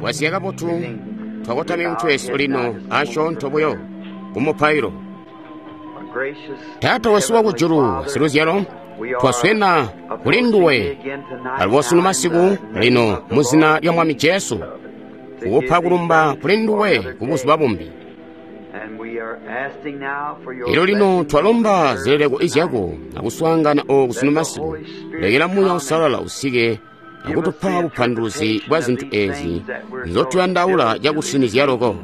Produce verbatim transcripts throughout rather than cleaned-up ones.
Wasiya kabotu twakotamika mitwe yesu lino asyoonto buyo kumupailo. Taata wesu wakujulu siluzyalo, twaswena kuli nduwe alubo sunu masiku lino mu zina lya Mwami Jesu, kukupa kulumba kuli nduwe kubuzuba bumbi. Elyo lino twalomba zileleko izyako akuswaangana ooku sunu masiku. Lekela Muuya Uusalala usike akutupa bupanduluzi bwa zintu eezi nzotuyandaula cakusinizya loko.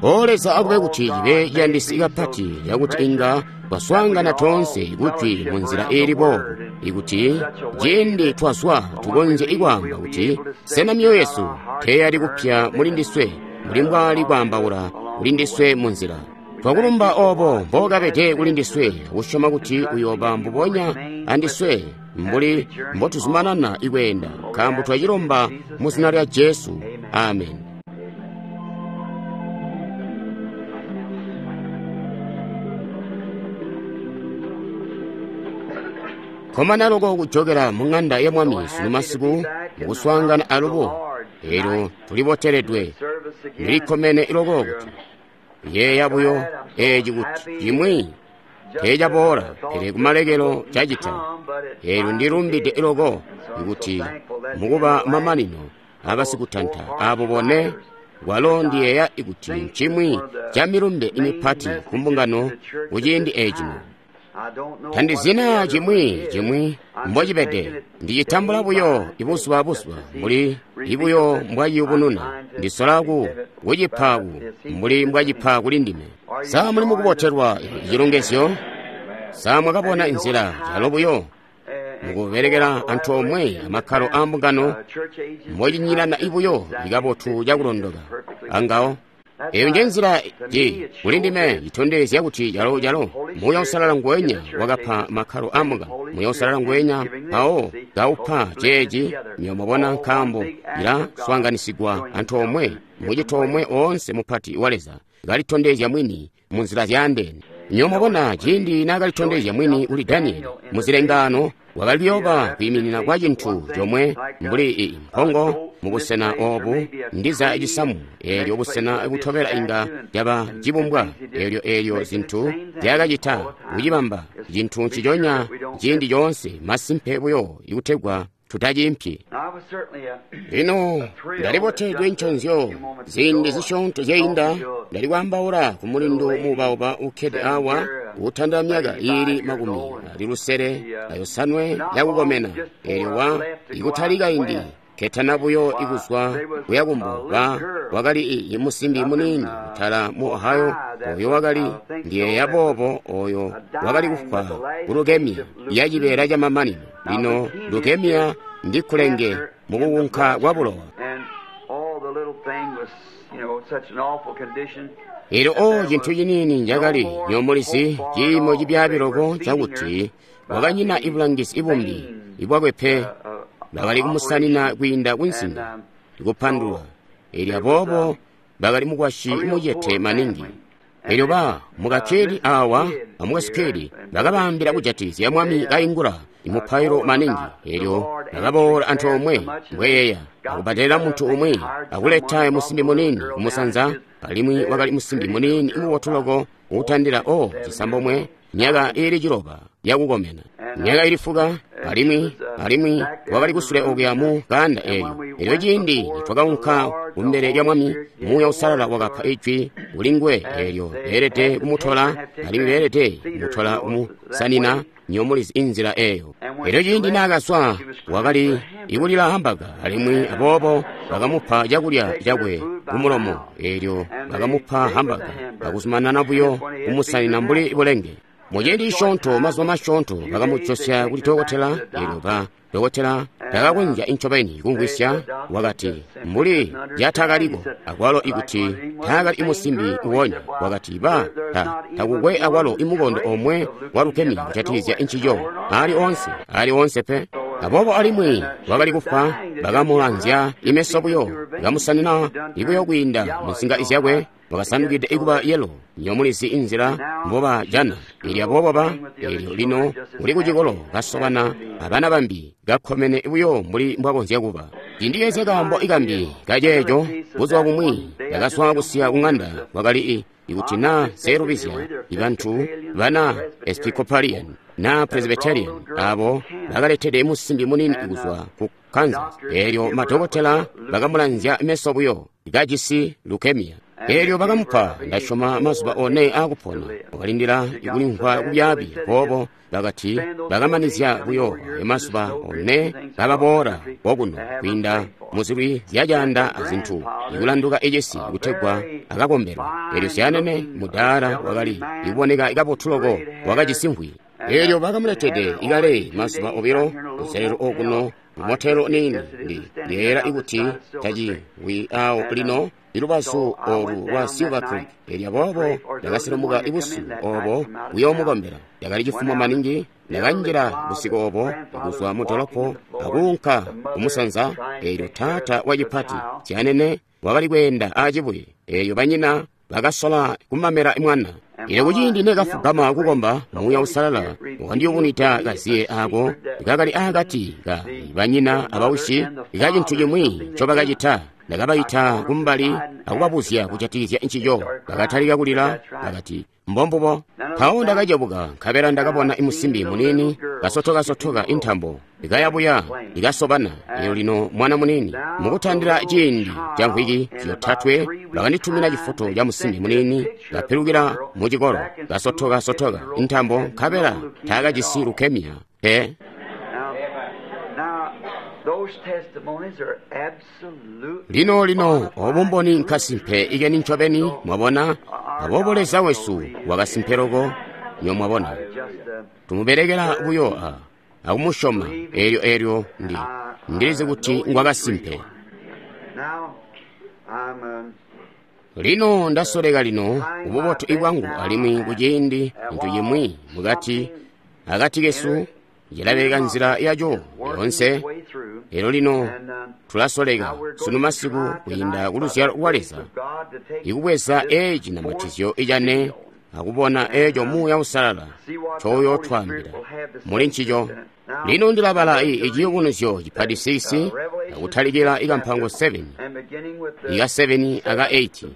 O Leza, akube kuti cibe ciyandisi kapati cakuti inga twaswaangana toonse kujwi munzila iili boobu, ikuti ciindi twazwa tukonzye kwaamba kuti sena myoyo yesu teeyali kupya muli ndiswe mbuli mbwali kwaambaula kuli ndiswe munzila. Twakulumba oobo mbookabede kuli ndiswe, akusyoma kuti uyooba mbubonya andiswe mbuli mbotuzumanana ikweenda, nkaambo twacilomba mu zina lya Jesu. Amen. Komana loko kujokela mu ng'anda ya Mwami sunu masiku mukuswaangana alubo, elyo tuliboteledwe. Ndilikkomene loko kuti yeeya buyo eeci kuti cimwi teecaboola, pele kumalekelo cacita. Elyo ndilumbide loko kuti mukuba mamanino abasikutanta aabo bone, kwalo ndiyeeya kuti ncimwi ca milumbe mipati kumbungano kuciindi eecino. Tandizina cimwi cimwi mbocibede, ndicitambula buyo ibuzuba buzuba mbuli ibuyo mbwaciyubununa. Ndisola ku kucipa ku mbuli mbwacipa kuli ndime. Sa muli mukubotelwa cilongezyo? Sa mwakabona inzila calo buyo mukubelekela antoomwe amakkalo aambungano mbocinyilana ibuyo ikabotu cakulondoka angawo? Eyo nje nzila ji kuli ndime itondezya kuti calo calo Muuya Uusalala nguwenya wakapa makkalo aambungano. Muuya Uusalala nguwenya mpawo kaupa ceeci, nywebo nkaambo ilaswaanganisigwa antoomwe mucito omwe oonse mupati wa Leza kalitondezya mwini munzila zyaandeene. Nywebo mwabona ciindi naakalitondezya mwini kuli Danieli muzilengaano, wakali kuyooba kwiiminina kwa cintu comwe mbuli mpongo mubusena oobu ndiza cisamu, eelyo busena butobela inga caba cibumbwa, eelyo eelyo zintu zyakacita kucibamba cintu nciconya ciindi coonse, masimpe buyo ikutegwa tutaciimpyi. Lino ndalibotedwe nconzyo. Ziindi zisyoonto zyainda ndali kwaambaula ku mulindu muubauba ukkede awa uutandila myaka iili makumi ali lusele ayosanwe yakukomena. Eelyo wa ikutali kaindi ketana buyo ikuzwa kuya kumbo ba wakali musimbi muniini kutala mu Ohio, oyo wakali ndiyeeya boobo, oyo wakali kufwa ku leukemia ya cibeela camamanino. Lino leukemia ndi kulenge mukukunka kwa bulowa. Elyo o cintu ciniini cakali nyomulizi ciimo cibyaabi loko cakuti wakanyina ibulangizi ibumbi ibwakwe pe. Bakali kumusanina kwiinda kunsinga ikupandulwa. Elyo aboobo bakali mukwasyi mucete maningi. Elyo ba mukakeli awa amukasukeli bakabaambila kujatikizya Mwami kaingula imupailo maningi. Elyo bakaboola antoomwe mbweyeeya akubbadelela muntu umwi akuleta musimbi muniini kumusanza, alimwi wakali musimbi muniini mubotu loko uutandila o cisambomwe myaka iili ciloba yakukomena, myaka ili fuka, alimwi alimwi wakali kusule okuya mu kaanda eelyo. Elyo ciindi nitwakaunka kumbele lya Mwami, Muuya Uusalala wakapa ijwi kuli nguwe, eelyo beelede kumutola, alimwi beelede kumutola kumusanina nyomulizi inzila eyo. Elyo ciindi naakazwa wakali ikulila hambaga, alimwi aboobo bakamupa cakulya cakwe kumulomo. Eelyo bakamupa hambaga akuzumanana buyo kumusanina mbuli bulenge. Muciindi cisyoonto, mazuba masyoonto, bakamujosya kuli dokotela. Eelyo ba dokotela takakonzya incobeni kumvwisya, wakati mbuli catakaliko akwalo ikuti taakali musimbi uwonya. Wakati ba ta takukwe akwalo imukondo omwe wa leukemia kujatikizya ncico ali onse ali onse pe. Aboobo alimwi wakali kufwa, bakamulanzya imeso buyo, bakamusanina ibuyo kwiinda munsinga zyakwe, wakasandukide ikuba yelo. Nyomulizi inzila mboba jana. Elyo aboobo ba elyo lino uli kucikolo kasobana abana bambi kakkomene buyo mbuli mbwakonzya kuba. Cindiyezya kaambo ikambi kaceeco buzuba bumwi ndakaswa kusiya kuŋanda kwakali ikuti naa nselubizya ibantu bana Episcopalian na Presbyterian abo bakaletede musimbi muniini kuzwa ku Kansas. Eelyo madokotela bakamulanzya meso buyo kajisi leukemia. Eelyo bakamupa ndasyoma mazuba one akupona, wakalindila ikulimvwa kubyaabi boobo bakati bakamanizya buyo ayo mazuba one kababoola kokuno kwiinda muzilwi zyacaanda azintu ikulanduka icisi kutegwa akakombelwe. Eelyo syanene mudaala wakali ikuboneka kabotu loko wakajisi mvwi. Eelyo bakamuletede ikale mazuba obilo kuselelo okuno mumotelo niini ndi yeera ikuti taciwi awo lino ilubazu olu lwa Silver Creek. Eelyo aboobo ndakaselemuka ibusiku obo kuyoomukombela. Ndakali cifumo maningi, ndakanjila busiku obo kuzwa mu dolopo akuunka kumusanza. Eelyo taata wacipati syanene wakali kweenda acibuye. Eelyo banyina bakasola kumamela mwana. Eelyo kuciindi nekafugama kukomba, Muuya Uusalala wakandiyubunwida kaziye ako kakali akati ka banyina abawisi kacintu cimwi ncobakacita. Ndakabayita kumbali akubabuzya kujatikizya ncico. Bakatalika kulila, bakati mbombubo. Mpawo ndakacebuka nkabela ndakabona imusimbi muniini kasotoka-sotoka intambo ikayabuya ikasobana. Eelyo lino mwana muniini mukutandila ciindi ca mvwiki zyotatwe bakanditumina cifoto ca musimbi muniini kapilukila mucikolo kasotoka-sotoka intambo nkabela taakajisi leukemia pe. Lino lino obumboni nkasimpe ikeni ncobeni, mwabona. Aboobo Leza wesu wakasimpe loko, nyo mwabona. Tumubelekela buyo a akumusyoma. Eelyo eelyo ndi ndilizi kuti ngwakasimpe. Lino ndasoleka lino ububotu bwangu alimwi kuciindi cintu cimwi mukati akati kesu cilabeleka nzila yaco yoonse. Eelyo lino tulasoleka sunu masiku kwiinda kuluzyalo lwa Leza ikubweza eci cinamatizyo icane akubona eco Muuya Uusalala ncouyotwaambila muli ncico. Lino ndilabala iciyubunuzyo cipati six akutalikila ikampango seven ika seven aka eight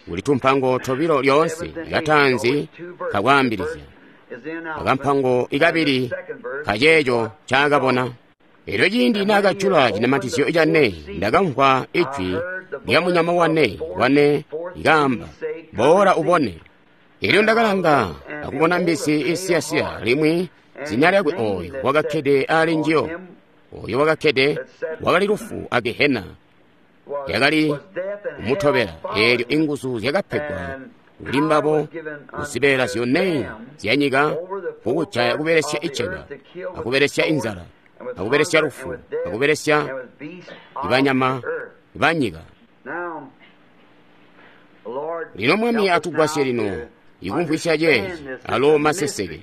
kuli tumpango tobilo lyoonse ikataanzi kakwaambilizya akampango ikabili kaceeco ncaakabona. Eelyo ciindi naakajula cinamatizyo icane, ndakamvwa ijwi lya munyama wane wane ikaamba, "Boola ubone." Eelyo ndakalanga akubona mbisi isiyasiya alimwi zina lyakwe ooyo wakakkede ali njiyo. Ooyo wakakkede wakali lufu a Gehena yakali kumutobela. Eelyo inguzu zyakapegwa kuli mbabo kuzibeela zyone zyanyika kukujaya kubelesya iceba akubelesya inzala akubelesya lufu akubelesya ibanyama banyika. Lino Mwami atugwasye lino ikumvwisya ceeci alo maseseke.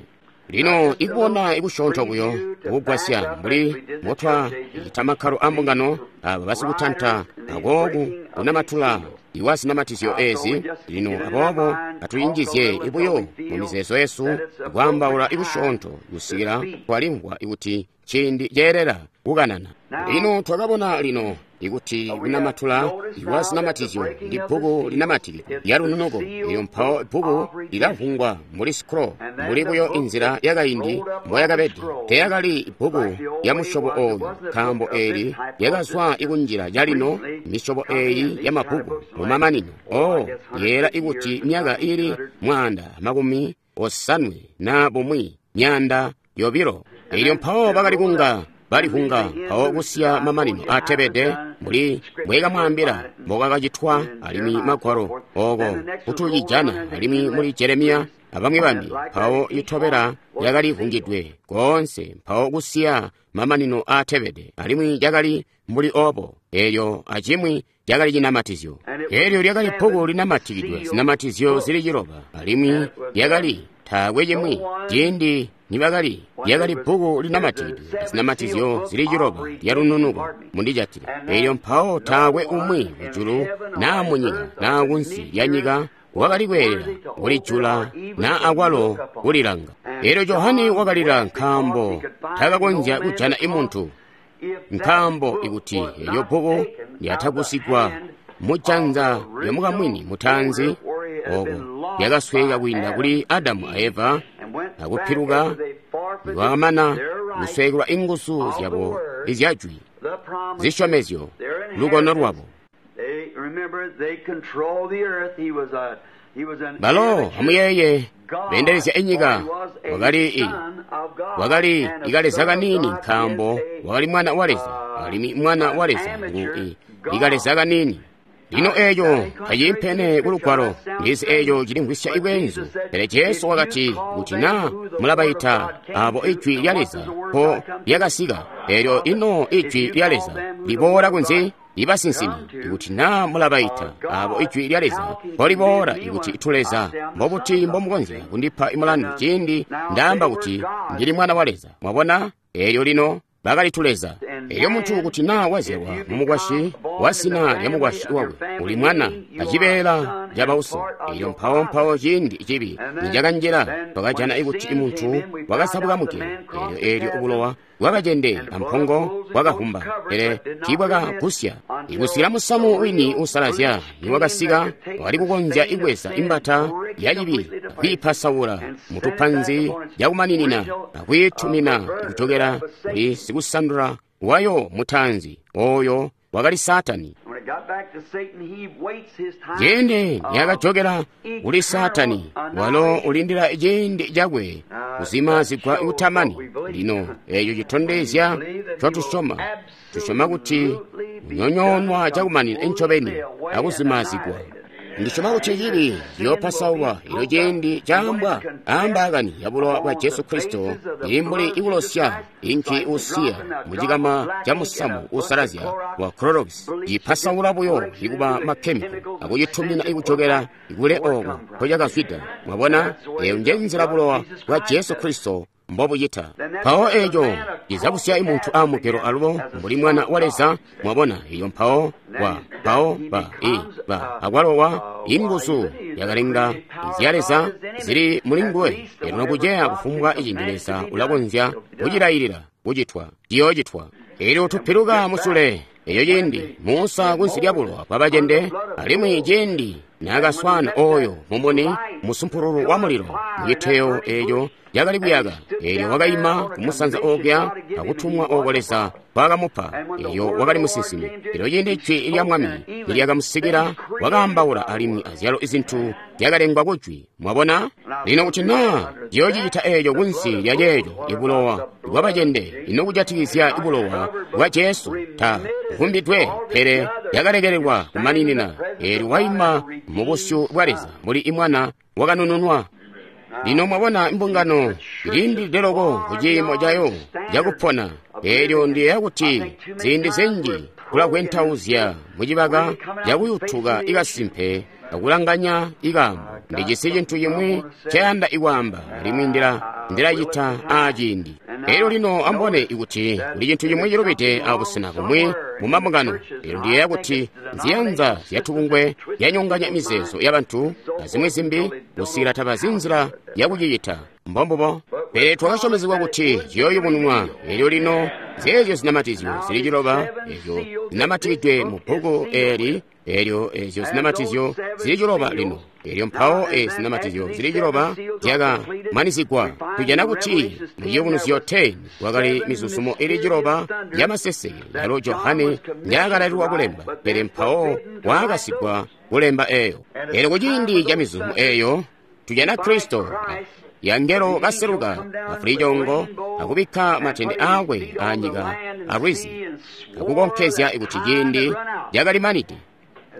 Lino ikubona ikusyoonto buyo kukugwasya mbuli motwa icita makkalo ambungano aba basikutanta akooku kunamatula iwa zinamatizyo ezi. Lino aboobo atuyinjizye ibuyo mu mizeezo yesu kwaambaula ikusyoonto kusikila twalimvwa ikuti ciindi ceelela kukanana. Lino twakabona lino ikuti kunamatula iwa zinamatizyo ndi bbuku linamatikidwe lya lununuko. Eyo mpawo bbuku lilavungwa mbuli scroll, mbuli buyo inzila yakaindi mboyakabede. Teyakali bbuku lya musyobo ooyu, nkaambo eeli lyakazwa ikunjila calino misyobo eeyi ya mabbuku mumamanino. Oh, yeela ikuti myaka ili mwaanda makumi osanwe na bumwi myaanda yobilo. Eelyo mpawo bakali kunga balivunga mpawo kusiya mamanino atebede mbuli mbwekamwaambila mbokakacitwa alimwi magwalo oko kutucijana alimwi muli Jeremiya abamwi bambi. Mpawo itobela yakali vungidwe koonse mpawo kusiya mamanino atebede alimwi cakali mbuli obo. Eelyo acimwi cakali cinamatizyo. Eelyo lyakali bbuku linamatikidwe zinamatizyo zili ciloba alimwi lyakali taakwe cimwi ciindi nibakali lyakali bbuku linamatikidwe zinamatizyo zili ciloba lya lununuko mundijatile. Eelyo mpawo taakwe umwi kujulu naa munyika naa kunsi lya nyika wakali kweelela kulijula naa akwalo kulilanga. Eelyo Johane wakalila nkaambo takakonzya kujana imuntu Nkaambo ikuti elyo bbuku lyatagusigwa mujanza lya mukamwini mutaanzi, oko lyakasweeka kwiinda kuli Adamu a Eva, akupiluka nibakamana kusweekelwa inguzu zyabo izyajwi, zisyomezyo, lukono lwabo. Balo, amuyeeye, beendelezya inyika, wakali i wakali ikaleza kaniini, nkaambo wakali mwana wa Leza, alimwi mwana wa Leza ngu i ikaleza kaniini. Lino eeco taciimpene ku Lugwalo, ndizi eeco cilimvwisya ibweenzu. Pele Jesu wakati, kuti naa mulabaita abo ijwi lya Leza mpo lyakasika, eelyo ino ijwi lya Leza liboola kunzi? Ibasinsimi. Ikuti naa mulabaita abo ijwi lya Leza mpoliboola ikuti tuleza, mbobuti mbomukonzya kundipa mulandu ciindi ndaamba kuti ndili mwana wa Leza? Mwabona? Eelyo lino bakali tuleza. Elyo muntu kuti naa wazyalwa mumukwasyi wasina lya mukwasyi wakwe, uli mwana acibeela ca bauso. Elyo mpawo mpawo ciindi cibi nicakanjila, twakajana kuti muntu wakasabuka mugelo. Elyo eelyo bulowa bwakacende ampongo bwakahumba, pele tiibwakagusya. Ikusikila musamu wini usalazya niwakasika, wakali kukonzya ibweza imbata yacibi akwiipasaula mutupanzi yakumaninina akwiitumina kujokera kuli sikusandula wayo mutaanzi, oyo wakali Saatani. Ciindi niyakajokera kuli Saatani, walo ulindila ciindi cakwe kuzimazigwa kutamani. Lino eeco citondezya ncotusyoma. Tusyoma kuti kunyonyoonwa cakumanina ncobeni akuzimazigwa. Ndisyoma kuti cibi ciyoopasaulwa elyo ciindi caambwa aambaakani ya bulowa bwa Jesu Kristo ili mbuli ikulosya inki usiya mucikama ca musamu usalazya wa Clorox, cipasaula buyo ikuba makhemiko akucitumina ikujokera kule oko mpocakazwida. Mwabona, eyo nje nzila bulowa bwa Jesu Kristo mbobucita. Mpawo eeco cizabusya imuntu aamugelo alubo mbuli mwana wa Leza. Mwabona, iyo mpawo wa mpawo ba i ba akwalo wa inguzu yakalenga zya Leza zili muli nguwe. Elyo nokuceya kufumbwa icindi Leza ulakonzya kucilayilila kucitwa, ciyoocitwa. Elyo tupiluka musule eyo ciindi Musa kunsi lya bulowa bwabacende, alimwi ciindi naakaswaana oyo mumuni musumpululu wa mulilo muciteyo eeco yakali kuyaka, eelyo wakaima kumusanza okuya akutumwa oko Leza kwakamupa. Elyo wakali musinsimi. Elyo ciindi jwi lya Mwami nilyakamusikila, wakaambaula alimwi azyalo izintu zyakalengwa kujwi. Mwabona? Lino kuti naa ciyoocicita eeco kunsi lya ceeco ibulowa bwabacende, ino kujatikizya ibulowa bwa Jesu ta vumbidwe, pele yakalekelelwa kumaninina. Eelyo waima mubusyu bwa Leza mbuli imwana wakanununwa. Lino mwabona imbungano iliindilide loko kuciimo cayo cakupona. Eelyo ndiyeeya kuti ziindi zinji kulakwentauzya mucibaka cakuyutuka ikasimpe akulanganya ikaambo. Ndijisi cintu cimwi nceyanda ikwaamba, alimwi ndila ndilacita aaciindi. Elyo lino ambone ikuti kuli cintu cimwi cilubide abusena bumwi mu mabungano. Elyo ndiyeeya kuti nziyanza zyatubungwe zyanyonganya mizeezo yabantu azimwi zimbi kusikila tabazi nzila yakucicita. Mbombubo. Pele twakasyomezegwa kuti ciyooyubununwa. Elyo lino zeezyo zinamatizyo zili ciloba ezyo zinamatikidwe mu bbuku eeli, elyo ezyo zinamatizyo zili ciloba lino. Elyo mpawo ezi zinamatizyo zili ciloba zyakamanisigwa. Tujana kuti mu Ciyubunuzyo khumi kwakali mizuzumo ili ciloba yamaseseke yalo Johane njaakalalilwa kulemba, pele mpawo waakasigwa kulemba eyo. Elyo kuciindi ca mizuzumo eyo tujana Kristo yangelo kaseluka afulicongo akubikka matende aakwe aanyika alwizi akukonkezya kuti ciindi lyakalimanide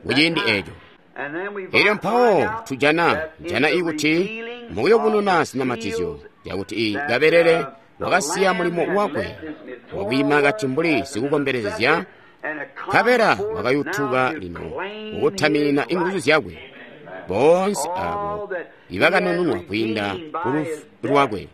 kuciindi eeco. Elyo mpawo tujana jana ikuti mukuyubununa zinamatizyo yakuti i kabelele wakasiya mulimo wakwe wakwiima kati mbuli sikukombelezya, nkabela wakayutuka lino kukutaminina inguzu zyakwe boonse abo ibakanununwa kwiinda kulufu lwakwe.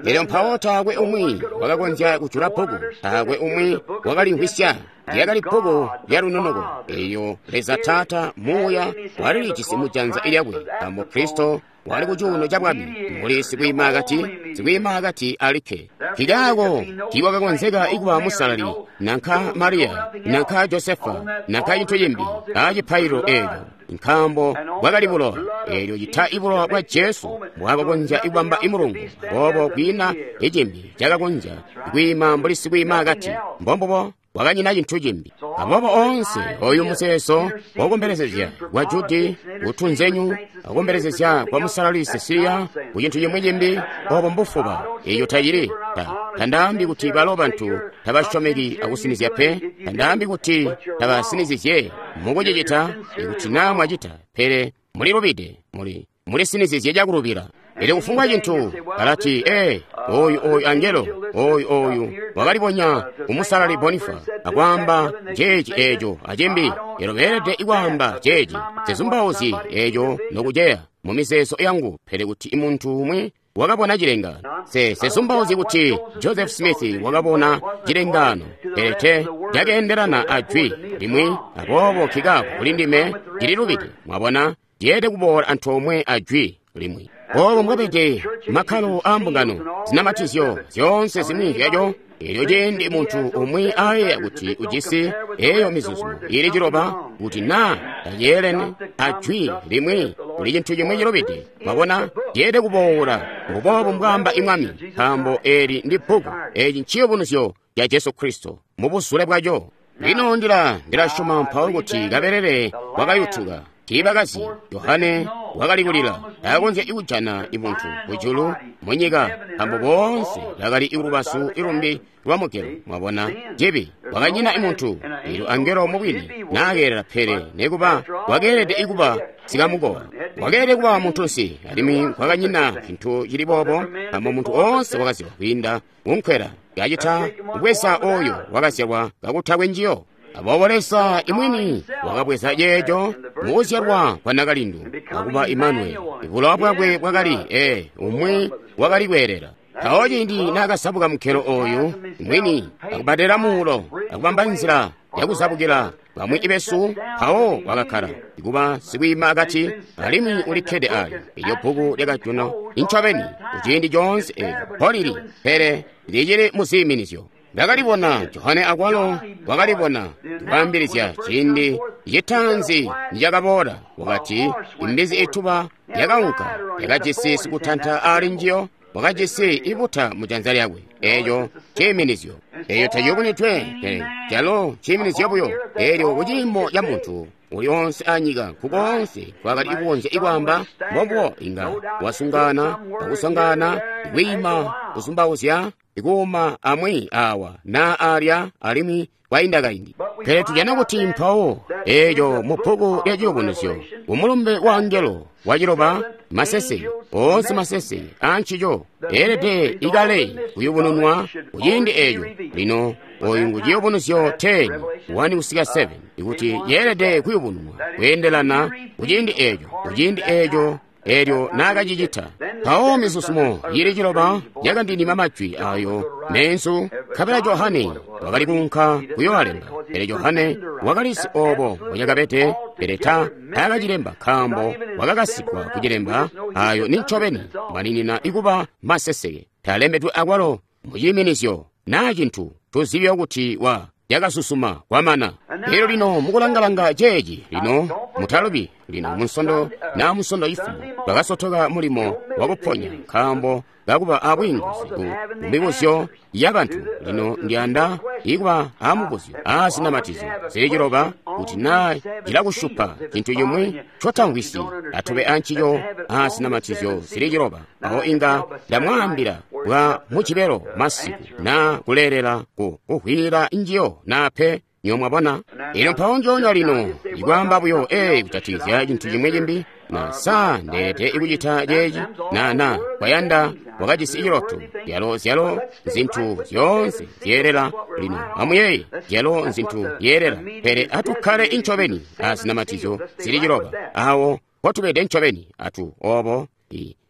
Elyo mpawo taakwe umwi wakakonzya kujula bbuku, taakwe umwi wakalimvwisya. Lyakali bbuku lya lununoko, elyo Leza Taata Muuya walilijisi mujanza lyakwe, nkaambo Kristo Wali ku cuuno ca bwami mbuli sikwiimaakati, sikwiimaakati alikke. Nkikaako tiikwakakonzeka ikuba musalali nanka Mariya nanka Josefa nanka cintu cimbi aa cipaililo eeco, nkaambo bwakali bulowa. Eelyo cita ibulowa bwa Jesu bwakakonzya kubamba imulungu, aboobo kwiina icimbi cakakonzya kwiima mbuli sikwiimaakati. Mbombubo, kwakanyina cintu cimbi. Aboobo onse oyu museeso wakukombelezezya kwa Judi kutunzenyu, akukombelezezya kwa musalali Sesilia ku cintu cimwi cimbi, obo mbufuba. Eco tacili. Ta, tandaambi kuti balo bantu tabasyomeki akusinizya pe, tandaambi kuti tabasinizizye mukucicita, ikuti naa mwacita, pele mulilubide, muli mulisinizizye cakulubila. Elyo kufumbwa cintu alati, ee, oyu oyu angelo, oyu oyu wakalibonya kumusalali Bonifa akwaamba ceeci eeco acimbi. Elyo beelede ikwaamba ceeci, sezumbauzyi eeco nokuceya mu mizeezo yangu, pele kuti muntu umwi wakabona cilengaano. Se sezumbauzyi kuti Joseph Smith wakabona cilengaano, pele te cakeendelana a jwi limwi, aboobo nkikaako kuli ndime cililubide. Mwabona, ceelede kuboola antoomwe a jwi limwi. Obo mbwabede makkalo aa mbungano, zinamatizyo zyoonse zimwi zyaco. Elyo ciindi muntu umwi ayeeya kuti ujisi eyo mizuzumo ili ciloba, kuti naa taceelene a jwi limwi, kuli cintu cimwi cilubide. Mwabona, ceelede kuboola mbuboobu mbwaamba Imwami, nkaambo eli ndi bbuku, eci nciyubunuzyo ca Jesu Kristo mubuzule bwaco. Lino ndila ndilasyoma mpawo kuti kabelele wakayutuka. Tiibakazi, Yohane wakali kulila, taakonzya ikujana imuntu kujulu munyika, nkaambo boonse bakali kulubazu ilumbi lwa mugelo. Mwabona, cibi wakanyina imuntu. Elyo angelo mubwini naakeelela, pele nekuba wakeelede ikuba sikamukowa, wakeelede kuba muntunsi, alimwi kwakanyina cintu cili boobo, nkaambo muntu oonse wakazyalwa kwiinda kunkwela kacita kubweza oyo wakazyalwa kakutakwe njiyo. Aboobo Leza imwini wakabweza ceeco mukuzyalwa kwa nakalindu akuba Imanueli. Ibulowa bwakwe bwakali ee umwi wakali kweelela. Mpawo ciindi naakazabuka mukelo oyu mwini akubadela muulo akubamba nzila yakuzabukila bamwi ibesu, mpawo wakakkala kuba sikwiima akati, alimwi ulikkede alya. Elyo bbuku lyakajuna incobeni kuciindi coonse eeco mpolili, pele licili muziiminizyo. Ndakalibona, Johane akwalo wakalibona, kwaambilizya ciindi citaanzi nicakaboola. Wakati, imbizi ituba yakaunka, yakajisi sikutanta aali njiyo, wakajisi ibuta mujanza lyakwe. Eeco ciiminizyo. Eeyo taciyubunwidwe, pele calo ciiminizyo buyo. Eelyo kuciimo ca muntu uli onse anyika, nkukoonse kwakali kukonzya ikwaamba, mbombubo inga wasungana, akusangana, kwiima, kuzumbauzya, ikuuma amwi awa naa alya, alimwi kwainda kaindi. Pele tujana kuti mpawo eeco mu bbuku lya Ciyubunuzyo, umulumbe wa angelo waciloba, masese oonse masese aancico eelede ikale kuyubununwa kuciindi eeco. Lino oyu ngu Ciyubunuzyo ten one kusika seven, ikuti yeelede kuyubununwa kweendelana kuciindi eeco, kuciindi eeco eelyo naakacicita. Mpawo mizuzumo ili ciloba yakandinima majwi ayo mensu, nkabela Johane wakali kuunka kuyooalemba. Pele Johane wakalizi obo mbocakabede, pele ta taakacilemba nkaambo wakakasigwa kucilemba. Ayo nincobeni maninina ikuba maseseke, taalembedwe akwalo muciiminizyo naa cintu tuzibye kuti wa yakasusuma kwamana. Elyo lino mukulangalanga ceeci, lino mutalubi, lino munsondo na munsondo ifumo bakasotoka mulimo wakuponya nkaambo kakuba abwiinguzi ku mibuzyo ya bantu. Lino ndiyanda ikuba amubuzyo aazinamatizyo zili ciloba, kuti naa cilakushupa cintu cimwi cotamvwisyi, atube ancico aazinamatizyo zili ciloba. Awo inga ndamwaambila bwa mucibelo masiku naa kuleelela ku kuhwila njiyo naa pe. Nyo mwabona? Elyo mpawo njoonya lino ikwaamba buyo ee kujatikizya cintu cimwi cimbi, na sa ndeelede ikucita ceeci, na na kwayanda wakajisi ciloto. Zyalo zyalo zintu zyoonse zyeelela. Lino amuyeeye, zyalo nzintu zyeelela, pele atukkale incobeni azinamatizyo zili ciloba awo mpotubede ncobeni. Atu obo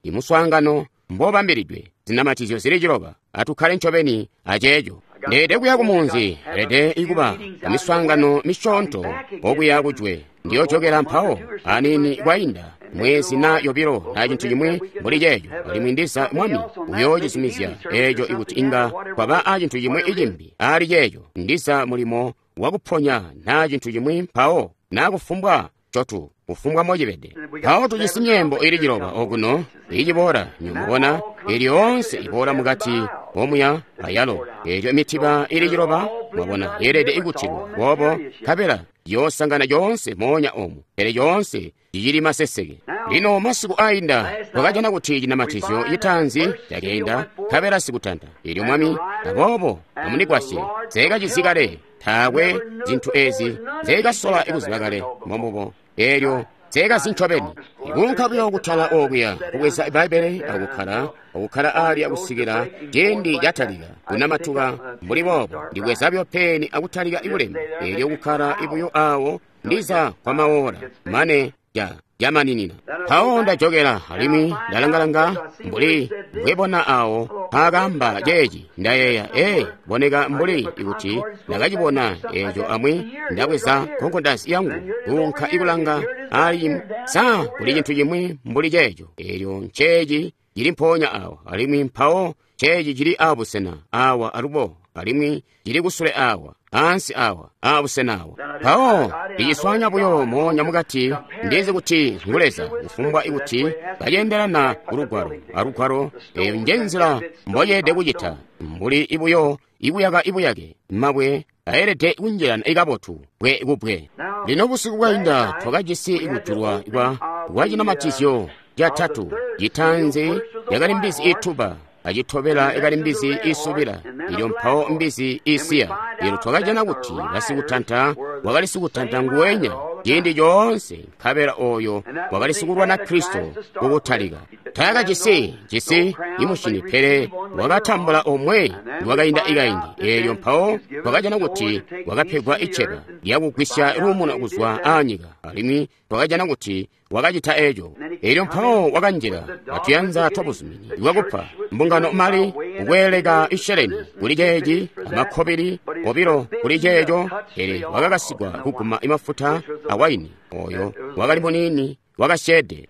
imuswaangano mbobambilidwe zinamatizyo zili ciloba, atukkale ncobeni aceeco. Ndeelede kuya kumunzi, elede ikuba amiswaangano misyoonto okuya kujwe. Ndiyojokela mpawo aniini kwainda mwezi na yobilo na cintu cimwi mbuli ceeco, alimwi ndiza Mwami uyoocizumizya eeco ikuti inga kwaba a cintu cimwi icimbi ali ceeco, ndiza mulimo wakuponya na cintu cimwi mpawo na kufumbwa cotu kufumbwa mocibede. Mpawo tujisi myeembo ili ciloba okuno iciboola nyumubona ili yoonse iboola mukati omuya ayalo eelyo mitiba ili ciloba mwabona yeelede ikutilwa boobo nkabela yoosangana yoonse moonya omu, pele yoonse cicili maseseke. Lino masiku ainda twakajana kuti cinamatizyo citaanzi cakeenda nkabela sikutanta eelyo Mwami aboobo amundigwasye nseekacizi kale taakwe zintu ezi nzeekasola ikuziba kale mbombubo eelyo nseekazi ncobeni. Ikuunka buyo kutala okuya kubweza Bbaibbele akukkala akukkala alya kusikila ciindi catalika kunamatuka mbuli boobo ndibweza buyo peni akutalika ikulemba eelyo kukkala ibuyo awo ndiza kwa maola mane ja yamaninina. Mpawo ndajokela alimwi ndalangalanga mbuli mbwebona awo mpaakamba ceeci ndayeeya ee boneka mbuli ikuti ndakacibona eeco amwi ndabweza konkodasi yangu kuunka ikulanga ali sa kuli cintu cimwi mbuli ceeco eelyo nceeci cili mpoonya awa alimwi mpawo ceeci cili abusena awa alubo alimwi cili kusule awa ansi awa abusena awa. Mpawo ndiciswanya buyo moonya mukati ndizi kuti ngu Leza kufumbwa ikuti kacendelana kulugwalo alugwalo eyo nje nzila mboyeede kucita mbuli ibuyo ikuyaka ibuyake mabwe ayelede kunjilana ikabotu bwe kubwe. Lino busiku bwainda twakajisi ikujulwa kwa kwa cinamatizyo catatu citaanzi yakali mbizi ituba acitobela yakali mbizi isubila ilyo mpawo mbizi isiya. Ilyo twakajana kuti basikutanta wakali sikutanta nguwenya ciindi coonse nkabela oyo wakali sikulwana Kristo kukutalika. Taakajisi jisi imushini pele wakatambula omwe wakainda ikaindi eelyo mpawo twakajana kuti wakapegwa iceba lyakugwisya luumuno kuzwa aanyika alimwi twakajana kuti wakacita eeco. Eelyo mpawo wakanjila atuyanza twabuzumini lwakupa mbungano mali kukweeleka isheleni kuli ceeci amakkobili obilo kuli ceeco, pele wakakasigwa kuguma imafuta awaini oyo wakali muniini wakasyeede.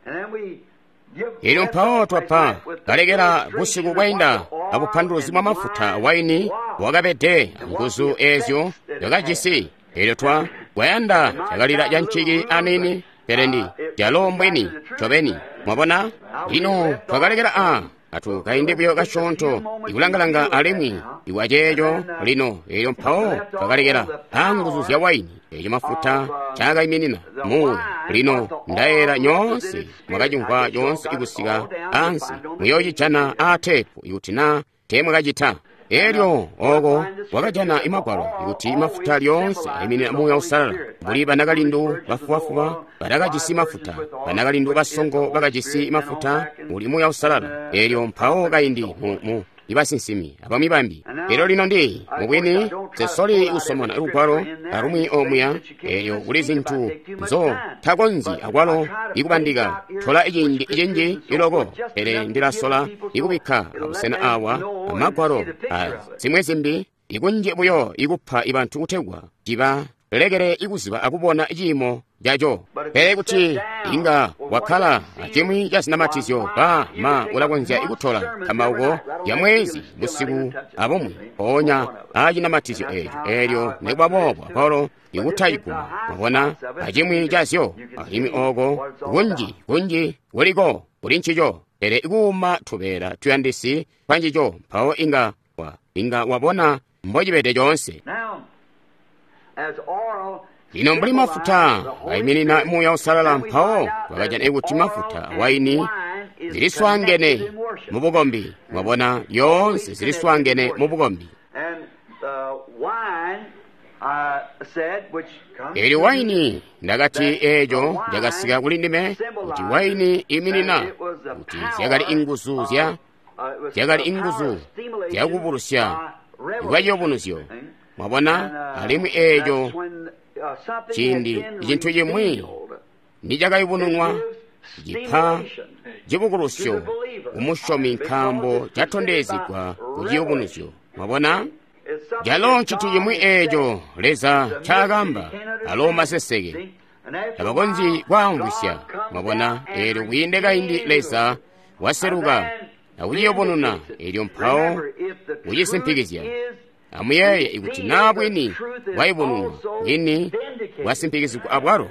Eelyo mpawo twapa kalekela busiku bwainda abupanduluzi bwa mafuta waini wakabede nguzu eezyo yakajisi. Eelyo twa kwayanda cakalila ca nciki aniini pele ndi calo mbwini ncobeni mwabona. Lino twakalekela a atu kaindi buyo kasyoonto ikulangalanga alimwi iwa ceeco lino eelyo mpawo twakalekela a nguzu zya waini eeco mafuta cakaiminina muuya. Lino ndayeera nyoonse mwakacimvwa coonse ikusika ansi muyoocijana a teepu ikuti na teemwakacita. Eelyo oko wakajana imagwalo ikuti mafuta lyoonse aiminina Muuya Uusalala mbuli banakalindu bafubafuba batakajisi mafuta, banakalindu basongo bakajisi mafuta uli Muuya Uusalala. Eelyo mpawo kaindi mu, mu ibasinsimi abamwi bambi. Eelyo lino ndi mubwini sesoli kusomona lugwalo alumwi omuya eelyo kuli zintu nzo takonzyi akwalo ikubandika tola iciindi icinji iloko, pele ndilasola ikubikka abusena awa amagwalo a zimwe zimbi ikunji buyo ikupa ibantu kutegwa ciba lekele ikuziba akubona ciimo caco. Pele kuti inga wakkala acimwi ca zinamatizyo ba ma ulakonzya ikutola kamauko ya mwezi busiku abumwi mpoonya acinamatizyo eeco eelyo nikuba boobo Apolo ikutayiguma mwabona acimwi cazyo alimwi oko kunji kunji kuliko kuli ncico pele ikuuma tubeela tuyandisi twancico mpawo inga wa inga wabona mbocibede coonse. Lino mbuli mafuta aiminina Muuya Uusalala mpawo twakajana kuti mafuta waini ziliswaangene mu bukombi mwabona yoonse ziliswaangene mu bukombi. Eelyo waini ndakati eeco cakasika kuli ndime kuti waini iminina kuti zyakali inguzu zya zyakali inguzu zyakubulusya bwaciyubunuzyo mwabona alimwi eeco ciindi cintu cimwi nicakayubununwa cipa cibukulusyo kumusyomi nkaambo catondezegwa ku ciyubunuzyo mwabona. Calo ncintu cimwi eeco Leza ncaakamba alo maseseke Tabakonzyi kwaamvwisya. Mwabona, eelyo kwiinde kaindi Leza waseluka akuciyubununa, eelyo mpawo kucisimpikizya. Amuyeeye ikuti naa bwini bwayubununwa, bwini bwasimpikizigwa abwalo.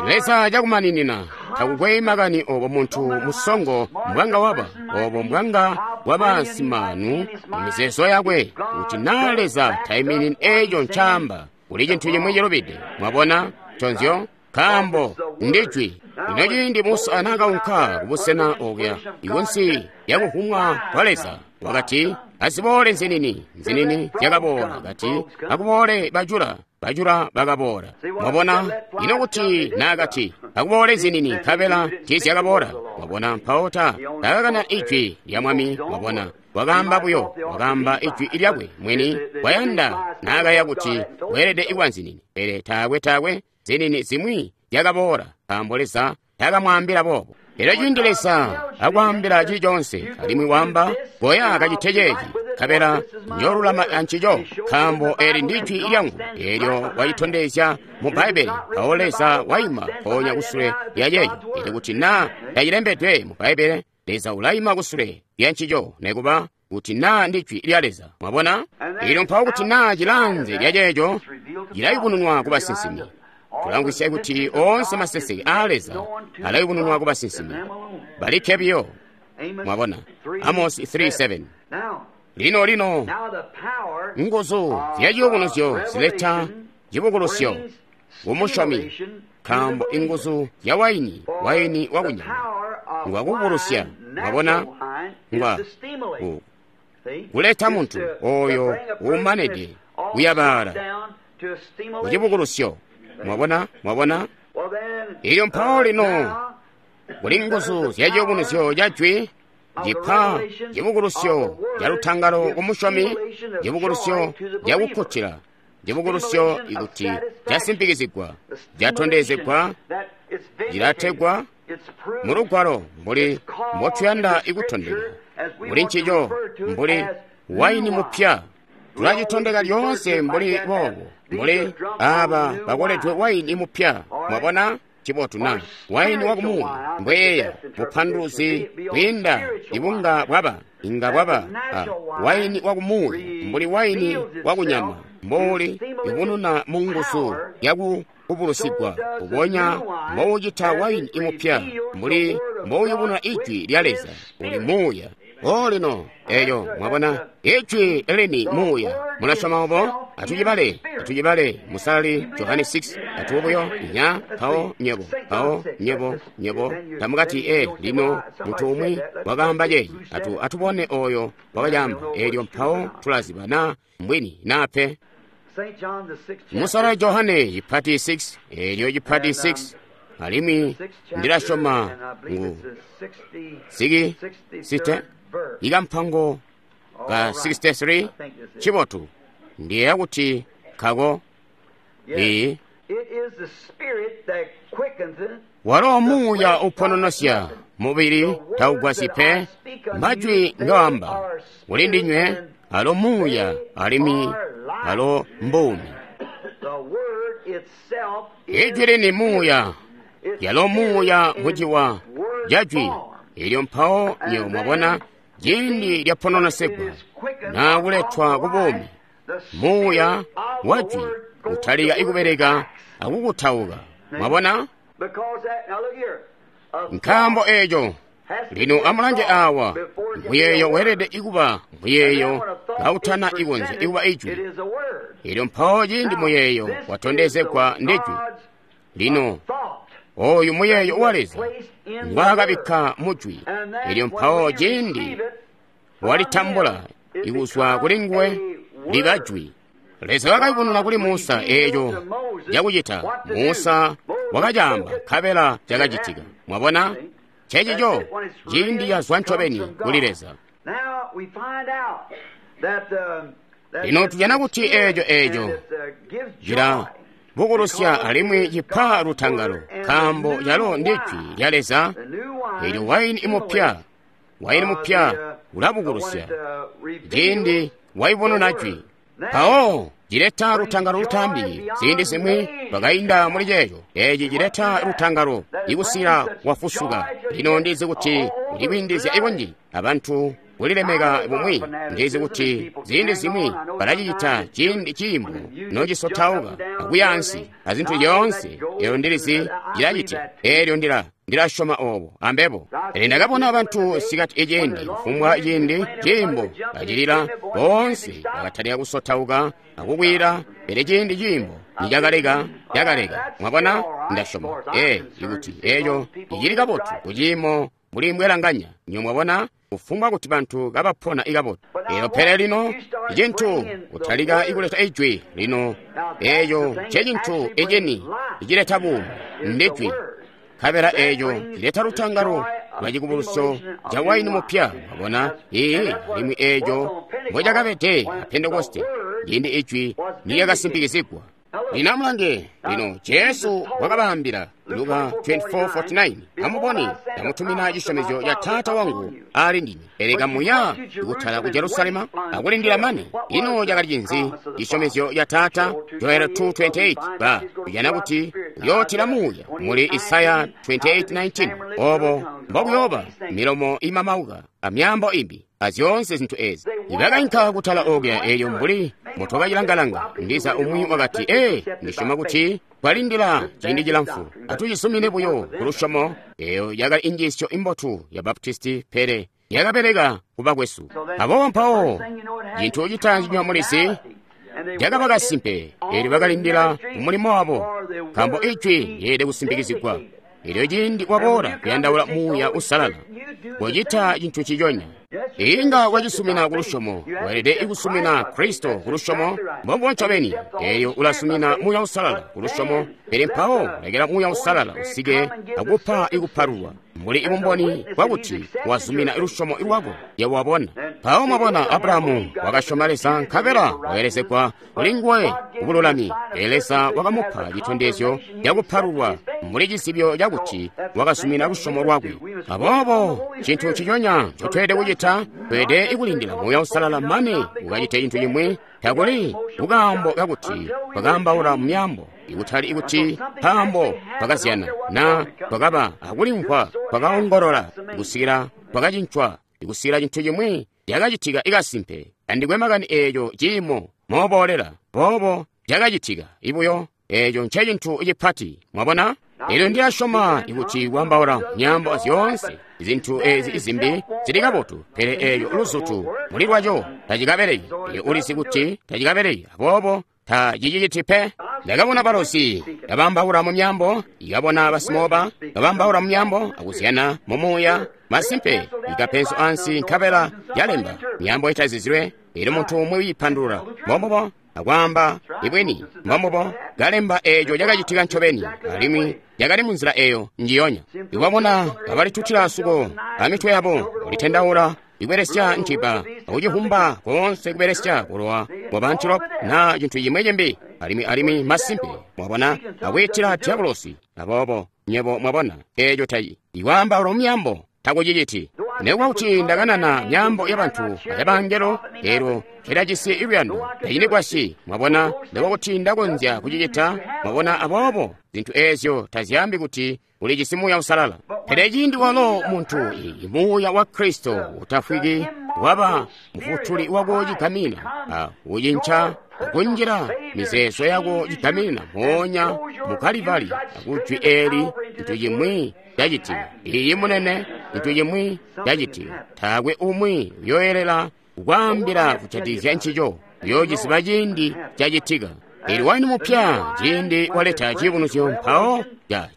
Leza cakumaninina takukwe makani obo muntu musongo mbwanga waba, obo mbwanga bwaba simaanu mumizeezo yakwe, kuti naa Leza taiminini eeco ncaamba, kuli cintu cimwi cilubide. Mwabona nconzyo? Nkaambo ndijwi. Ino ciindi Musa naakaunka kubusena okuya ikunsi lyakuhumwa kwa Leza, wakati, aziboole nzinini. Nzinini zyakaboola. Kati, akuboole bacula. Bacula bakaboola. Mwabona, ino kuti naakati, akuboole nzinini, nkabela tiizyakaboola. Mwabona, mpawo ta takakana ijwi lya Mwami. Mwabona, wakaamba buyo, wakaamba ijwi lyakwe mwini, wayanda naakaya kuti weelede kuba nzinini, pele taakwe taakwe zinini zimwi zyakaboola, nkaambo Leza takamwaambila boobo. Pele ciindi Leza akwaambila cili coonse, alimwi waamba, koya kacite ceeci, nkabela njoolulama ancico, nkaambo eli ndi jwi lyangu, eelyo wacitondezya mu Bbaibbele, mpawo Leza waima mpoonya kusule lya ceeco. Pele kuti naa tacilembedwe mu Bbaibbele, Leza ulaima kusule lya ncico, nekuba kuti naa ndi jwi lya Leza. Mwabona? Eelyo mpawo kuti naa cilaanze lya ceeco, cilayubununwa ku basinsimi. Tulamvwisya kuti oonse maseseke aa Leza alayubununwa ku basinsimi balikke biyo. Mwabona? Amosi three seven. Lino lino nguzu zya ciyubunuzyo zileta cibukulusyo kumusyomi, nkaambo inguzu zya waini, waini wakunyama ngwa kubukulusya. Mwabona? Ngwa kuleta muntu oyo uumanide kuyabaala ku cibukulusyo. Mwabona? Mwabona? Elyo mpawo lino kuli nguzu zya ciyubunuzyo ca jwi cipa cibukulusyo ca lutangalo ku musyomi, cibukulusyo ca kukkutila, cibukulusyo ikuti casimpikizigwa, catondezegwa, cilategwa mu Lugwalo mbuli mbotuyanda ikutondeka muli ncico, mbuli waini mupya. Tulacitondeka lyoonse mbuli boobo, mbuli aaba bakoledwe waini mupya. Mwabona? Cibotu na waini wakumuuya, mbweeya bupanduluzi bwiinda ibunga bwaba inga bwaba a waini wakumuuya mbuli waini wakunyama, mbuli ibununa mu nguzu yakukubulusigwa, ubonya mboucita waini imupya, mbuli mbouyubununa ijwi lya Leza uli muuya. O lino eyo, mwabona, ijwi lini muuya. Mulasyoma obo? Atucibale, atucibale musali Johane six, atuwe buyo nya mpawo nyebo, mpawo nyebo, nyebo tamukati e lino muntu umwi wakaamba ceeci. Atu atubone oyo wakacaamba, eelyo mpawo tulaziba naa mbwini naa pe. Musala Johane cipati six, eelyo cipati six, alimwi ndilasyoma ngu siki site ikampango ka sixty-three. Cibotu, ndiyeeya kuti kako iyi walo muuya upononosya mubili taugwasyi pe. Majwi ngawamba kuli ndinywe alo muuya alimwi alo mbuumi. Ijwi lini muuya, yalo muuya muciwa ca jwi. Elyo mpawo nyewe mwabona ciindi lyapononosegwa naa kuletwa ku buumi, muuya wa jwi utalika ikubeleka akukutauka. Mwabona? Nkaambo eeco lino amulange awa, muyeeyo weelede ikuba muyeeyo kautana ikonzya ikuba ijwi. Elyo mpawo ciindi muyeeyo watondezegwa ndi jwi. Lino oyu muyeeyo wa Leza ngwaakabikka mu jwi. Elyo mpawo ciindi walitambula ikuzwa kuli nguwe liba jwi. Leza wakayubununa kuli Musa eeco cakucita. Musa wakacaamba, nkabela cakacitika. Mwabona? Ncencico ciindi cazwa ncobeni kuli Leza. Lino tujana kuti eeco eeco cila bukulusya alimwi cipa lutangalo, nkaambo calo ndi jwi lya Leza. Eelyo waini imupya, waini mupya ulabukulusya ciindi waibonona jwi. Mpawo Cileta lutangalo lutaambiki. Ziindi zimwi twakainda muli ceeco. Eci cileta lutangalo ikusila wafusuka. Lino ndizi kuti kuli kwiindizya ikunji abantu kulilemeka bumwi. Ndizi kuti ziindi zimwi balacicita ciindi ciimbo nocisotauka akuya ansi azintu zyoonse. Elyo ndilizi cilacita. Elyo ndila ndilasyoma obo ambebo. Pele ndakabona bantu sikati iciindi kufumbwa ciindi ciimbo kacilila, boonse bakatalika kusotauka akukwila. Pele ciindi ciimbo nicakaleka, cakaleka. Mwabona, ndasyoma ee ikuti eco icili kabotu kuciimo mbuli mbwelanganya. Nyo mwabona, kufumbwa kuti bantu kabapona ikabotu. Elyo pele lino icintu kutalika ikuleta ijwi lino, eco ncecintu icini icileta buumi ndijwi. Nkabela eco cileta lutangalo lwa cikubulusyo ca waini mupya. Mwabona, ii alimwi eco mbocakabede a Pentekoste ciindi ijwi nilyakasimpikizigwa. Lino amulange, lino Jesu wakabaambila Luka twenty-four forty-nine, amubone, ndamutumina cisyomezyo ca Taata wangu ali ndime, pele kamuya kutala ku Jerusalema akulindila mane. Ino cakali cinzi cisyomezyo ca Taata? Joel two twenty-eight ba kujana kuti uyootila Muuya muli Isaya twenty-eight nineteen. Obo mbokuyooba milomo imamauka amyaambo imbi azyoonse zintu ezi. Ibakainka kutala okuya eyo mbuli mutwakacilangalanga. Ndiza umwi wakati, ee, ndisyoma kuti twalindila ciindi cilamfu, atucisumine buyo kulusyomo. Eyo yakali injiisyo imbotu ya Baptisti, pele yakabeleka kubakwesu. Aboobo mpawo cintu citaanzi mulizi cakaba kasimpe. Eelyo bakalindila umulimo wabo, nkaambo ijwi lyeelede kusimpikizigwa. Elyo ciindi waboola kuyandaula Muuya Uusalala, wacita cintu ciconya. Inga wacisumina kulusyomo, weelede ikusumina Kristo kulusyomo, mbombo ncobeni. Elyo ulasumina Muuya Uusalala kulusyomo, pele mpawo lekela Muuya Uusalala usike akupa ikupalulwa mbuli ibumboni bwakuti wazumina lusyomo lwako yewabona. Mpawo mwabona, Abrahamu wakasyoma Leza, nkabela wakelezegwa kuli nguwe kubululami. Pele Leza wakamupa citondezyo cakupalulwa mbuli cizibyo cakuti wakazumina lusyomo lwakwe. Aboobo cintu ciconya ncotweelede kucita, tweelede ikulindila Muuya Uusalala mane ukacite cintu cimwi. Takuli kukaambo kakuti twakaambaula mumyaambo, ikutali ikuti nkaambo twakazyana na twakaba akulimvwa, twakaongolola kusikila twakacincwa, ikusikila cintu cimwi cakacitika ikasimpe. Andikwe makani eeco ciimo mooboolela, boobo cakacitika ibuyo. Eeco ncecintu cipati. Mwabona? Elyo ndilasyoma ikuti kwaambaula myaambo zyoonse zintu ezi izimbi zili kabotu, pele eeyo luzutu muli lwaco tacikabeleki. Elyo ulizi kuti tacikabeleki, aboobo taciciciti pe. Ndakabona balozi kabaambaula mu myaambo, ikabona basimooba kabaambaula mu myaambo akuzyana mu muuya. Masimpe, ikapenso ansi nkabela yalemba myaambo itazizilwe. Elyo muntu umwi wiipandulula mbombubo akwaamba ibwini mbombubo kalemba eeco cakacitika ncobeni, alimwi cakali munzila eyo njiyonya. Iwabona kabalitutila suko amitwe yabo, kulitendaula ikubelesya ntiba akucihumba koonse kubelesya bulowa bwa bantilop na cintu cimwi cimbi, alimwi alimwi masimpe mwabona akwiitila diabolosi. Aboobo nyebo mwabona eeco tayi ikwaambaula mumyaambo takuciciti. Nekuba kuti ndakanana myaambo yabantu ayabangelo, elo cilajisi luyando tacindigwasyi. Mwabona, nekuba kuti ndakonzya kucicita. Mwabona, aboobo zintu ezyo tazyaambi kuti ulijisi Muuya Uusalala. Pele ciindi walo muntu Muuya wa Kristo utafwiki waba mufutuli wako cigamina, akucinca akunjila mizeezo yako cigamina moonya mu Kalivali akujwi eli, cintu cimwi cacitika. Iyi munene, cintu cimwi cacitika. Taakwe umwi uyoelela kukwaambila kujatikizya ncico, uyoociziba ciindi cacitika. Eli waini mupya ciindi waleta ciyubunuzyo, mpawo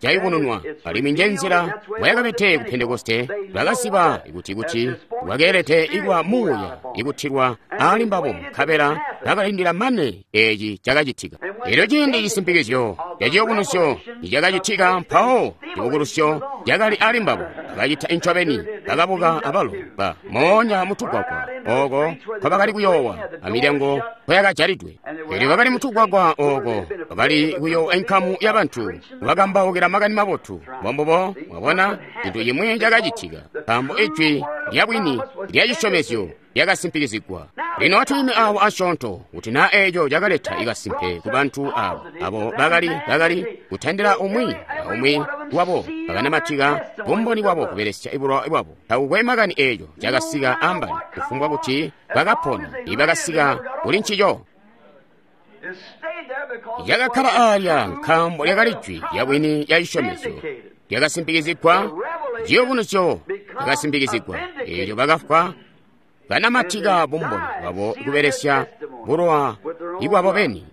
cayubununwa. Alimwi nje nzila mbwayakabede ku Pentekoste. Bakasiba ikuti kuti wakeelede ikwa Muuya ikutilwa ali mbabo, nkabela bakalindila mane eci cakacitika. Elyo ciindi cisimpikizyo ca ciyubunuzyo nicakacitika, mpawo cibukulusyo cakali ali mbabo. Bakacita incobeni, bakabuka abalo ba moonya mutugwagwa oko nkobakali kuyoowa, amilyango nkoyakajalidwe. Elyo bakali mutugwagwa oko bakali kuyoowa inkamu yabantu bakambaukila makani mabotu. Mbombubo, mwabona, cintu cimwi cakacitika, nkaambo ijwi lya bwini lya cisyomezyo lyakasimpikizigwa. Lino atwiime awo asyoonto kuti naa eeco cakaleta ikasimpe ku bantu abo abo bakali bakali kutandila umwi aumwi wabo bakanamatika bumboni bwabo kubelesya ibulowa bwabo. Takukwe makani eeco cakasika ambali kufumbwa kuti bakapona ibakasika kuli ncico. Lyakakkala aalya nkaambo lyakali jwi lyabwini lya cisyomezyo lyakasimpikizigwa, ciyubunuzyo lyakasimpikizigwa. Eelyo bakafwa banamatika bumboni bwabo kubelesya bulowa bwabo beni.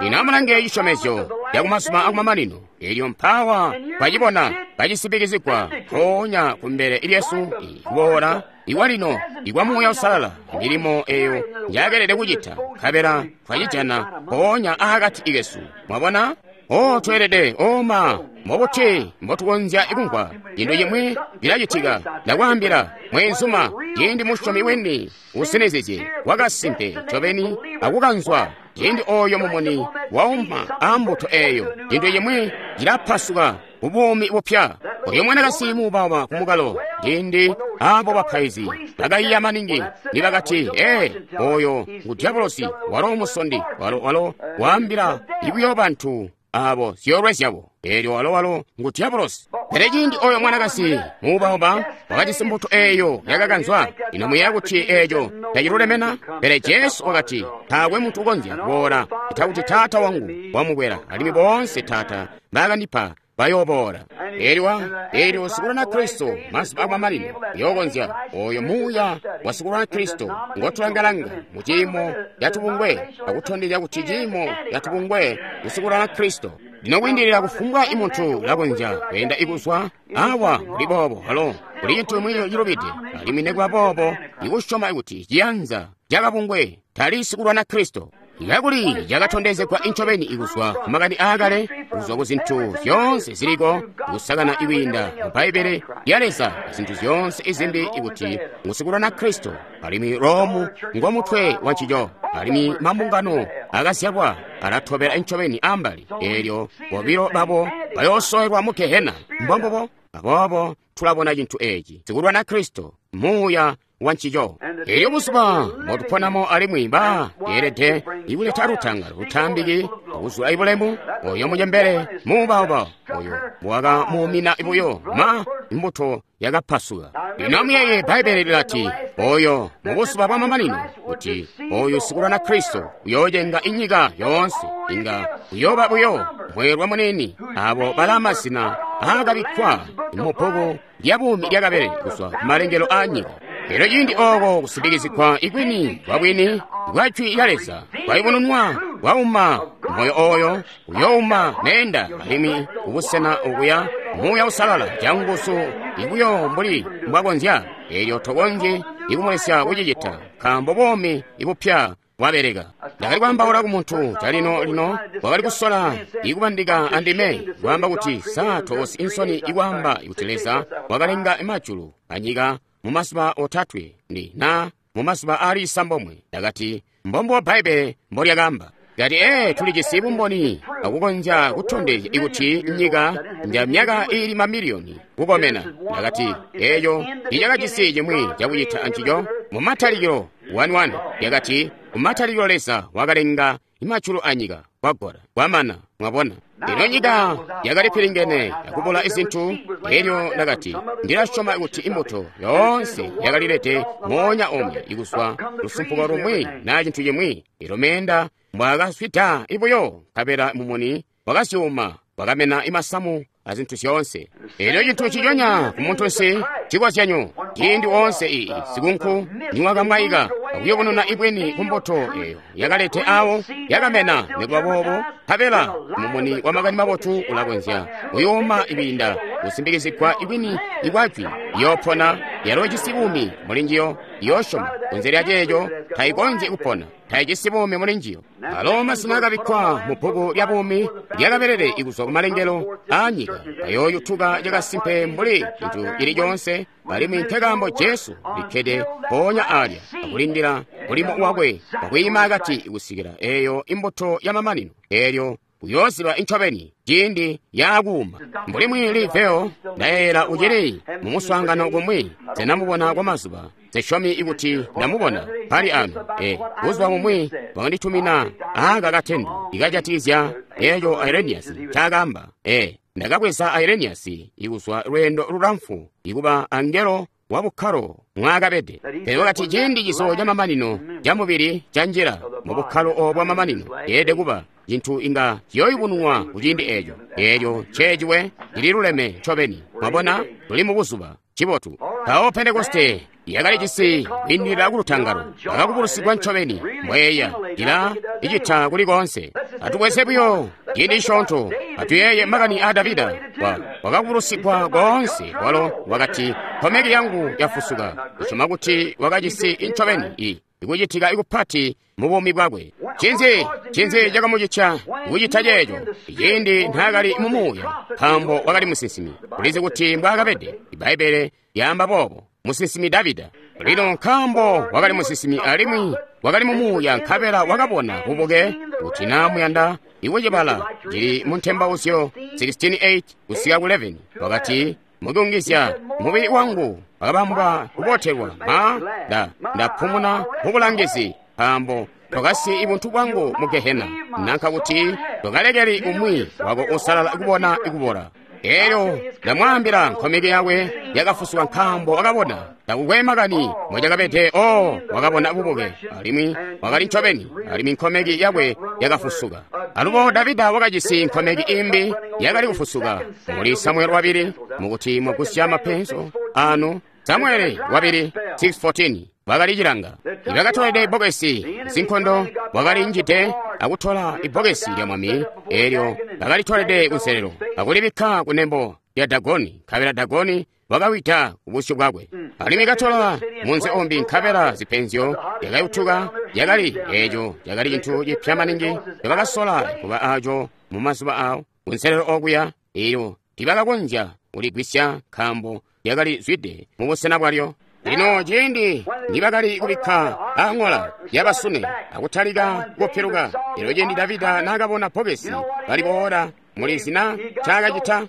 Lino amulange cisyomezyo cakumazuba akumamanino, eelyo mpaawa twacibona kacisimpikizigwa mpoonya kumbele lyesu kuboola ikwalino ikwa Muuya Uusalala, milimo eyo njakelede kucita, nkabela twacijana mpoonya aakati kesu. Mwabona? O tweelede, oma mbobuti mbotukonzya kumvwa cintu cimwi cilacitika. Ndakwaambila mweenzuma, ciindi musyomi weni usinizizye wakasimpe ncobeni akukanzwa, ciindi oyo mumuni wauma ambuto eyo, cintu cimwi cilapasuka kubuumi bupya. Oyo mwanakazi muubawa kumukalo, ciindi abo bapaizi bakaiya maningi nibakati, ee, oyo ngu dyabolosi, walo musondi, walo walo waambila ibuyo bantu abo zyoolwe zyabo, eelyo walo walo ngu dyabolosi. Pele ciindi oyo mwanakazi muubauba wakajisi mbuto eeyo yakakanzwa, ino muyeeya kuti eeco tacilulemena? Pele Jesu wakati, taakwe muntu ukonzya kuboola ccita kuti Taata wangu wamukwela, alimwi boonse Taata baakandipa bayooboola. Eelyo eelyo sikulwana Kristo mazuba akumamanino uyookonzya oyo muuya wa sikulwana Kristo ngotulangalanga mu ciimo catubungwe akutondezya kuti ciimo catubungwe kusikulwana Kristo. Lino kwiindilila kufumbwa imuntu ulakonzya kweenda ikuzwa awa kuli boobo, alo kuli cintu cimwi cilubide, alimwi nekuba boobo ikusyoma kuti ciyanza cakabungwe tali sikulwana Kristo. Kakuli cakatondezegwa incobeni ikuzwa kumakani aakale, kuzwa ku zintu zyoonse ziliko, kusakana ikwiinda mu Bbaibbele lya Leza, zintu zyoonse izimbi ikuti ngusikulwana Kristo, alimwi Romu ngomutwe wa ncico, alimwi mambungano akazyalwa alatobela incobeni ambali, eelyo bobilo babo bayoosowelwa mu Gehena. Mbombubo. Aboobo tulabona cintu eeci, sikulwana Kristo, muuya wa ncico. Eelyo buzuba mbotuponamo alimwi ba yeelede ikuleta lutangalo lutaambiki akuzula ibulemu. Oyo mucembele muubauba oyo wakamuumina buyo ma imbuto yakapasuka. Lino amuyeeye Bbaibbele lilati oyo mubuzuba bwamamanino kuti oyu sikulwana Kristo uyoocenga inyika yoonse, inga uyooba buyo mweelwa muniini abo balaa mazina aakabikkwa mubbuku lyabuumi lyakabele kuzwa kumalengelo aanyika. Elyo ciindi ooko kusimpikizigwa ikwini kwabwini bwa jwi lya Leza kwayubununwa, kwauma moyo oyo uyouma meenda, alimwi kubusena okuya Muuya Uusalala canguzu ibuyo mbuli mbwakonzya. Eelyo tokonzyi ikumulesya kucicita, nkaambo buumi ibupya bwabeleka. Ndakali kwaambaula ku muntu calino lino wakali kusola ikubandika andime, kwaamba kuti sa toosi insoni ikwaamba kuti Leza wakalenga majulu anyika mumazuba otatwe ndi na mumazuba aali isambomwe. Ndakati mbombo Bbaibbele mbolyakaamba. Kati ee, tulijisi bumboni akukonzya kutondezya ikuti nyika nja myaka iili mamiliyoni kukomena. Ndakati eeco icakajisi cimwi cakucita ancico mumatalikilo one one. Yakati kumatalikilo Leza wakalenga majulu anyika, kwagora kwamana. Mwabona, ino nyika yakali pilingene akubula izintu. Elyo ndakati ndilasyoma kuti imbuto yoonse yakalilete moonya omwe ikuzwa lusumpuko lumwi na cintu cimwi. Elyo meenda mbwakaswida ibuyo, nkabela mumuni wakazyuuma, wakamena imasamu azintu zyoonse. Elyo cintu ciconya ku muntunsi cikozyanyo, ciindi woonse ii sikunku niwakamwaika akuyubununa ibwini ku mbuto eyo yakalete awo yakamena. Nikuba boobo nkabela mumuni wa makani mabotu ulakonzya kuyuma ibinda kusimpikizigwa ibwini ikwajwi, iyoopona yalo ijisi buumi muli njiyo, iyoosyoma. Kunze lya ceeco tayikonzyi kupona, tayijisi buumi muli njiyo. Alo masina akabikkwa mu bbuku lya buumi lyakabelele ikuzwa kumalengelo aanyika ayooyutuka cakasimpe mbuli cintu cili coonse. Alimwi nkekaambo Jesu likkede mpoonya alya akulindila mulimo wakwe wakwiima akati kusikila eyo imbuto yamamanino eelyo Uyooziba incobeni ciindi yaakuuma. Mbuli mwili veo ndayeeyela ucili mu muswaangano kumwi, nsenamubona kwa mazuba. Nsesyomi kuti ndamubona pali ano. E, buzuba bumwi bakanditumina aaka katendu ikajatikizya eeco Irenaeus ncaakaamba. E, ndakabweza Irenaeus ikuzwa lweendo lulamfu ikuba angelo wa bukkalo mwaakabede. Pele wakati ciindi cizo camamanino ca mubili canjila mu bukkalo obo bwamamanino yeelede kuba cintu inga ciyooyubununwa ku ciindi eeco. Eeco nceeciwe cililuleme ncobeni. Mwabona, tuli mu buzuba cibotu. Mpawo Pentekoste yakali cisi kwiindilila kulutangalo, bakakubulusigwa ncobeni. Mbweeya cila icita kuli koonse. Atubweze buyo ciindi cisyoonto, atuyeeye makani a Davida. Wa wakakubulusigwa koonse, walo wakati, nkomeki yangu yafusuka. Kusyoma kuti wakajisi ncobeni i ikucitika ikupati mu buumi bwakwe. Ncinzi ncinzi cakamucitya kucita ceeco? Ciindi ntaakali mu muuya, nkaambo wakali musinsimi. Ulizi kuti mbwaakabede. Ibbaibbele lyaamba boobo. Musinsimi Davida. Lino nkaambo wakali musinsimi alimwi wakali mu muuya, nkabela wakabona bubuke, kuti naa muyanda ikucibala cili mu Ntembauzyo sixteen eight kusika ku eleven, wakati, mukuyungizya mubili wangu wakabambwa kubotelwa, ma nda ndapumuna mubulangizi, nkaambo tokasi ibuntu bwangu mu Gehena, nanka kuti tokalekeli umwi wako usalala kubona ikubola. Elyo ndamwaambila, nkomeki yakwe yakafusuka nkaambo wakabona. Takukwe makani mbocakabede, o wakabona bubuke, alimwi wakali ncobeni, alimwi nkomeki yakwe yakafusuka. Alubo Davida wakajisi nkomeki imbi yakali kufusuka muli Samueli wabili, mukuti mwagusya mapenzo anu. Samueli wabili six fourteen bakali cilanga. Ibakatolede ibbokesi zinkondo wakalinjide akutola ibbokesi lya mwami, eelyo bakalitolede kunselelo akulibikka kunembo lya Dagoni, nkabela Dagoni wakawida kubusyu bwakwe. Alimwi katola munzi umbi, nkabela zipenzyo yakayutuka yakali eeco cakali cintu cipya maningi ncobakasola kuba aco mu mazuba awo kunselelo okuya, eelyo tibakakonzya kuligwisya nkaambo lyakali zwide mubusena bwalyo. Lino ciindi nibakali kubikka aŋola yabasune akutalika kupiluka, elyo ciindi Davida naakabona bbokesi kaliboola, mulizi na ncaakacita?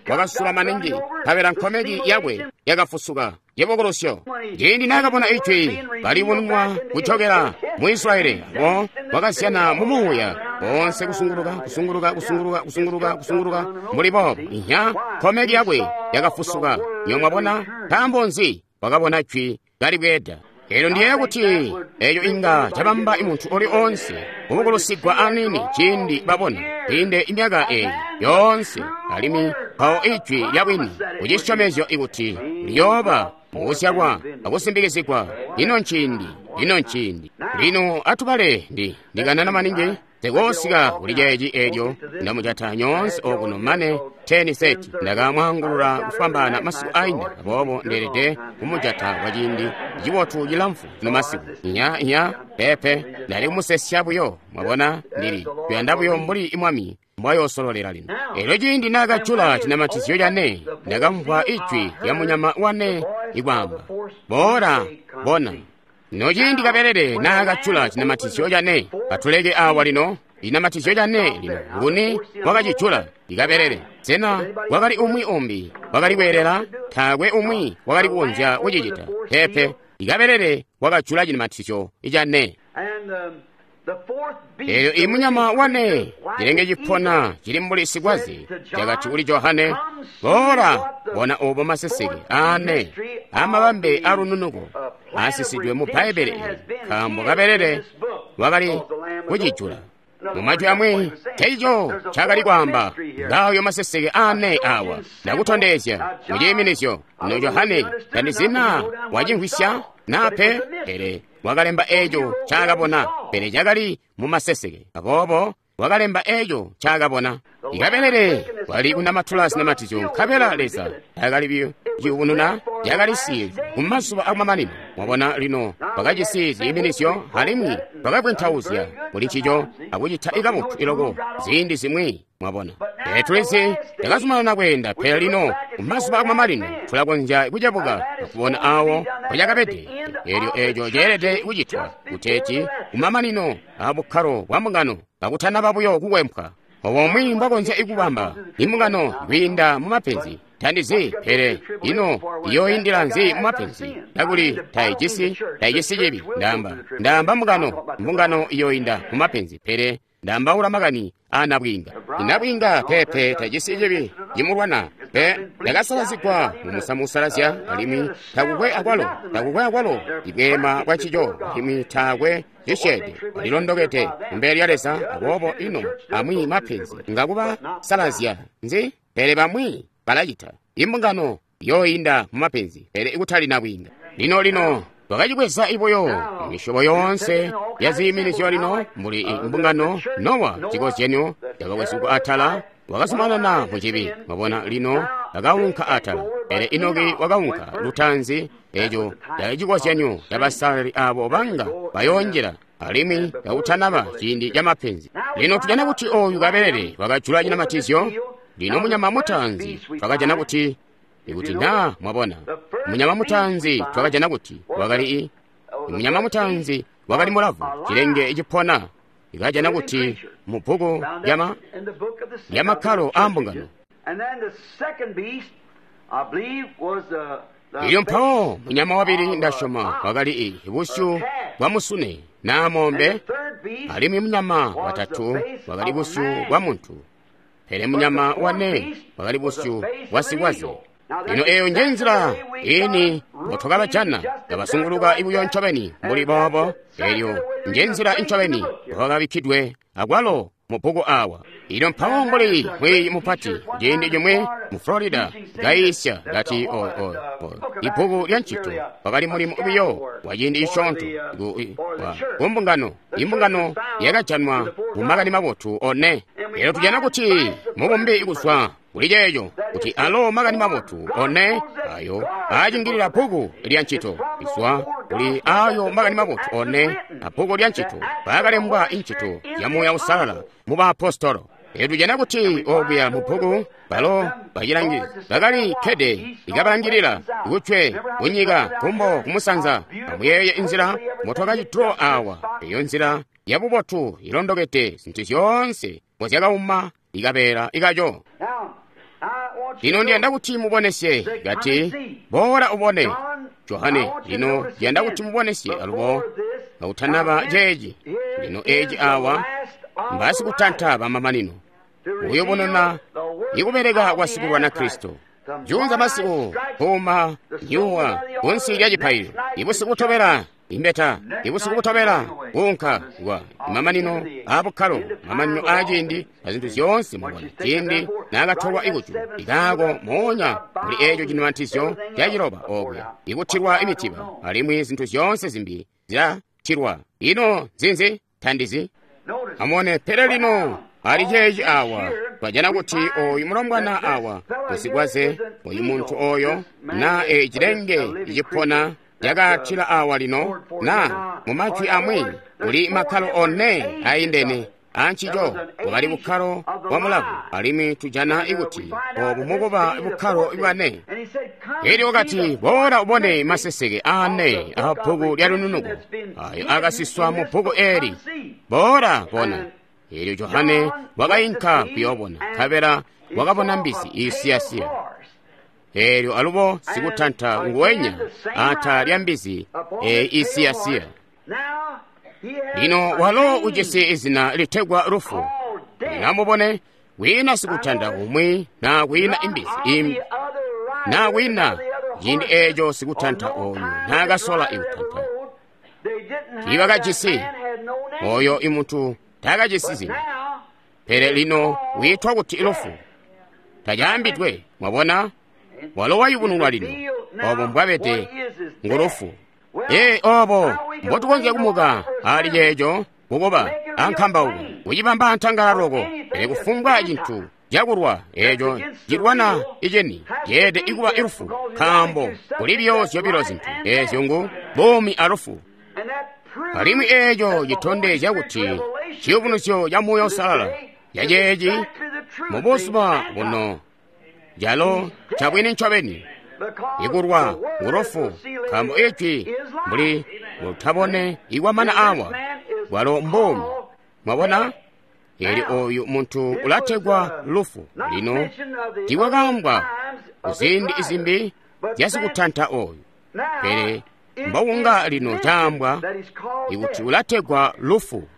Wakasula maningi, nkabela nkomeki yakwe yakafusuka cibukulusyo. Ciindi naakabona ijwi kalibunwa kujokela mu Israyeli, abo wakazyana mu muuya boonse kusunguluka, kusunguluka, kusunguluka, kusunguluka, kusunguluka, mbuli boobo. Inya nkomeki yakwe yakafusuka. Nyo mwabona nkaambo nzi? Wakabona jwi kalibweeda. Elyo ndiyeeya kuti eyo inga cabamba muntu uli oonse kubukulusigwa aniini ciindi babona kwiinde imyaka eyi yoonse, alimwi mpawo ijwi lya bwini kucisyomezyo ikuti liyooba mukuzyalwa akusimbikizigwa. Ino nciindi, ino nciindi. Lino atubale ndi ndikanana maningi nsekoosika kuli ceeci eelyo ndamujata nyoonse okuno mane ten thirty. Ndakamwaangulula kufwambaana masiku ainda, aboobo ndeelede kumujata kwa ciindi cibotu cilamfu no masiku. Inya inya pepe ndali kumusesya buyo, mwabona, ndili kuyanda buyo mbuli imwami mbwayoosololela lino. Elyo ciindi naakajula cinamatizyo cane, ndakamvwa ijwi lya munyama wane ikwaamba, boola bona. No ciindi kabelele naakajula cinamatizyo cane, katuleke awa lino. Cinamatizyo cane lino nguni wakacijula? Ikabelele. Sena wakali umwi umbi wakali kweelela? Taakwe umwi wakali kukonzya kucicita. Pepe, ikabelele wakajula cinamatizyo cane. Elyo imunyama wane, cilenge cipona cili mbuli sikwaze, cakati kuli Johane, boola bona obo maseseke ane amabambe alununuko asisidwe mu Bbaibbele eli, nkaambo kabelele wakali kucijula. Mu majwi amwi, ceeco cakali kwaamba ngaoyo maseseke ane awa ndakutondezya mu ciiminizyo. Lino Johane tandizina wacimvwisya naa pe, pele wakalemba eeco ncaakabona, pele cakali mu maseseke. Aboobo wakalemba eeco ncaakabona. Ikabelele wali kunamatula zinamatizyo, nkabela Leza akali ciyubununa cakali kumazuba akumamanino. Mwabona lino wakajisi ziiminizyo alimwi wakavwentauzya kuli ncico akucita ikabotu iloko ziindi zimwi. Mwabona, pele tulizi takazumanana kweenda, pele lino kumazuba akumamanino tulakonzya kucebuka akubona awo mpocakabede. Elyo eeco ceelede kucitwa kuteeti kumamanino abukkalo bwa mbungano kakutanaba buyo kukwempwa. Obo umwi mbwakonzya ikubamba imbungano kwiinda mu mapenzi tandizi, pele ino iyoindila nzi mu mapenzi kakuli taijisi taijisi cibi. Ndaamba ndaamba mbungano mbungano iyoinda mu mapenzi, pele ndaambaula makani a nabwiinga. Nabwiinga pepe tajisi cibi cimulwana pe, yakasalazigwa mu musamu usalazya, alimwi takukwe akwalo takukwe akwalo ibweema bwa cico, alimwi taakwe cisyeede, alilondokede kumbele lya Leza. Aboobo ino amwi mapenzi ngakuba salazya nzi? Pele bamwi balacita. Imbungano yoinda mu mapenzi, pele ikutali nabwiinga. Lino lino twakacibweza ibuyo misyobo yoonse ya ziiminizyo lino mbuli mbungano Nowa cikozyanyo cakawezugwa atala, wakazumanana mu cibi. Mwabona, lino akaunka atala, pele Enoki wakaunka lutanzi. Eco cali cikozyanyo cabasalali abo banga bayoonjila, alimwi kakutanaba ciindi ca mapenzi. Lino tujana kuti oyu kabelele wakajula cinamatizyo. Lino munyama mutaanzi twakajana kuti, ikuti naa mwabona, munyama mutaanzi twakajana kuti wakali munyama mutaanzi wakali mulavu, cilenge cipona. Ikajana kuti mu bbuku lyama lyamakkalo a mbungano. Ilyo mpawo munyama wabili ndasyoma wakali busyu bwa musune naa mombe, alimwi munyama watatu wakali busyu bwa muntu, pele munyama wane wakali busyu bwa sikwaze. Lino eyo nje nzila ini mbotwakabajana kabasunguluka ibuyo ncobeni mbuli boobo. Elyo nje nzila incobeni mbwakabikkidwe akwalo mu bbuku awa. Ilyo mpawo mbuli mwiiyi mupati ciindi cimwi mu Florida kayiisya kati o o o ibbuku lya ncito wakali mulimo buyo wa ciindi cisyoonto ku mbungano. Imbungano yakajanwa mu Makani Mabotu one. Elyo tujana kuti mubumbi kuzwa kuli ceeco kuti alo Makani Mabotu one ayo aacingilila bbuku lya ncito, izwa kuli ayo Makani Mabotu one a bbuku lya ncito baakalembwa incito ya Muuya Uusalala mu baapostolo. Elyo tujana kuti okuya mu bbuku balo bacilangizi bakali kkede ikabalangilila kutwe kunyika kumbo kumusanza. Amuyeeye inzila mbotwakacitro awa, eyo nzila yabubotu ilondokede zintu zyoonse mbozyakauma ikabeela ikaco. Lino ndiyanda kuti mubonesye kati, boola ubone Johane. Lino ndiyanda kuti mubonesye alubo kakutanaba ceeci. Lino eci awa mbasikutanta bamamanino uyobonona ikubeleka kwa sikulwana Kristo. Juunza masiku kuuma nyuwa kunsi lya cipaililo, ibusiku butobela imbeta, ibusiku butobela kuunka kwa mamanino a bukkalo, mamanino a ciindi azintu zyoonse. Mubona ciindi naakatolwa ikujulu ikaako moonya muli eco cinamatizyo ca ciloba okuya ikutilwa imitiba, alimwi zintu zyoonse zimbi zilatilwa. Ino nzinzi? Tandizi. Amubone, pele lino ali ceeci awa twajana kuti oyu mulombwana awa usikwaze, oyu muntu oyo na e cilenge icipona cakatila awa lino, na mu majwi amwi kuli makkalo one aindene ancico. Bwakali bukkalo bwa mulavu, alimwi tujana ikuti obu mukuba bukkalo bwane. Elyo wakati, boola ubone maseseke ane a bbuku lya lununuko ayo akasiswa mu bbuku eli. Boola bona. Elyo Johane wakainka kuyoobona, nkabela wakabona mbizi iisiyasiya. Elyo alubo sikutanta nguwenya ata lya mbizi eyi iisiyasiya. Lino walo ujisi izina litegwa Lufu. Lino amubone, kwiina sikutanta umwi na kwiina imbizi imbi na kwiina ciindi eco sikutanta oyu naakasola ikutanta. Tiibakajisi oyo imuntu taakajisi zina, pele lino wiitwa kuti Lufu. Tacaambidwe, mwabona, walo wayubununwa lino. Obo mbwabede ngu Lufu. Ee, obo mbotukonzya kumuka ali ceeco kukuba ankambauko kucibamba ntangala loko, pele kufumbwa cintu cakulwa eco cilwana iceni ceede ikuba ilufu, nkaambo kuli biyo zyobilo zintu ezyo ngu buumi alufu. Alimwi eeco citondezya kuti ciyubunuzyo ca Muuya Uusalala caceeci mubuzuba buno calo cabwini ncobeni ikulwa ngulufu, nkaambo ijwi mbuli butabone ikwamana awa bwalo mbuumi. Mwabona, Eelyo oyu muntu ulategwa lufu. Lino tiikwakaambwa kuziindi izimbi zyasikutanta oyu, pele mbokunga lino caambwa ikuti ulategwa lufu.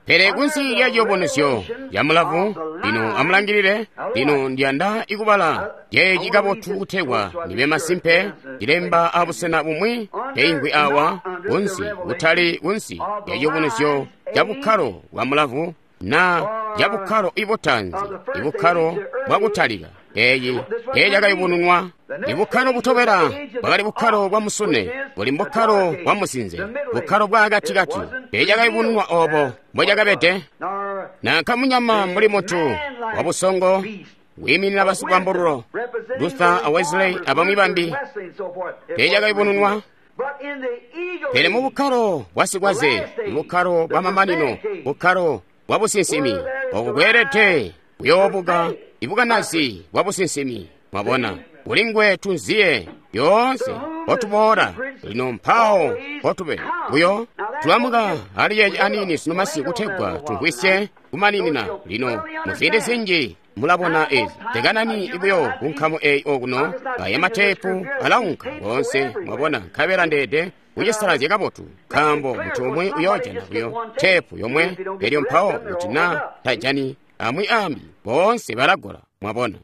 Pele kunsi lya ciyubunuzyo ca mulavu, lino amulangilile, lino ndiyanda ikubala ceeci kabotu kutegwa ndibe masimpe cilemba abusena bumwi peingwi awa kunsi kutali kunsi lya ciyubunuzyo ca bukkalo bwa mulavu na ca bukkalo ibutanzi, ibukkalo bwakutalika. Eeyi teeyakayubununwa. Ibukkalo butobela bwakali bukkalo bwa musune, buli mbukkalo bwa musinze, bukkalo bwaakatikati. Teeyakayubununwa oobo mbocakabede. Nanka munyama mbuli muntu wabusongo wiiminina basikubambululo Luther a Wesley abamwi bambi, teeyakayubununwa. Pele mu bukkalo bwa sikwaze, bukkalo bwa mamanino, bukkalo bwa businsimi, oku kweelede kuyoobuka ibukanazi bwa businsimi. Mwabona, kulingwe tunziye yoonse otuboola lino mpawo otube buyo tulamuka ali ceeci aniini sunu masiku kutegwa tumvwisye kumaninina. Lino muziindi zinji mulabona ezi tekanani buyo kunkamu eyi okuno aya mateepu alaunka woonse, mwabona, nkabela ndeede kucisalazye kabotu, nkaambo muntu umwi uyoojana buyo teepu yomwe, elyo mpawo kuti na tajani amwi ambi boonse balagola. Mwabona,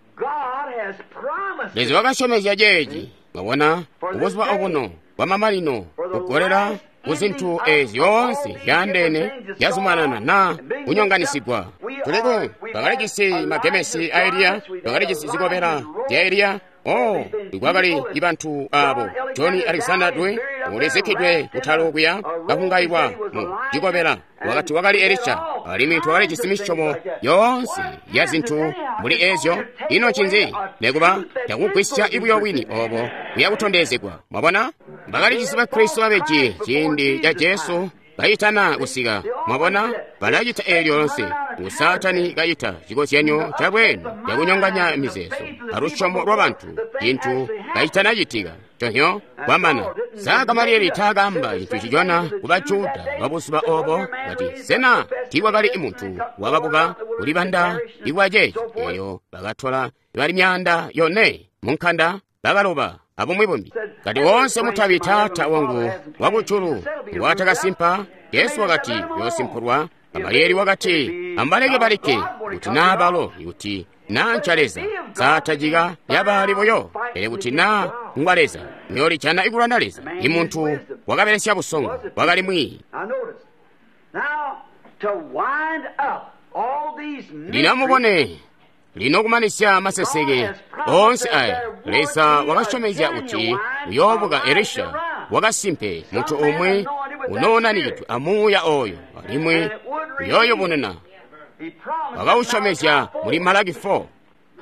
Leza wakasyomezya ceeci, mwabona, kubuzuba obuno bwamamanino kugolela kuzintu ezi zyoonse zyaandeene zyazumanana na kunyonganisigwa. Tuliku bakalijisi magemesi a Eliya, bakalijisi zikobela zya Eliya. Oh, kwakali ibantu abo John Alexander Dwe ulizikkidwe kutalo kuya kakungailwa mu cikobela, wakati wakali Elisha, alimwi twakalijisi misyobo yoonse ya zintu mbuli ezyo. Ino ncinzi? Nekuba takugwisya ibuyo bwini obo buya kutondezegwa. Mwabona, bakalijisi Bakristo babeji ciindi ca Jesu kayitana kusika. Mwabona, balacita eelyo lonse ngu Saatani kayita cikozyanyo cabwenu cakunyonganya mizeezo alusyomo lwabantu cintu kayitanacitika conyo kwamana. Sa Gamalieli taakaamba cintu cicona ku Bajuda babuzuba obo kati, sena tiikwakali muntu wakabuka kulibanda ikwa ceeci? Eyo bakatola bali myaanda yone munkanda bakaloba abumwi bumbi. Kati woonse mutabi Taata wangu wakujulu ngwatakasimpa, Jesu wakati uyoosimpulwa. Gamalieli wakati ambaleke balikke, kuti naa balo, kuti naa nca Leza, saatacika yabaali buyo, pele kuti naa ngwa Leza, muyoolijana ikulwana Leza. Imuntu wakabelesya busongo, wakali mwiiyi. Lino amubone, lino kumanisya maseseke oonse aya, Leza wakasyomezya kuti uyoobuka Elisha wakasimpe, muntu umwi unoonanikidwe amuuya oyo, alimwi uyooyubununa. Wakausyomezya muli Malaki four.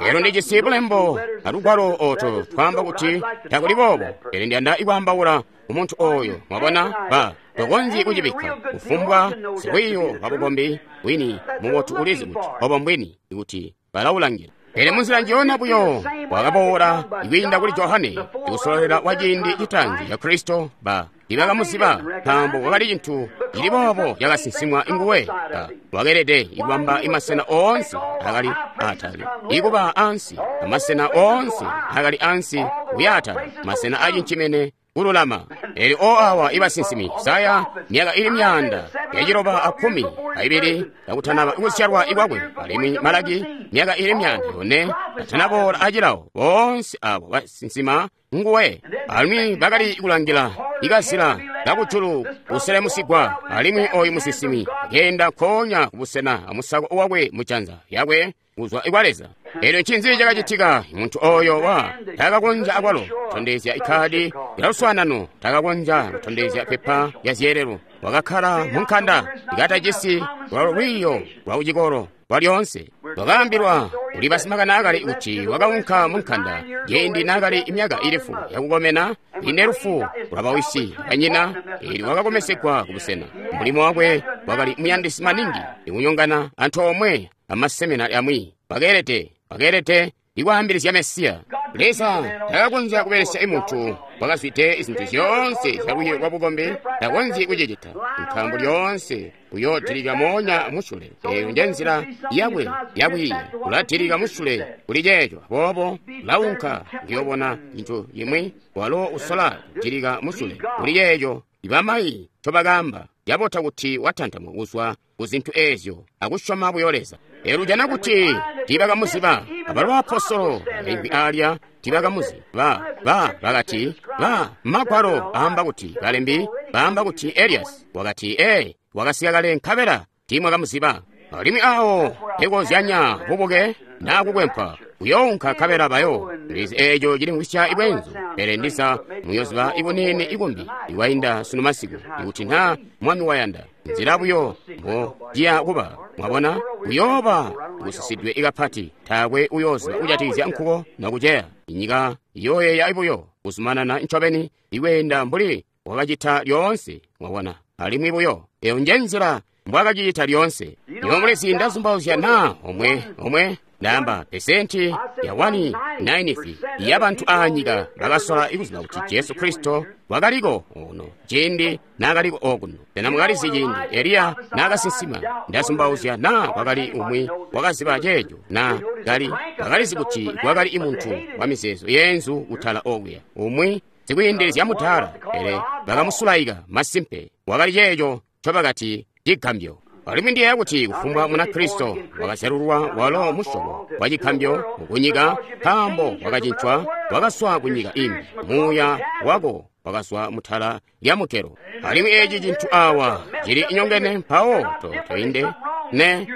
Elo ndijisi bulembo alugwalo oto twaamba kuti takuli boobo, pele ndiyanda ikwaambaula kumuntu oyo. Mwabona, ba tokonzyi kucibikka kufumbwa silwiiyo lwa bukombi bwini mubotu ulizi kuti obo mbwini, ikuti balaulangira. Pele munzila njiyona buyo wakaboola ikwiinda kuli Johane, ikusololela wa ciindi citaanzi ca Kristo, ba tibakamuziba nkaambo kwakali cintu cili boobo cakasinsimwa nguwe. Ba wakeelede ikubamba imasena oonse akali aatali, ikuba ansi, amasena oonse akali ansi kuya atala, masena acincimene kululama. Elyo o awa ibasinsimi Isaya myaka ili myaanda yaciloba akkumi aibili kakutanaba kuzyalwa ikwakwe, alimwi Malaki myaka ili myaanda yone katanaboola acilawo, boonse abo basinsima nguwe, alimwi bakali kulangila ikazila kakujulu kuselemusigwa. Alimwi oyu musinsimi akeenda nkoonya kubusena amusako wakwe mujanza yakwe kuzwa ikwa Leza. Elyo ncinzi cakacitika? Muntu oyo wa takakonzya akwalo kutondezya ikadi lya luswaanano, takakonzya kutondezya pepa lya zyeelelo. Wakakkala munkanda ikatajisi lwalo lwiiyo lwa kucikolo lwalyoonse. Wakaambilwa kuli basimakani akali kuti wakaunka munkanda ciindi naakali imyaka ili fuka yakukomena, ine lufu lwa bawisi banyina, eelyo wakakomesegwa kubusena. Mulimo wakwe wakali muyandisi maningi ikunyongana antoomwe amaseminari amwi. Wakeelede wakeelede ikwaambilizya Mesiya. Leza takakonzya kubelesya muntu wakazwide zintu zyoonse zyalwiiyo lwa bukombi, takonzyi kucicita, nkaambo lyoonse uyoodilika moonya musyule. Eyo nje nzila yakwe yakwiiya, uladilika musyule kuli ceeco. Aboobo ulaunka kuyobona cintu cimwi, walo usola kudilika musyule kuli ceeco ibamayi ncobakaamba. Cabota kuti watantamuka kuzwa ku zintu eezyo akusyoma buyo Leza. Elyo ujana kuti tiibakamuziba abalo baapostolo bakaimvwi alya tiibakamuzi. Ba, ba bakati, ba Magwalo aamba kuti, balembi baamba kuti Elias wakati, ee, wakasika kale nkabela tiimwakamuziba. Alimwi awo ikozyanya bubuke naa kukwempwa kuyounka nkabela bayo lizi eeco cilimvwisya ibwenzu, pele ndiza muyoziba ibuniini ikumbi iwainda sunu masiku, ikuti naa Mwami wayanda. Nzila buyo mbo ciya kuba, mwabona, kuyooba kusisidwe ikapati, taakwe uyooziba kujatikizya nkuko nokuceya. Inyika iyooyeeya buyo kuzumanana ncobeni ikweenda mbuli wakacita lyoonse, mwabona, alimwi buyo eyo nje nzila mbwakacicita lyoonse. Iwe mulezi ndazumbauzya naa omwe omwe ndaamba pesenti ya wani nainifi yabantu aanyika bakasola ikuziba kuti Jesu Kristo wakaliko ono ciindi naakaliko okuno. Sena mwakalizi ciindi Eliya naakasinsima? Ndazumbauzya naa kwakali umwi wakaziba ceeco, naa kali bakalizi kuti kwakali imuntu wa mizeezo yeenzu kutala okuya, umwi sikwiindilizya mutala, pele bakamusulaika. Masimpe wakali ceeco ncobakati cigambyo. Alimwi ndiyeeya kuti kufumbwa Munakristo wakazyalulwa walo musyobo wa cigambyo kunyika, nkaambo wakacincwa, wakaswa kunyika imbi, muuya wako wakaswa mutala lya mutelo. Alimwi eci cintu awa cili inyongene, mpawo to toinde ne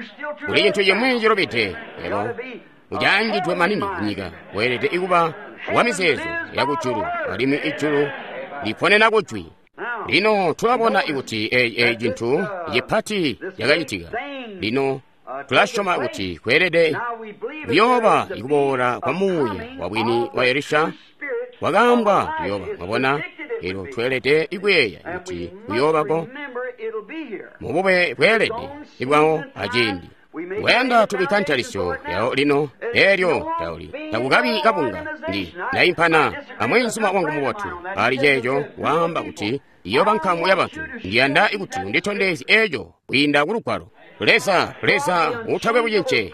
kuli cintu cimwi cilubide. Elo ucaangidwe maningi kunyika, weelede ikuba wa mizeezo ya kujulu, alimwi ijulu liponena kujwi. Lino tulabona ikuti eeci cintu cipati cakacitika. Lino tulasyoma kuti kweelede kuyooba ikuboola kwa muuya wabwini wa Elisha wakaambwa kuyooba. Mwabona, elyo tweelede ikuyeeya kuti kuyoobako mubube bweelede ibwawo aciindi. Wayanda tubikka ntalisyo yawo lino, elyo tauli takukabi kabunga. Ndi ndaimpana amweenzuma wangu mubotu ali ceeco waamba kuti iyoba nkamu yabantu. Ndiyanda ikuti unditondezye eeco kwiinda ku Lugwalo. Leza, Leza utakwe bucince,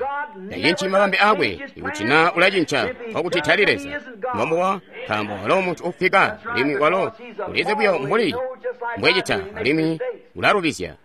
tacinci mabambe akwe. Ikuti naa ulacinca, nkokuti tali Leza. Mbombubo, nkaambo walo muntu ufika, alimwi walo ulizi buyo mbuli mbwecita, alimwi ulalubizya.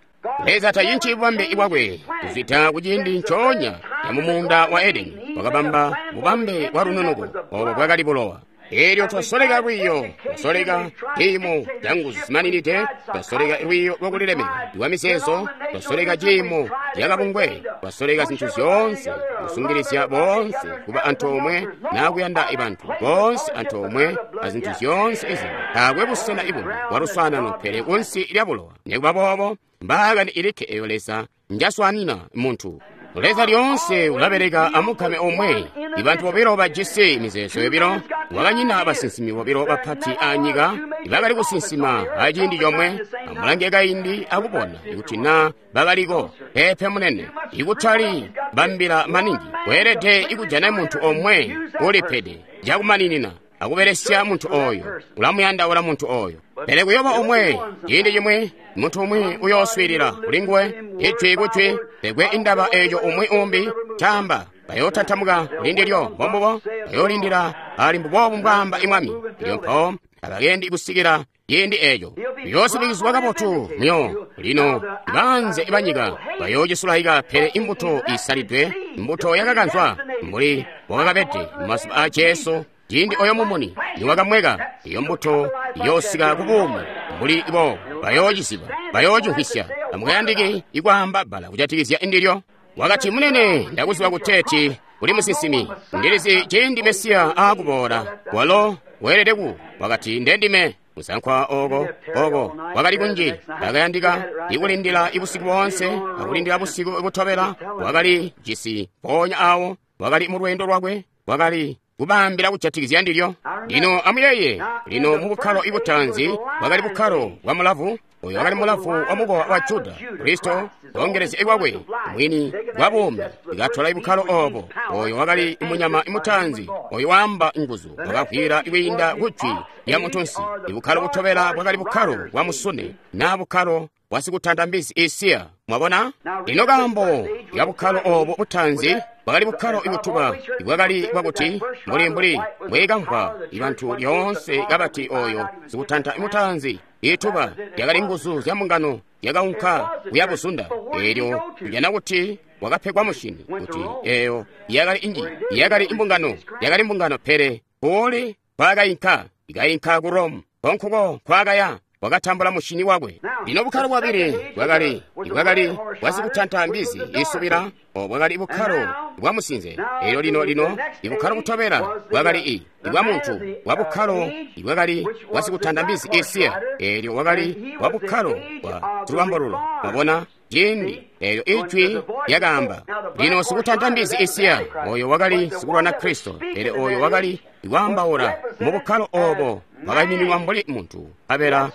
Leza tacinci bubambe bwakwe kuzwida kuciindi ncoonya ca mumuunda wa Edeni, wakabamba bubambe bwa lununuko, obo bwakali bulowa. Elyo twasoleka lwiiyo, twasoleka ciimo ca nguzu zimaninide, twasoleka lwiiyo lwakulilemeka lwa mizeezo, twasoleka ciimo ca kabungwe, twasoleka zintu zyoonse, kusungilizya boonse kuba antoomwe naa kuyanda bantu boonse antoomwe azintu zyoonse izimbi. Taakwe busena ibumbi bwa luswaanano pele kunsi lya bulowa. Nikuba boobo, mbaakani ilikke eyo Leza njaswaanina muntu. Leza lyoonse ulabeleka amukame omwe. Ibantu bobilo bajisi mizeezo yobilo. Wakanyina basinsimi bobilo bapati anyika ibakali kusinsima aciindi comwe. Amulange kaindi akubona ikuti naa bakaliko. Peepe munene, ikutali bambila maningi. Weelede ikujana muntu omwe ulipede cakumaninina akubelesya muntu oyo, ulamuyandaula muntu oyo. Pele kuyoba omwe ciindi cimwi, muntu umwi uyooswiilila kulinguwe ijwi kujwi, pekwe indaba eeco umwi umbi caamba. Bayootantamuka kulindilyo, mbombubo bayoolindila ali mbuboobu mbwaamba imwami. Elyo mpawo abakendi kusikila ciindi eeco kuyoosinikizwa kabotu myo. Lino ibanze ibanyika bayoocisulaika, pele imbuto isalidwe, imbuto yakakanzwa mbuli bwakakabede mumazuba a Jesu. Ciindi oyo mumuni niwakamweka, iyo mbuto iyoosika kubuumi mbuli bo bayoociziba, bayoocimvwisya. Tamukayandiki ikwaamba bbala kujatikizya indilyo. Wakati, munene, ndakuziba kuteeti uli musinsimi. Ndilizi ciindi Mesiya aakuboola, walo weelede ku. Wakati, ndendime. Musankwa oko oko wakali kunji bakayandika ikulindila ibusiku boonse akulindila busiku butobela. Wakali jisi mpoonya awo, wakali mu lweendo lwakwe, wakali kubaambila kujatikizya ndilyo. Lino amuyeeye, lino mu bukkalo ibutaanzi bwakali bukkalo bwa mulavu, Oyo wakali mulavu wa mukowa wa Juda. Kristo koongelezya kwakwe mwini bwa buumi ikatola bukkalo obo. Oyo wakali munyama mutaanzi, oyo waamba nguzu, wakavwila kwiinda kujwi lya muntunsi. Ibukkalo butobela bwakali bukkalo bwa musune na bukkalo bwa sikutanda mbizi isiya. Mwabona? Lino kaambo ya bukkalo obo butaanzi bwakali bukkalo ibutuba ibwakali bwakuti mbuli mbuli mbwekamvwa ibantu lyoonse kabati oyo sikutanta mutaanzi ituba lyakali nguzu zya mbungano yakaunka kuya buzunda. Eelyo tujana kuti wakapegwa mushini kuti eyo yakali inji yakali imbungano yakali mbungano, pele kuli kwakayinka ikayinka ku Rome konkuko kwakaya wakatambula mushini wakwe. Lino bukkalo bwabili bwakali bwakali bwasikutanta mbizi isubila, bwakali bukkalo bwa musinze. Elyo lino lino ibukkalo butobela bwakali i ibwa muntu bwa bukkalo ibwakali bwasikutanta mbizi isiya. Elyo wakali bwa bukkalo bwa tulubambululo. Mwabona? Ciindi elyo ijwi lyakaamba. Lino sikutanta mbizi isiya oyo wakali sikulwana Kristo, pele oyo wakali kwaambaula mu bukkalo obo bwakaimininwa mbuli muntu, abela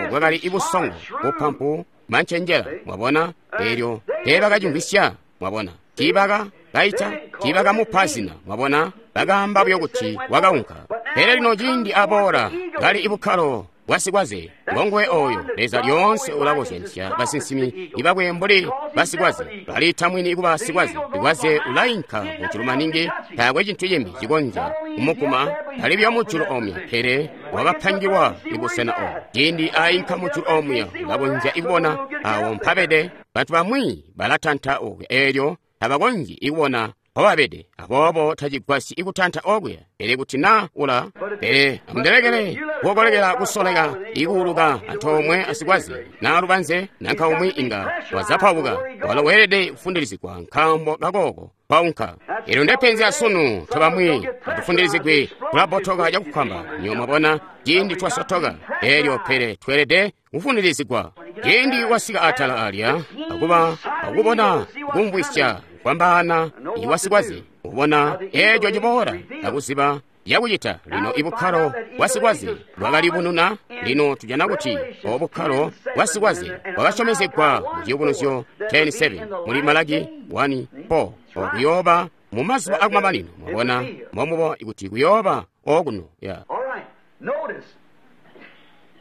bwakali ibusongo, bupampu, mancenjela. Mwabona? Elyo teebakacimvwisya. Mwabona? Tiibaka kaita, tiibakamupa zina. Mwabona? Bakaamba buyo kuti wakaunka. Pele lino ciindi aboola kali ibukkalo bwasikwaze, ngonguwe oyo Leza lyoonse ulakozyanisya basinsimi ibakwe mbuli basikwaze. Baliita mwini kuba sikwaze. Sikwaze ulainka mujulu maningi, taakwe cintu cimbi cikonzya kumuguma, tali buyo mujulu omuya, pele wakapangilwa ibusena obo. Ciindi ainka mujulu omuya ulakonzya ikubona awo mpabede. Bantu bamwi balatanta okuya, eelyo tabakonzyi ikubona mpobabede, aboobo tacigwasyi ikutanta okuya. Pele kuti na ula, pele amundelekele kuokolekela kusoleka ikuuluka antoomwe asikwaze na lubanze nanka umwi inga wazapauka. Walo weelede kufundilizigwa nkaambo kakooko kwaunka. Elyo ndepenzi asunu tobamwi atufundilizigwi tulabotoka cakukwamba. Nyo mwabona, ciindi twasotoka elyo, pele tweelede kufundilizigwa. Ciindi wasika atala alya akuba akubona kumvwisya kwambaana iwasikwaze, ubona eco ciboola akuziba yakucita. Lino ibukkalo bwasikwaze bwakalibununa. Lino tujana kuti obo bukkalo bwasikwaze bwakasyomezegwa mu Ciyubunuzyo ten seven muli Malaki one four okuyooba mu mazuba akumamanino. Mwabona? Momubo kuti kuyooba okuno. Yeah. All right. Notice.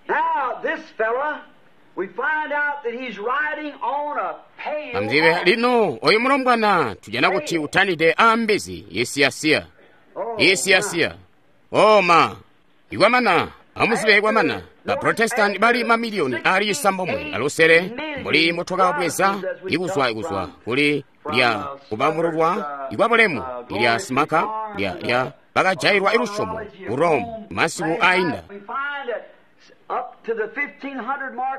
Now this fella, we find out that he's riding on a pale Amzibe lino oyu mulombwana tujana kuti utanide ambizi isiyasiya isiyasiya oma ikwamana amuzibe ikwamana baprotestanti bali mamiliyoni ali isambomwe alusele mbuli mutwakabweza ikuzwa ikuzwa kuli lya kubambululwa ikwabulemu lya simaka lya lya bakajailwa ilusyomo ku Rome masiku ainda.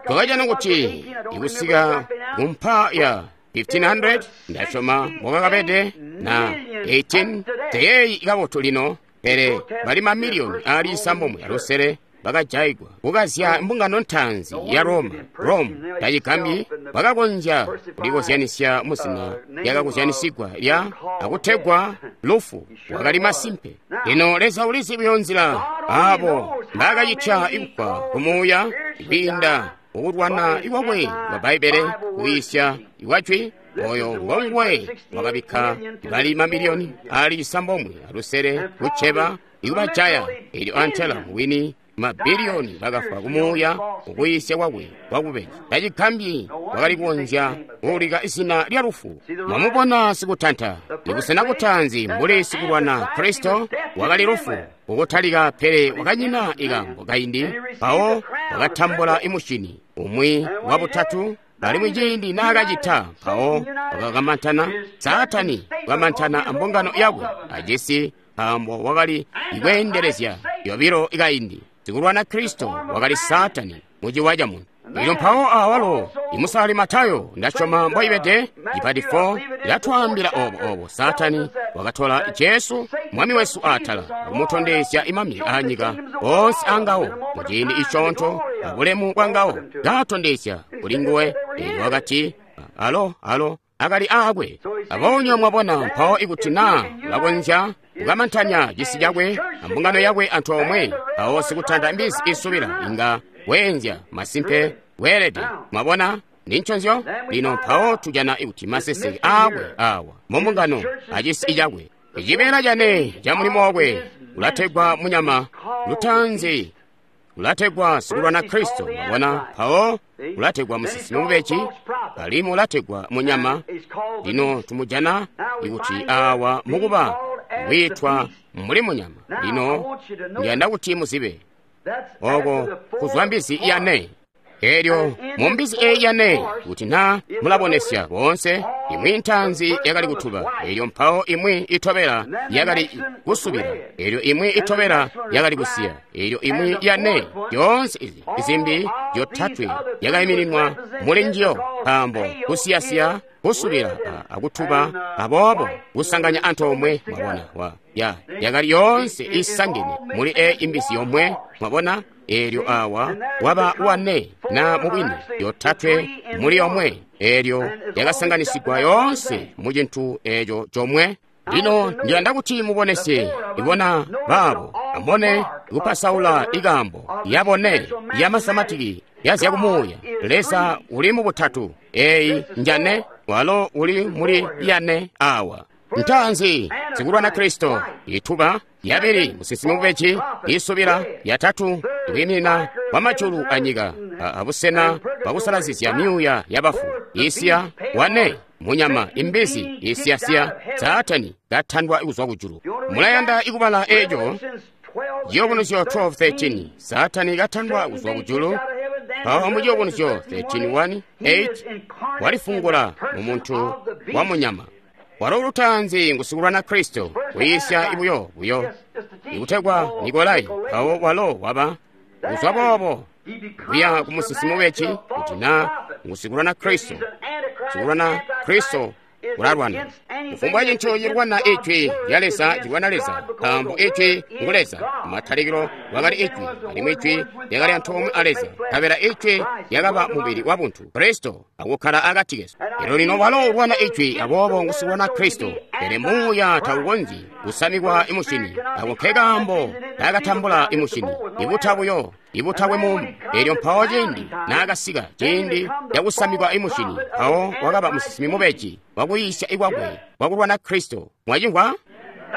Twakajana kuti ikusika kumpa ya fifteen hundred ndasyoma mwakakabede na eighteen teyeyi ikabotu lino, pele bali mamiliyoni ali isambomwe alusele bakajaigwa kukazya mbungano ntaanzi ya Roma. Rome tacigambi bakakonzya kulikozyanisya muzina lyakakozyanisigwa lya akutegwa lufu. Wakali masimpe. Lino Leza ulizi buyo nzila abo mbakacitya ikufwa kumuuya kwiinda ukulwana iwakwe wa Bbaibbele kuyisya iwajwi. Oyo ngonguwe wakabikka bali mamiliyoni ali isambomwe alusele kuceba ikubajaya. Elyo antela wini mabiliyoni bakafwa kumuuya ukuyisya kwakwe kwakubeja. Tacigambi wakali kukonzya kuulika izina lya lufu. Mwamubona sikutanta ibusena butanzi mbuli sikulwana Kristo wakali lufu kukutalika, pele wakanyina ikambo kaindi. Mpawo wakatambula imushini umwi wa butatu, alimwi ciindi naakacita mpawo wakakamantana Saatani kukamantana ambungano yakwe ajisi, nkaambo wakali ikweendelezya yobilo ikaindi. Sikulwana Kristo wakali Saatani muciwa ca muntu. Elyo mpawo awalo imusali Matayo ndasyoma mboibede ipati four ilatwaambila obo obo Saatani wakatola Jesu mwami wesu atala akumutondezya imami anyika onse angawo muciindi iconto abulemu bwangawo katondezya kuli nguwe. Elyo wakati alo alo akali aakwe. Abonyo mwabona mpawo ikuti na ulakonzya kukamantanya cisi cakwe ambungano yakwe antoomwe, mpawo sikutanda mbizi isubila inga weenzya masimpe Weelede. Mwabona? Ninconzyo? Lino mpawo tujana kuti maseseke aakwe awa mu mbungano acisi cakwe. Icibeela cane ca mulimo wakwe ulategwa munyama lutaanzi, ulategwa sikulwana Kristo. Mwabona? Mpawo ulategwa musinsimi mubeji, alimwi ulategwa munyama. Lino tumujana ikuti awa mukuba witwa mbuli munyama. Lino ndiyanda kuti muzibe oko kuzwa mbizi yane. Elyo mu mbizi eyi yane, kuti na mulabonesya boonse, imwi ntaanzi yakali kutuba, elyo mpawo imwi itobela yakali kusubila, elyo imwi itobela yakali kusiya, elyo imwi yane, yoonse izi izimbi yotatwe yakayimininwa muli njiyo, nkaambo kusiyasiya, kusubila akutuba, aboobo kusanganya antoomwe. Mwabona, wa ya yakali yoonse isangene muli e imbizi yomwe. Mwabona? Elyo awa waba wane na mubwini yotatwe muli yomwe, elyo yakasanganisigwa yoonse mu cintu eco comwe. Lino ndiyanda kuti mubonesye ibona baabo amone kupasaula ikambo yabone yamasamatiki yazya kumuuya. Leza uli mu butatu, eyi njane, walo uli muli yane awa. Ntaanzi sikulwana Kristo, ituba, yabili musinsimi mubeji, isubila, yatatu ikwiiminina kwa majulu anyika abusena bwakusalazizya myuuya yabafu, isiya, wane munyama imbizi isiyasiya, Saatani katandwa kuzwa kujulu. Mulayanda ikubala eco Ciyubunuzyo twelve thirteen, Saatani katandwa kuzwa kujulu. Mpawo mu Ciyubunuzyo thirteen one eight walifungula mu muntu wa munyama. Walo lutaanzi ngusikulwana Kristo, kuyisya ibuyo buyo ikutegwa Nikolai. Mpawo walo waba kuzwa boobo kuya ku musinsimi mubeji, kuti na ngusikulwana Kristo. Sikulwana Kristo ulalwana kufumbwa cintu cilwana Ijwi lya Leza, cilwana Leza, nkaambo Ijwi ngu Leza. Matalikilo wakali Ijwi, alimwi Ijwi lyakali antoomwe a Leza, nkabela Ijwi lyakaba mubili wa buntu, Kristo akukkala akati kesu. Elyo lino walo ulwana Ijwi, aboobo ngusikulwana Kristo. Pele muuya taukonzyi kusamikwa imusyini, ako nke kaambo taakatambula imusyini, ibuta buyo ibutakwe muumi. Elyo mpawo ciindi naakasika ciindi cakusamikwa imusyini, mpawo wakaba musinsimi mubeji wakuyiisya ikwakwe wakulwana Kristo. Mwacimvwa?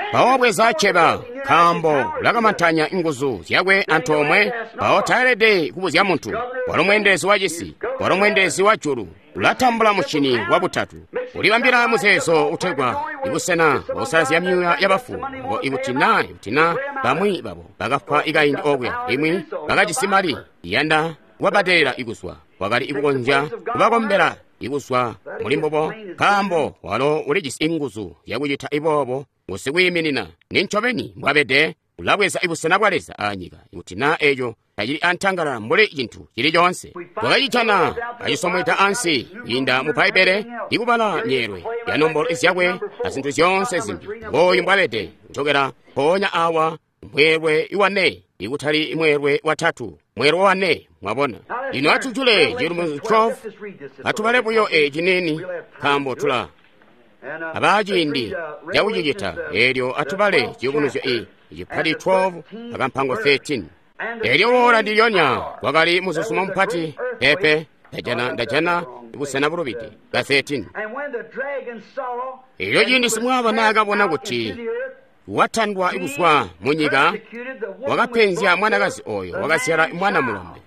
Mpawo bweza ceba, nkaambo ulakamantanya inguzu zyakwe antoomwe. Mpawo taelede kubuzya muntu. Walo mweendelezi wa cisi, walo mweendelezi wa julu, ulatambula musyini wa butatu, ulibambila muzeezo utegwa ibusena bwakusalazya myuuya yabafu. Ngo ikuti na ikuti na bamwi babo bakafwa ikaindi okuya, imwi bakajisi mali iyanda kubabadelela ikuzwa, wakali ikukonzya kubakombela ikuzwa muli mbubo, nkaambo walo ulijisi inguzu zyakucita iboobo. Ngusikwiiminina nincobeni mbwabede, ulabweza ibusena bwa Leza anyika. Ikuti na eco tacili antangalala mbuli cintu cili coonse, twakacijana kacisomweda ansi kwiinda mu Bbaibbele, ikubala myeelwe ya nombolo zyakwe azintu zyoonse zimbi. Ngooyu mbwabede kucokera mpoonya awa, mweelwe iwane, ikutali mweelwe watatu, mweelwe wane. Mwabona? Lino atujule Ciyubunuzyo twelve, atubale buyo eci nini, nkaambo tula abaciindi cakucicita. Elyo atubale Ciyubunuzyo i icipati twelve akampango thirteen. Elyo woola ndilyonya kwakali muzuzumo mupati. Pepe, ndajana ndajana busena bulubide ka thirteen. Elyo ciindi simwaaba naakabona kuti watandwa kuzwa mu nyika, wakapenzya mwanakazi oyo wakazyala mwana mulombe.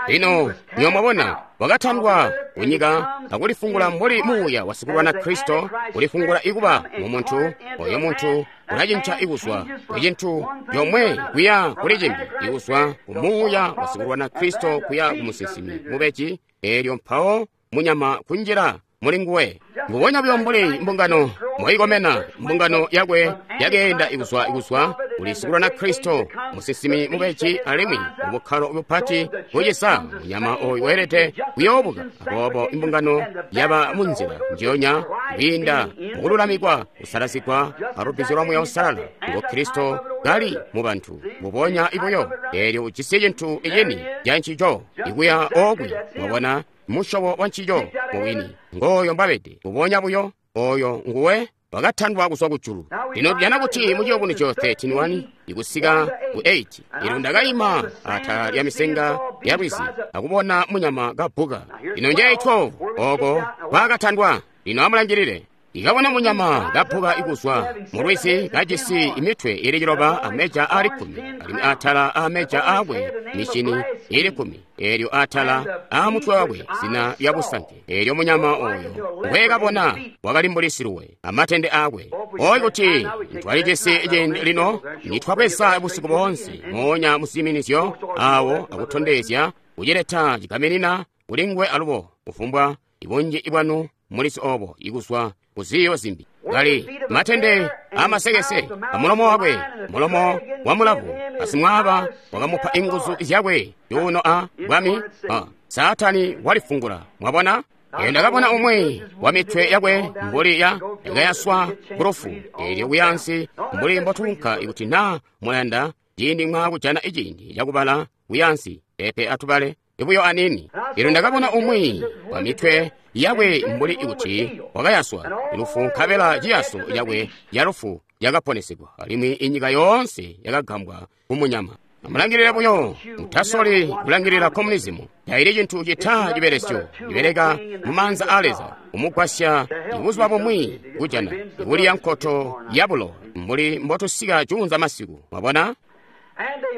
Lino niyo mwabona, wakatandwa kunyika akulifungula mbuli muuya wasikulwana Kristo, kulifungula ikuba mu muntu oyo. Muntu ulacinca ikuzwa ku cintu comwe kuya kuli cimbi, ikuzwa ku muuya wasikulwana Kristo kuya ku musinsimi mubeji, elyo mpawo munyama kunjila muli nguwe. Mbubonya buyo mbuli mbungano moikomena, mbungano yakwe yakeenda ikuzwa ikuzwa kuli sikulwana Kristo, musinsimi mubeji, alimwi mubukkalo bupati bucisa munyama oyu weelede kuyoobuka. Aboobo imbungano yaba munzila njiyonya kwiinda mukululamikwa, kusalazigwa alubbizyo lwa Muuya Uusalala ngo Kristo kali mu bantu. Mbubonya ibuyo eelyo ujisi cintu icini ca ncico ikuya okwi. Mwabona musyobo wa ncico mubwini ngooyo mbwabede. Mbubonya buyo oyo nguwe wakatandwa kuzwa kujulu. Lino tujana kuti mu Ciyubunuzyo thirteen one ikusika ku eight, elyo ndakayima atala lya misenga ya lwizi akubona munyama kabbuka. Lino njeeyi twelve oko kwakatandwa. Lino amulangilile. Ikabona munyama kabbuka ikuzwa mu lwizi kajisi imitwe ili ciloba ameja ali kkumi, alimwi atala ameja aakwe micini ili kkumi, eelyo atala aamutwe wakwe zina lya busanke. Eelyo munyama oyo ngwekabona wakali mbuli siluwe amatende aakwe. Oyo kuti twalijisi ciindi lino nitwabweza busiku boonse moonya muziminizyo awo akutondezya kucileta cigaminina kuli nguwe alubo kufumbwa ibunji bwanu mulisi obo ikuzwa kuziyo zimbi. Kali matende amasekese amulomo wakwe, mulomo wa mulavu. Asimwaaba wakamupa inguzu zyakwe yuno a bwami a Saatani walifungula. Mwabona? Elyo ndakabona umwi wa mitwe yakwe mbuli ya yakayaswa kulufu, elyo kuyansi mbuli mbotunka ikuti na mulayanda ciindi mwakujana iciindi cakubala kuyansi pepe atubale ibuyo anini. Elyo ndakabona umwi wa mitwe yakwe mbuli ikuti wakayaswa lufu, nkabela ciyaso yakwe ya lufu yakaponesegwa, alimwi inyika yoonse yakagambwa kumunyama. Amulangilile buyo, mutasoli kulangilila komunizimu. Taili cintu cita cibelesyo cibeleka mu maanza a Leza kumugwasya ibuzuba bumwi kujana ikuliya nkoto ya bulowa mbuli mbotusika juunza masiku. Mwabona?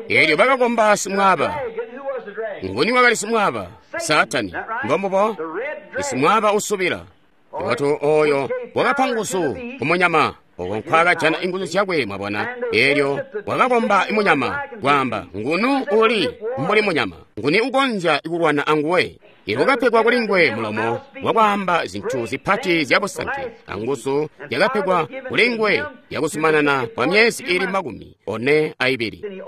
Eelyo bakakomba simwaaba. Nguni wakali simwaaba? Saatani. Mbombubo? Isimwaaba usubila. Iwatu oyo wakapa nguzu kumunyama oko nkwakajana inguzu zyakwe. Mwabona? Eelyo wakakomba imunyama kwaamba, ngunu uli mbuli munyama, nguni ukonzya kulwana anguwe. Eelyo wakapegwa kuli nguwe mulomo wakwaamba zintu zipati zyabusanke, anguzu yakapegwa kuli nguwe yakuzumanana kwa myezi ili makumi one aibili.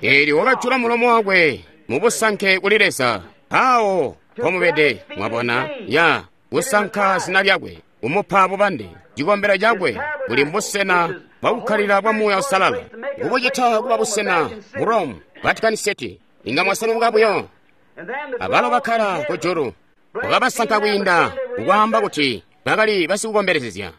Eelyo wakajula mulomo wakwe mubusanke kuli Leza. Awo pomubede. Mwabona? Ya kusanka zina lyakwe, kumupa bubande cikombelo cakwe buli mbusena bwakukkalila bwa Muuya Uusalala, kubucita kuba busena mu Rome, Vatican City. Inga mwaseluka buyo abalo bakkala kujulu. Wakabasanka kwiinda kukwaamba kuti bakali basikukombelezezya.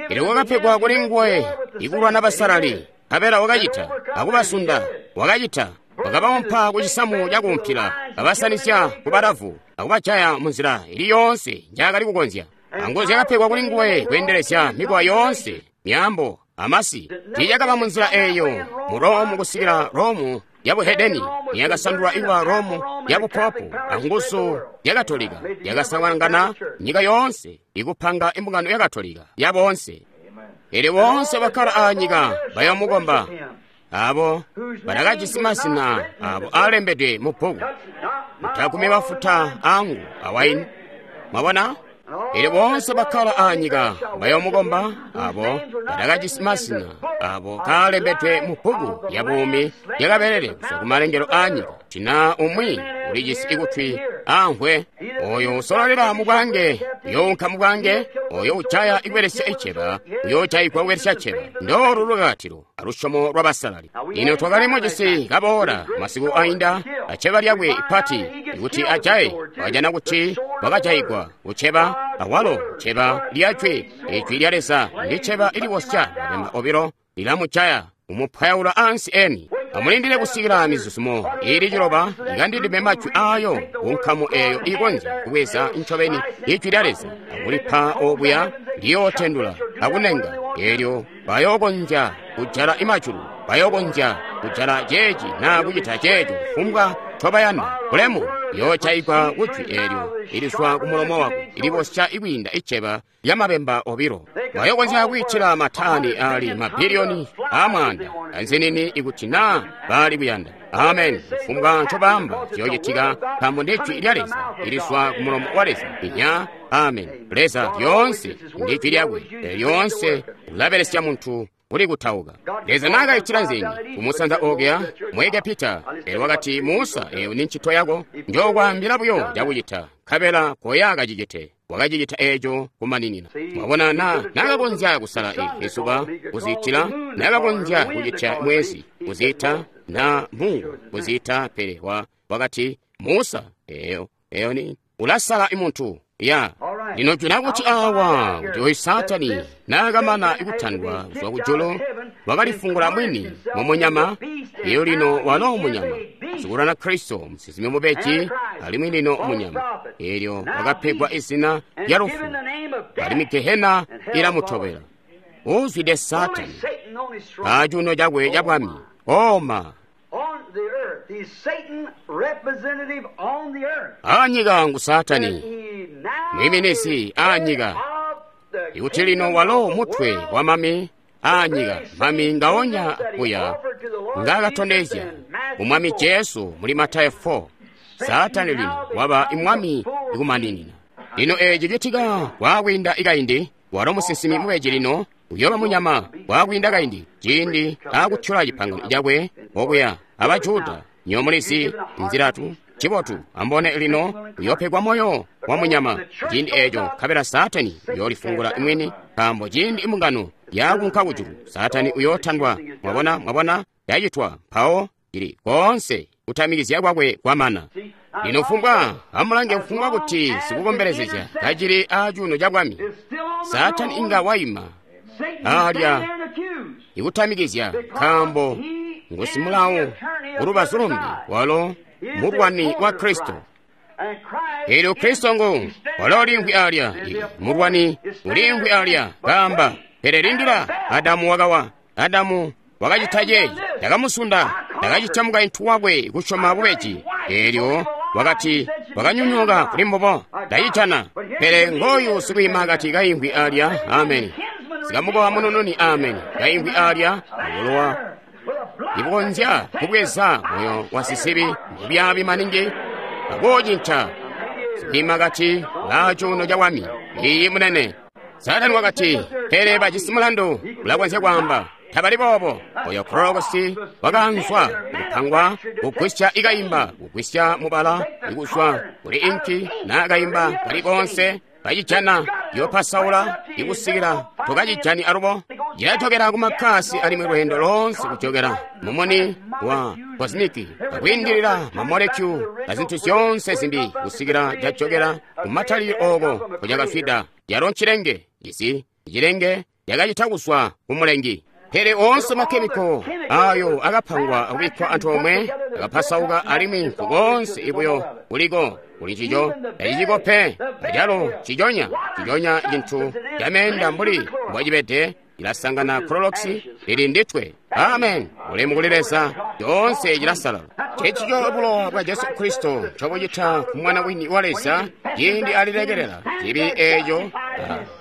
Eelyo wakapegwa kuli nguwe ikulwana basalali, nkabela wakacita akubasunda. Wakacita wakabawumpa ku cisamu cakuumpila, kabasanisya ku balavu akubajaya munzila ili yoonse njaakali kukonzya. Anguzu yakapegwa kuli nguwe kweendelezya mikowa yoonse, myaambo, amasi. Tiiyakaba munzila eeyo mu Romu kusikila Romu ya buhedeni niyakasandulwa ikuba Romu ya bupopu anguzu ya Katolika yakasangana nyika yoonse ikupanga imbungano ya Katolika ya boonse. Eelyo boonse bakkala aanyika bayomukomba, abo batakajisi mazina abo alembedwe mu bbuku. Mutagumi mafuta angu awaini. Mwabona? Eelyo boonse bakkala aanyika bayomukomba, abo batakajisi mazina abo kaalembedwe mu bbuku ya buumi yakabelele kuzwa kumalengelo aanyika. Tina umwi ulijisi ikutwi amvwe. Oyo usololela mubwange uyounka mubwange, oyo ujaya ikubelesya iceba uyoojayigwa kubelesya ceba. Ndoolu lukakatilo alusyomo lwabasalali. Ino twakali mujisi kaboola masiku ainda aceba lyakwe ipati ikuti ajaye, wakajana kuti wakajayigwa kuceba awalo ceba lyajwi. Ijwi lya Leza ndiceba iliwosya mabemba obilo lilamujaya kumupwayaula ansi eni. Amulindile kusikila mizuzumo ili ciloba ikandilime majwi ayo kunkamu eyo ikonzya kubweza ncobeni ijwi lya Leza akulipa obuya liyootendula akunenga. Eelyo bayookonzya kujala imajulu, bayookonzya kujala ceeci naa kucita ceeco kufumbwa ncobayanda. Bulemu yoojayigwa kujwi eelyo ilizwa kumulomo wakwe iliwosya ikwiinda iceba lyamabemba obilo. Bayokonzya kwiitila mataani ali mabiliyoni aamwaanda anzinini ikuti naa baali kuyanda. Amen. Kufumbwa ncobaamba ciyoocitika, nkaambo ndijwi lya Leza ilizwa kumulomo wa Leza. Inya. Amen. Leza lyoonse ndijwi lyakwe, lyoonse ulabelesya muntu kuli kutauka. Leza naakayitila nzini kumusanza okuya mu Egepita, eelyo wakati, Musa, eyo ni ncito yako, njokwaambila buyo cakucita, nkabela koya kacicite. Wakacicita eeco kumaninina. Mwabona, na naakakonzya kusala izuba kuziitila, naakakonzya kucitya mwezi kuziita, na mungu kuziita, pele wa wakati, Musa, eyo eyo ni ulasala imuntu ya Lino jwi kuti awa kuti oyu Saatani naakamana kutandwa kuzwa kujulu wakalifungula mwini mu munyama. Iyo lino walo munyama sikulwana Kristo, musinsimi mubeji, alimwi lino munyama. Elyo wakapegwa izina lya lufu, alimwi Gehena ilamutobela. Uzwide Saatani acuuno cakwe ca bwami. Oma anyika ngu Saatani mwiiminizi anyika. Ikuti lino walo mutwe wa mami anyika, mami ngaonya kuya ngaakatondezya umwami Jesu muli Matayo four. Saatani lino waba imwami ikumaninina. Lino eci citika kwaakwiinda ikaindi. Walo musinsimi mubeji lino uyoba munyama kwaakwiinda kaindi, ciindi aakutyola cipangano cakwe okuya abajuda. Nyomulizi nzilatu cibotu ambone lino uyopegwa moyo wa munyama ciindi eco, nkabela Saatani uyoolifungula mwini, nkaambo ciindi imbungano yaakunka kujulu Saatani uyootandwa. Mwabona, mwabona yacitwa mpawo cili koonse kutamikizya kwakwe kwamana. Lino fumbwa amulange kufumbwa kuti sikukombelezezya kacili aacuuno ca bwami, Saatani inga waima alya ikutamikizya, nkaambo ngu simulawo kulubazu lumbi, walo mulwani wa Kristo. Elyo Kristo ngu walo uliimvwi alya, mulwani uliimvwi alya, kaamba, pele lindila, Adamu wakawa, Adamu wakacita ceeci, ndakamusunda, ndakacita mukaintu wakwe kusyoma bubeji. Elyo wakati wakanyonyooka kuli mbubo, ndacitana. Pele ngoyu sikwiima akati kaimvwi alya, ameni, sikamukowa munununi, ameni, kaimvwi alya, bulowa ibukonzya kubweza moyo wa sisibi mubyabi maningi akuucinca. Sikwiima kati la cuuno ca bwami, iyi munene. Saatani wakati, pele bajisi mulandu, ulakonzya kwaamba tabali boobo. Oyo Krolosi wakaanzwa kupangwa kugwisya ikaimba, kugwisya mubala ikuzwa kuli inki na kaimba kali koonse kacijana yopasaula ikusikila tukacijani alubo. Cilajokera kumakasi alimwi lweendo loonse kujokera mumuni wa kosmiki kakwiindilila mamolekyu azinthu zyoonse zimbi kusikila cajokera kumataliro oko kucakafida. Yalo ncilenge izi cilenge yakacita kuzwa kumulengi. Pele oonse makhemiko ayo akapangwa akubikkwa antoomwe akapasauka alimwi nkukoonse ibuyo kuliko kuli ncico taciciko pe. Acalo ciconya ciconya cintu cameenda mbuli mbwacibede cilasangana Clorox lili nditwe. Amen. Ulemu kuli Leza, coonse cilasalala. Cecico bulowa bwa Jesu Kristo ncobucita ku Mwana wini wa Leza ciindi alilekelela cibi eeco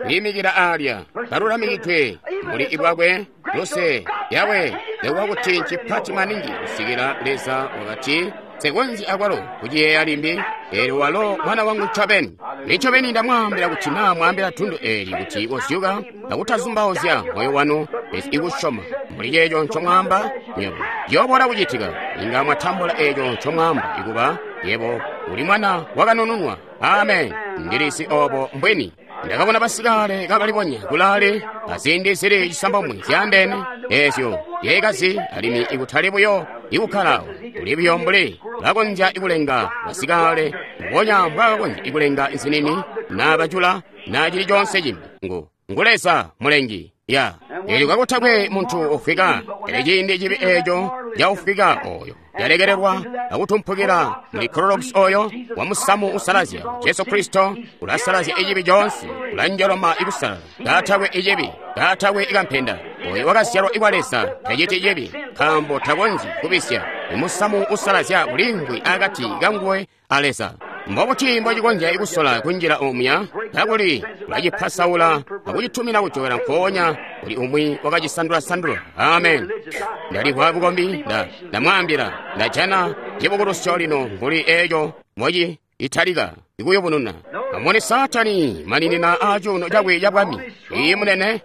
kuyimikila alya kalulamikidwe muli ibwakwe luse yawe lekuwa kuti ncipati maningi kusikila Leza wakati sekonzi akwalo kuciyeeya limbi. Eelyo walo mwana wangu ncobeni. Ncobeni ndamwaambila kuti naa mwaambila tundu eeli kuti kozyuka akutazumbauzya moyo wanu, pesi ikusyoma muli ceeco ncomwaamba nywebo ciyoboola kucitika. Inga mwatambula eeco ncomwaamba ikuba yebo uli mwana wakanununwa. Amen. Ndilisi obo mbwini. Ndakabona basikale kabalibonya kulaale aziindi zili cisambomwe zyaandeene eezyo yeekazi alimwi ikutali buyo ikukkalawo kuli buyo mbuli bakonzya ikulenga basikale mbubonya mbwakakonzya ikulenga nzinini naa bacula naa cili conse cimbi. Ngu ngu Leza mulengi ya eelyo kakutakwe muntu ufwika. Pele ciindi cibi eeco caufwika oyo yalekelelwa akutumpukila muli Clorox oyo wa musamu usalazya. Jesu Kristo ulasalazya icibi coonse, ulanjoloma ikusalala katakwe icibi, katakwe ikampenda. Oyo wakazyalwa ikwa Leza taciti cibi, nkaambo takonzyi kubisya. Imusamu usalazya uliimvwi akati kanguwe a Leza. Mbobuti mbocikonzya kusola kunjila omuya kakuli ulacipasaula akucitumina kujokera nkoonya kuli umwi wakacisandula-sandula. Amen. Ndalimvwa bukombi, ndamwaambila, ndajana cibukulusyo lino mbuli eeco moci italika ikuyubununa. Amone Saatani maninina aacuuno cakwe ca bwami. Iyi munene,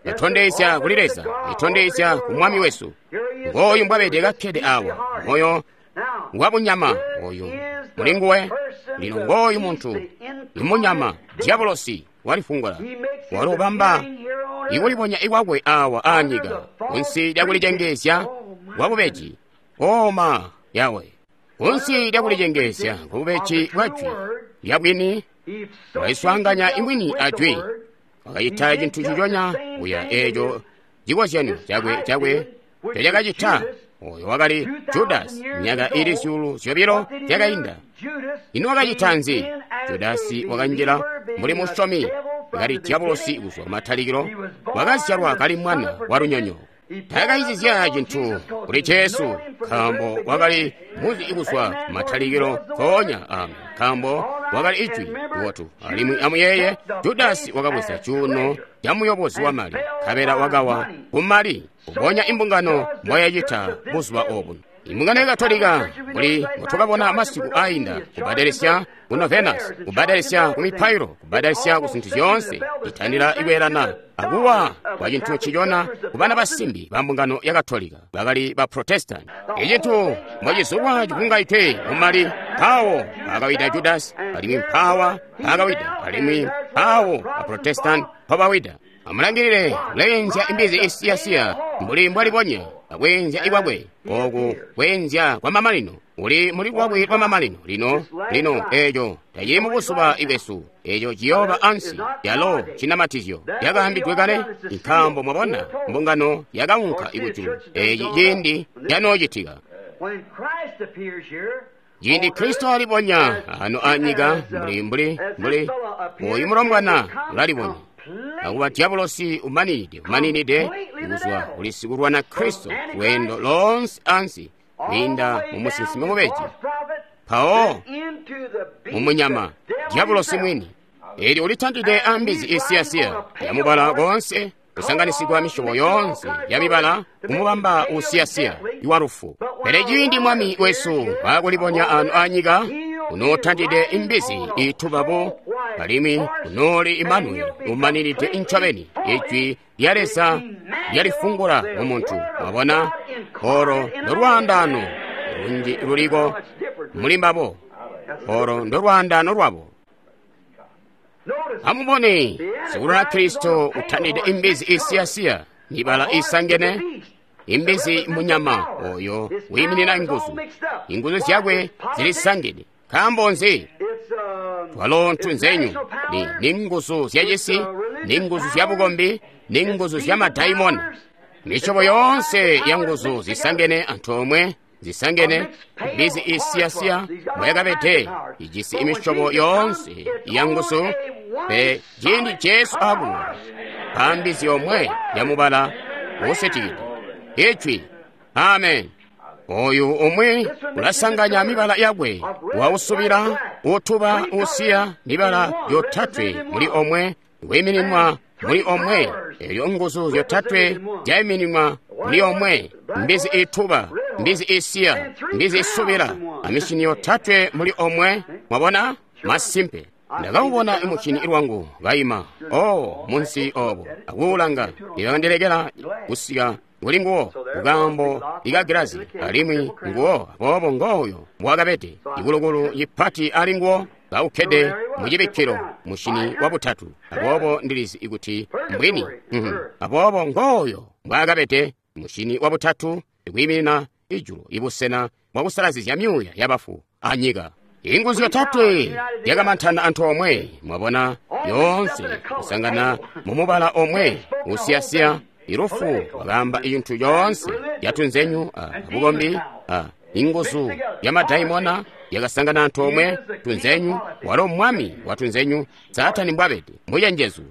yatondezya kuli Leza, yatondezya ku Mwami wesu. Ngooyu mbwabede kakkede awa, moyo wabunyama oyu mulinguwe. Lino ngooyu muntu imunyama diabolosi walifungula walo ubamba ikulibonya ikwakwe awa aanyika kunsi lyakulicengeezya kwabubeji. Oma yawe kunsi lyakulicengeezya kwabubeji bwa jwi lyabwini Wakaiswaanganya imwini ajwi. Wakacita cintu ciconya kuya eeco cikozyanyo cakwe cakwe cacakacita. Oyo wakali Judasi myaka ili zyuulu zyobilo zyakainda. Ino wakacita nzi? Judasi wakanjila mbuli musyomi, kali dyabulosi kuzwa kumatalikilo, wakazyalwa kali mwana wa lunyonyooko. Taakayizizya cintu kuli Jesu, nkaambo wakali muzi kuzwa kumatalikilo nkoonya amu, nkaambo wakali ijwi libotu. Alimwi amuyeeye, Judasi wakabweza cuuno ca muyobozi wa mali, nkabela wakawa ku mali, kubonya imbungano mboyacita buzuba obuno. Imbungano ya Katolika mbuli mbotwakabona masiku ainda, kubbadelesya ku novenas, kubbadelesya ku mipailo, kubbadelesya ku zintu zyoonse, itandila ikweelana akuwa kwa cintu ncicona ku bana basimbi ba mbungano ya Katolika bakali ba Protestant. Icintu mbocizulwa cibungaitwe mumali, mpawo akawida Judasi, alimwi mpawa akawida, alimwi mpawo ba Protestant mpobawida. Amulangilile uleenzya imbizi isiyasiya mbuli mbwalibonya akweenzya ikwakwe oku kweenzya kwa mamanino uli muli kwakwe kwa mamanino. Lino lino eeco tacili mubuzuba ibwesu, eeco ciyooba ansi yalo cinamatizyo yakaambidwe kale, nkaambo mwabona mbungano yakaunka ikujulu. Eeci ciindi canoocitika ciindi Kristo alibonya ano anyika mbuli mbuli mbuli oyu mulombwana ulalibonya akuba dyabulosi umaninide umaninide kuzwa kuli sikulwana Kristo lweendo lonse ansi kwiinda mu musinsimi mubeji mpawo mumunyama dyabulosi mwini. Eelyo ulitandide ambizi isiyasiya yamubala konse kusanganisigwa misyobo yoonse yamibala kumubamba usiyasiya iwalufu. Pele ciindi Mwami wesu waakulibonya ano anyika, unootandide imbizi iitubabu, alimwi unooli Imanueli umaninide incobeni, ijwi lya Leza lyalifungula mu muntu. Mwabona olo ndolwaandaano lunji luliko muli mbabo, olo ndolwaandaano lwabo. Amubone sikulwana Kristo utandide imbizi isiyasiya mibala isangene, imbizi munyama oyo wiiminina inguzu. Inguzu zyakwe zilisangene. Nkaambo nzi? Twalo ntunzenyu ni, ni nguzu zyacisi, ni nguzu zya bukombi, ni nguzu zya madaimona. Misyobo yoonse ya nguzu zisangene antoomwe, zisangene. Mbizi isiyasiya mbwayakabede ijisi imisyobo yoonse ya nguzu. Pele ciindi Jesu akuwa pa mbizi yomwe yamubala uusitikide, ijwi amen. Oyu umwi ulasanganya mibala yakwe, wausubila, utuba, usiya, mibala yotatwe muli omwe, wiimininwa muli omwe. Elyo nguzu zyotatwe zyaimininwa muli omwe, mbizi ituba, mbizi isiya, mbizi isubila, amishini yotatwe muli omwe. Mwabona masimpe. Ndakawubona imushini lwangu kayima oh munsi obo akuulanga likandelekela kusika kuli nguwo kukambo ikagilasi alimwi nguwo aboobo ngooyo mbwakabede ikulukulu cipati ali nguwo kaukkede mucibikkilo mushini wabutatu. Aboobo ndilizi ikuti mbwini. Mm-hmm. Aboobo ngooyo mbwaakabede mushini wabutatu ikwiiminina ijulu ibusena bwakusalazizya myuuya yabafu anyika. Inguzu yotatwe yakamantana antoomwe, mwabona, yoonse kusangana mumubala omwe usiyasiya. Ilufu wakaamba intu yoonse yatunzenyu a bukombi a inguzu ya madaimona yakasangana antoomwe tunzenyu. Walo mwami wa tunzenyu Saatani mbwabede mucenjezu.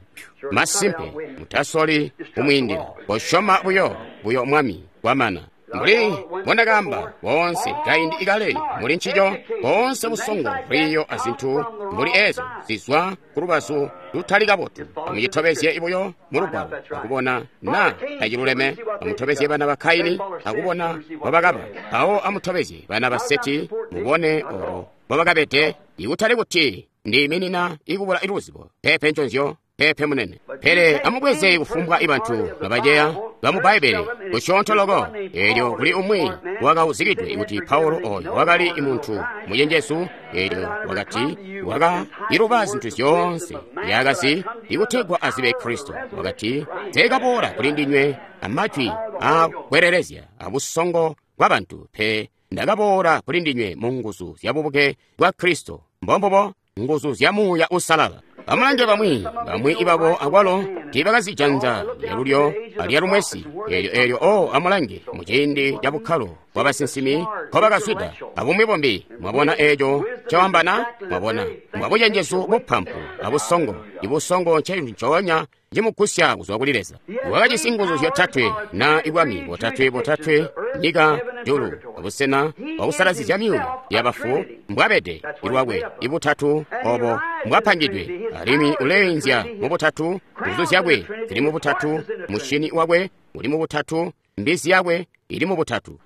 Masimpe mutasoli kumwiindila, kosyoma buyo buyo mwami kwamana. Mbuli mbondakaamba boonse kaindi ikale muli ncico, boonse busongo bwiiyo azintu mbuli ezo zizwa ku lubazu lutali kabotu. Amucitobezye buyo mu lugwalo akubona na taciluleme. Amutobezye bana ba Kaini akubona mbobakaba. Mpawo amutobezye bana ba Seti mubone obo mbobakabede. Ikutali kuti ndiiminina ikubula iluzibo, pepe nconzyo, pepe munene. Pele amubweze kufumbwa ibantu babajeya bamu Bbaibbele kusyoonto loko. Eelyo kuli umwi wakauzikidwe kuti Paulo oyo wakali muntu mucenjezu, eelyo wakati wakailuba zintu zyoonse yakazi ikutegwa azibe Kristo. Wakati teekaboola kuli ndinywe amajwi akwelelezya abusongo bwabantu, pe ndakaboola kuli ndinywe mu nguzu zya bubuke bwa Kristo. Mbombubo. Nguzu zya Muuya Uusalala. Amulange bamwi, bamwi ibabo akwalo tiibakazijanza lyalulyo alyalumwesi. Eelyo eelyo o amulange muciindi ca bukkalo bwa basinsimi nkobakazwida abumwi bumbi. Mwabona eeco cawambana? Mwabona mbwabucenjezu bupampu abusongo. Ibusongo ncecintu ncoonya cimugusya kuzwa kuli Leza. Wakajisi nguzu zyotatwe na ibwami botatwe botatwe, nyika, julu, abusena bwakusalazizya myuuya yabafu mbwabede ilwakwe ibutatu obo mbwapangidwe, alimwi uleenzya mubutatu. Nguzu zyakwe zili mubutatu, mushini wakwe uli mubutatu, mbizi yakwe ili mubutatu.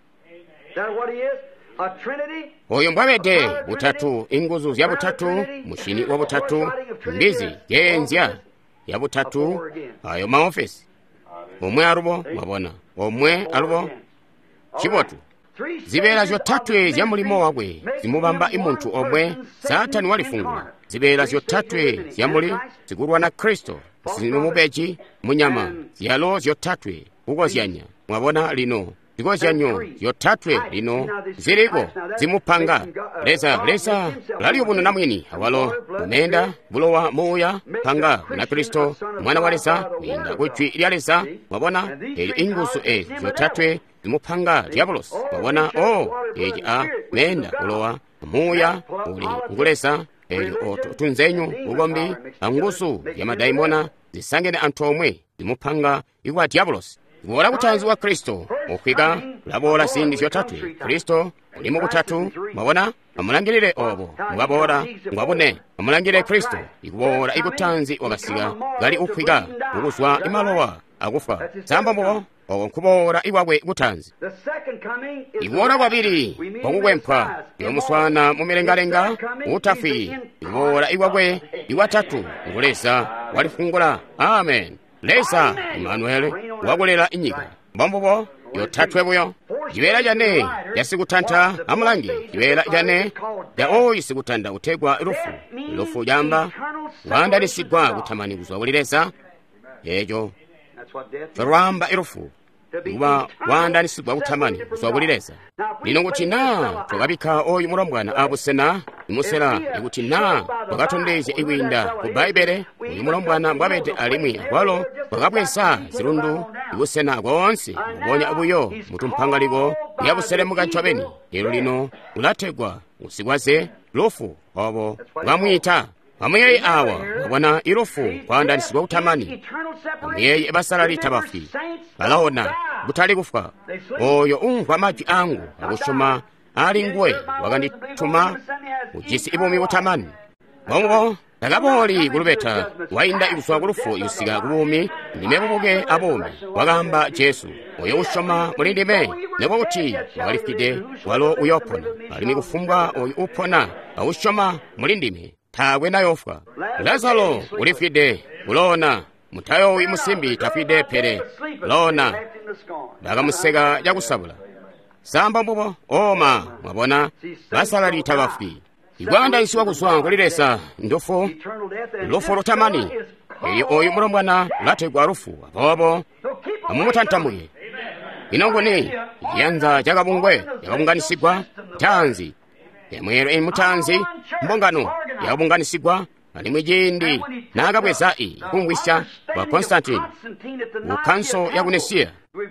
Oyo mbwabede butatu, inguzu zya butatu, mushini wa butatu, mbizi yeenzya ya butatu, ayo maofesi. Omwe alubo, mwabona, omwe alubo, cibotu. Zibeela zyotatwe zya mulimo wakwe zimubamba imuntu omwe. Saatani walifungula. Zibeela zyotatwe zya muli zikulwana Kristo, simubeji, munyama, zyalo zyotatwe kukozyanya. Mwabona lino, zikozyanyo zyotatwe lino ziliko zimupanga. Leza, Leza ulaliyubununa mwini awalo mumenda, bulowa, muuya, panga muna Kristo, mwana wa Leza, kwiinda ku jwi lya Leza. Mwabona, eli inguzu ezi zyotatwe zimupanga diabolosi. Mwabona, o eci a menda, bulowa, muuya uli ngu Leza. Elyo oto tunzenyu, bukombi, anguzu zya madaimona zisangene antoomwe zimupanga ikwa diabolosi. Kuboola kutaanzi kwa Kristo ukwika kulaboola ziindi zyotatwe. Kristo uli mubutatu. Mwabona, amulangilile obo mbwaboola ngwabune. Amulangilile Kristo ikuboola ikutaanzi wakasika kali ukwika mukuzwa imalowa akufa. Samba mbubo oko nkuboola ikwakwe kutaanzi. Ikuboola kwabili kwakukwempwa yomuswana mumilengalenga utafwi. Ikuboola ikwakwe ikwatatu ngu Leza walifungula. Amen. Leza Emanuele wakulela inyika. Mbombubo yotatwe buyo. Cibeela cane ca sikutanta, amulange, cibeela cane ca oyu sikutanta utegwa lufu. Lufu lyamba lwaandanisigwa kutamani kuzwa kuli Leza. Eco colwaamba ilufu kuba waandanisigwa kutamani kuzwa kuli Leza. Lino kuti naa twakabikka oyu mulombwana abusena imusela, ikuti naa twakatondezya ikwiinda ku Bbaibbele uyu mulombwana mbwabede, alimwi akwalo twakabweza zilundu ibusena koonse mbubonya buyo mutumpangaliko yabuselemuka ncobeni. Elyo lino ulategwa usikwaze lufu obo bwamwiita. Amuyeeye awa, mwabona, ilufu kwaandanisigwa kutamani. Amuyeeye basalali tabafwi, balaona kutali kufwa. Oyo umvwa majwi angu akusyoma ali nguwe wakandituma ujisi ibuumi butamani. Mbombubo takabooli kulubeta, wainda kuzwa kulufu ikusika kubuumi. Ndime bubuke abuumi, wakaamba Jesu. Oyo usyoma muli ndime, nikuba kuti wakalifwide, walo uyoopona. Alimwi kufumbwa oyu upona ausyoma muli ndime taakwe nayofwa. Lazaro ulifwide, uloona. Mutayowi musimbi tafwide, pele loona. Bakamuseka cakusabula. Samba mbubo oma. Mwabona, basalali tabafwi. Ikwaandanisiwa kuzwa kuli Leza ndufu, lufu lutamani. Elyo oyu mulombwana ulategwa lufu, aboobo amumutantamuke. Ino nguni? Ciyanza cakabungwe cakabunganisigwa ntaanzi. Emweelo imutaanzi mbungano yakabunganisigwa, alimwi ciindi naakabweza i kumvwisya kwa Constantine ku kanso ya ku Nisiya.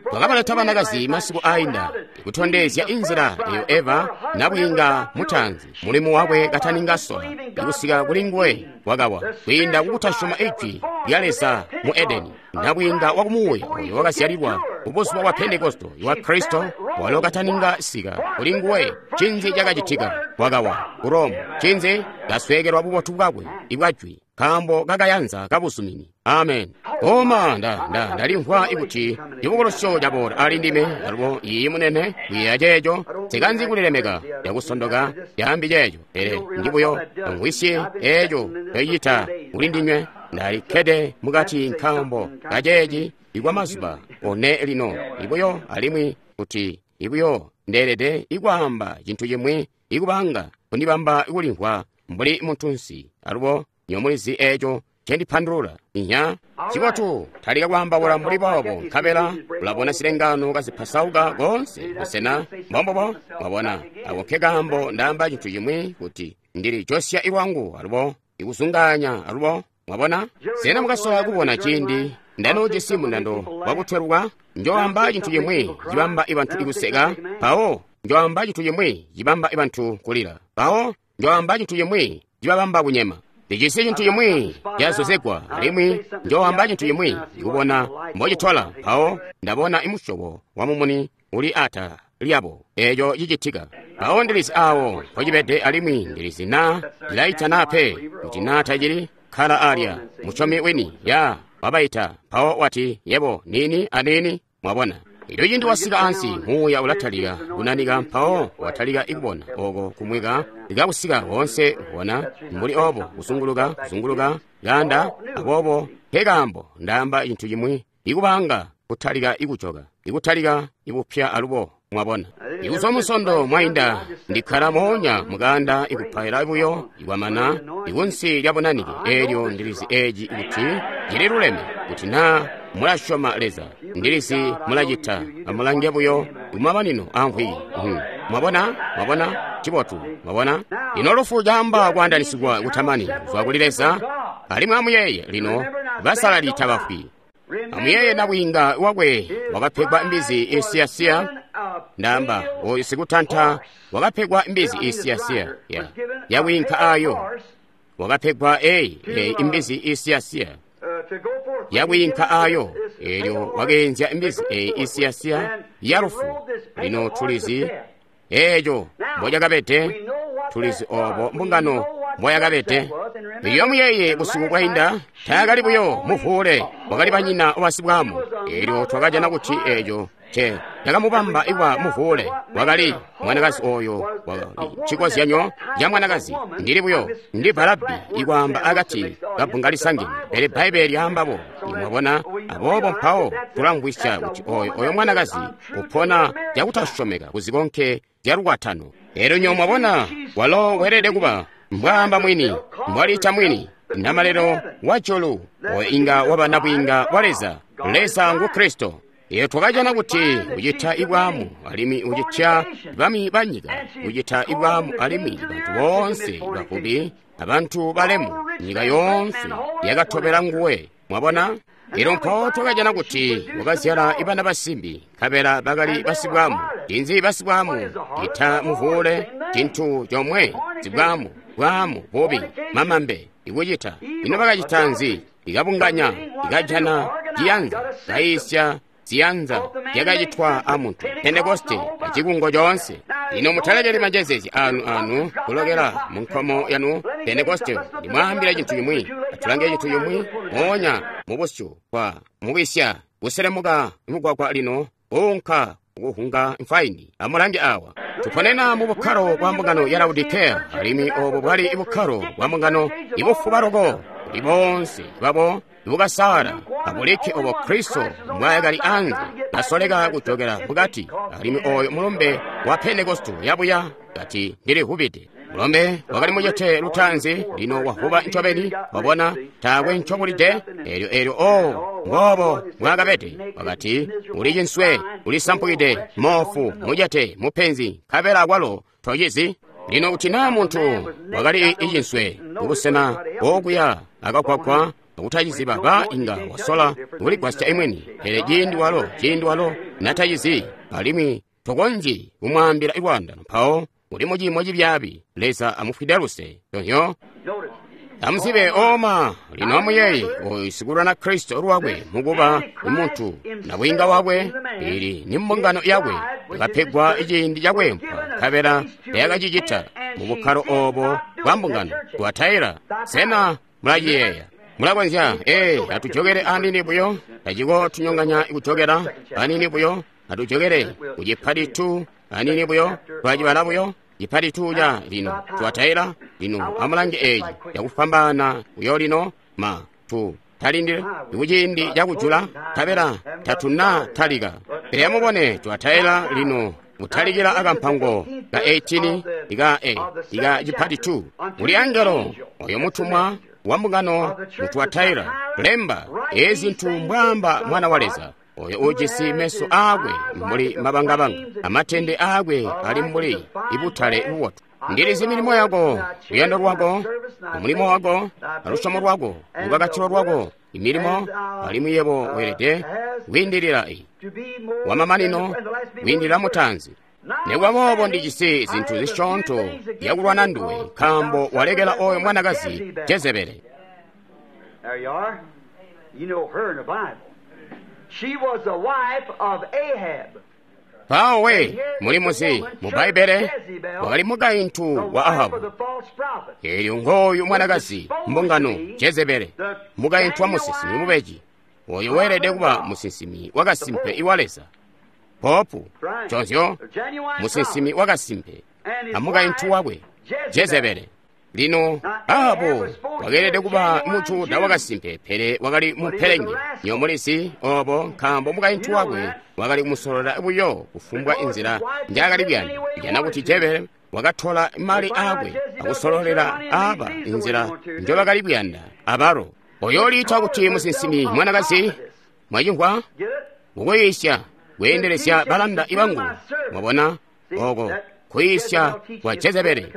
Twakabaleta banakazi masiku ainda ikutondezya inzila eyo Eva nabwiinga mutaanzi mulimu wakwe kataninga sola ikusika kuli nguwe wakawa kwiinda kukutasyoma ijwi lya Leza mu Edeni. Nabwiinga wakumuuya oyo wakazyalilwa kubuzuba bwa Pentekosto iwa Kristo walo kataninga sika kuli nguwe. Cinzi cakacitika? Wakawa ku Roma. Cinzi? Kasweekelwa bubotu bwakwe ibwajwi nkaambo kakayanza kabuzumini. Amen. Oma nda nda ndalimvwa ikuti cibukulusyo caboola ali ndime alubo iyi munene kuyeeya ceeco nsikanzi kulilemeka cakusondoka caambi ceeco, pele ndibuyo amvwisye eeco ncocicita kuli ndinywe. Ndalikkede mukati nkaambo kaceeci ikwamazuba one lino ibuyo, alimwi kuti ibuyo ndeelede ikwaamba cintu cimwi ikubanga kundibamba kulimvwa mbuli muntunsi. Alubo nyomulizi eeco ncendipandulula. Inya cibotu talika kwaambaula mbuli boobo, nkabela ulabona zilengano kazipasauka koonse busena. Mbombubo, mwabona, ako nkekaambo ndaamba cintu cimwi kuti ndili josya ilwangu alubo ikuzungaanya alubo. Mwabona? Sena mukasola kubona ciindi ndanoojisi mundando wakutweluka? Njoamba cintu cimwi cibamba ibantu ikuseka, mpawo njoamba cintu cimwi cibamba ibantu kulila, mpawo njoamba cintu cimwi cibabamba kunyema. Ndijisi cintu cimwi cazozegwa, alimwi njoamba cintu cimwi ikubona mbocitola, mpawo ndabona imusyobo wa mumuni uli atala lyabo eeco cicitika. Mpawo ndilizi awo mpocibede, alimwi ndilizi naa cilaita naa pe. Kuti naa tacili, kkala alya musyomi wini ya wabaita, mpawo wati yebo nini anini. Mwabona, elyo cindi wasika ansi, muuya ulatalika kunanika, mpawo watalika ikubona oko kumwika likakusika woonse, kubona mbuli obo kuzunguluka kuzunguluka ganda. Aboobo nkekaambo ndaamba cintu cimwi ikubanga kutalika ikujoka, ikutalika ikupya alubo. Mwabona, ikuzwa musondo mwainda ndikkala moonya muganda ikupaila buyo ikwamana ikunsi lya bunanike. Eelyo ndilizi eci kuti cililuleme, kuti naa mulasyoma Leza, ndilizi mulacita. Amulange buyo kumamanino amvwi. Mwabona, mwabona, cibotu. Mwabona, lino lufu caamba kwaandanisigwa kutamani kuzwa kuli Leza. Alimwi amuyeeye lino, basalali tabafwi. Amuyeeye nabwiinga wakwe wakapegwa mbizi isiyasiya. Ndaamba oyu sikutanta wakapegwa mbizi isiyasiya ya yakwiinka ayo, wakapegwa eyi eyi imbizi isiyasiya yakwiinka ayo. Eelyo wakeenzya imbizi eyi isiyasiya ya lufu. Lino tulizi eeco mbocakabede, tulizi obo mbungano mboyakabede. Elyo muyeeye busiku bwainda taakali buyo muvuule, wakali banyina wasibwamu. Eelyo twakajana kuti eeco ce cakamubamba iwa muvuule wakali mwanakazi oyo wakali cikozyanyo ca mwanakazi. Ndili buyo ndi Balabbi ikwaamba akati kabbunga lisangene, pele Bbaibbele lyaambabo. Mwabona, aboobo mpawo tulamvwisya kuti oyo oyo mwanakazi upona cakutasyomeka kuzikonke zya lukwatano. Eelyo nyo mwabona, walo weelede kuba mbwaamba mwini, mbwaliita mwini, namalelo wa julu, oyo inga waba nabwiinga wa Leza. Leza ngu Kristo. Iyo twakajana kuti ucita ibwamu, alimwi ucitya bami banyika, ucita ibwamu, alimwi bantu boonse bavubi abantu balemu, nyika yoonse yakatobela nguwe. Mwabona, elyo mpawo twakajana kuti wakazyala ibana basimbi, nkabela bakali basibwamu. Cinzi basibwamu? Ita muvuule cintu comwe, sibwamu, bwamu, bubi, mamambe, ikucita. Ino bakacita nzi? Ikabunganya, ikajana ciyanza, kayisya ziyanza yakacitwa amuntu Pentekoste acikungo coonse. Lino mutalekeli manjezezi anu anu kulokela mu nkomo yanu Pentekoste. Ndimwaambila cintu cimwi, atulange cintu cimwi moonya mubusyu kwa mubisya kuselemuka mugwagwa lino kuunka kuhunga mfaini. Amulange awa tuponena mu bukkalo bwa mbungano ya Laodikea, alimwi obo bwali bukkalo bwa mbungano ibufuba loko kuli bonse babo bukasala abuleke obo Kristo mbwayakali anze nasoleka kujokela mukati. Alimwi oyo mulumbe wa Pentekoste yabuya kati ndilihubide. Mulombe wakali mucete lutanzi, lino wahuba ncobeni. Wabona, taakwe ncobulide. Eelyo eelyo o ngoobo mwakabede. Wakati uli cinswe, ulisampukide, moofu, mucete, mupenzi, nkabela akwalo tocizi. Lino kuti naa muntu wakali icinswe kubusena okuya akagwagwa akutaciziba, ba inga wasola kuligwasya imweni. Pele ciindi walo ciindi walo natacizi, alimwi tokonzyi kumwaambila lwaandano, mpawo uli muciimo cibyaabi. Leza amufwide luse. Tonyo amuzibe oma. Lino amuyeeye oyu sikulwana Kristo lwakwe mukuba muntu nabwiinga wakwe, ili ni mbungano yakwe yakapegwa ciindi cakwempwa, nkabela teyakacicita mu bukkalo obo bwa mbungano. Twataila. Sena mulaciyeeya? Mulakonzya ee atujokele anini buyo, taciko tunyonganya kujokela anini buyo, atujokele kucipati tu anini buyo, twacibala buyo cipati tu ca lino twataila. Lino amulange eci cakufwambaana buyo lino ma tu talindile ikuciindi cakujula, nkabela tatuna talika. Pele amubone twataila lino kutalikila akampango ka eighteen ika e ika cipati two. Kuli angelo oyo mutumwa wa mbungano mu Tuataira, lemba ezi zintu mbwaamba Mwana wa Leza, oyo ujisi meso aakwe mbuli mabangabanga, amatende aakwe ali mbuli ibutale bubotu. Ndilizi milimo yako, luyando lwako, umulimo wako, alusyomo lwako, lukakatilo lwako, imilimo, alimwi yebo weelede kwiindilila iyi wamamanino kwiindilila mutaanzi. Nikuba boobo ndijisi zintu zisyoonto zyakulwana nduwe, nkaambo walekela oyo mwanakazi Jezebele. There you are. You know her in the Bible. She was the wife of Ahab. Mpawo we muli muzi mu Bbaibele wakali mukaintu The wa wife of Ahabu. the false prophet. Eelyo ngooyu mwanakazi mbungano Jezebele, mukaintu wa musinsimi mubeji, oyo weelede kuba musinsimi wakasimpe iwa Leza. Popu Right. conzyo The genuine musinsimi prophet. wakasimpe And his a mukaintu wife, wakwe Jezebele. Lino Ahabu wakeelede kuba Mujuda wakasimpe, pele wakali mupelenge. Nyomulizi obo nkaambo mukaintu wakwe wakali kumusolola buyo kufumbwa inzila njaakali kuyanda. Jana kuti Jezebele wakatola mali aakwe akusololela aba inzila njobakali kuyanda abalo. Oyo liitwa kuti musinsimi mwanakazi, mwacimvwa? Get it? Kukuyiisya kweendelezya balanda ibangu. Mwabona oko kuyiisya kwa Jezebele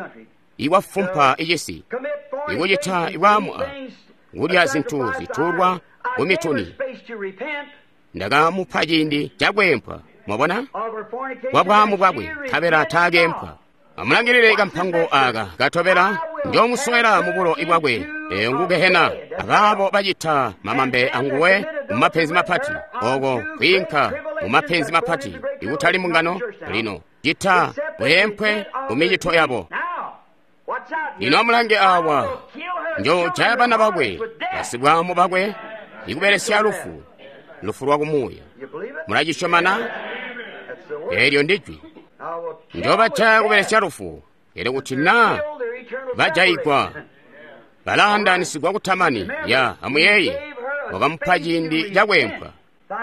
iwafumpa icisi, Commit ikucita fornication, ibwaamu a things, kulya zintu sacrifice zituulwa I ku gave her mituni. space to repent Ndakamupa ciindi cakwempwa. Mwabona of her fornication, wa bwaamu and bwakwe she nkabela repented taakempwa. not. Amulangilile kampango aka katobela, njoomusowela mubulo ibwakwe, eyo ngu Gehena, abaabo bacita mamambe anguwe mu mapenzi mapati, oko kwiinka mu mapenzi mapati, ikutali mbungano lino cita bweempwe mu micito yabo. Now, watch out here. Lino amulange awa, I will kill her njojaya children bana bakwe, with death. basibwaamu bakwe, ikubelesya lufu, lufu lwa kumuuya. You believe it? Mulacisyomana? That's the word. Eelyo ndijwi. I will kill Njobajaya with kubelesya death. lufu, elyo kuti naa Kill their eternal bajayigwa separation. balaandanisigwa kutamani ya amuyeeye wakamupa ciindi cakwempwa.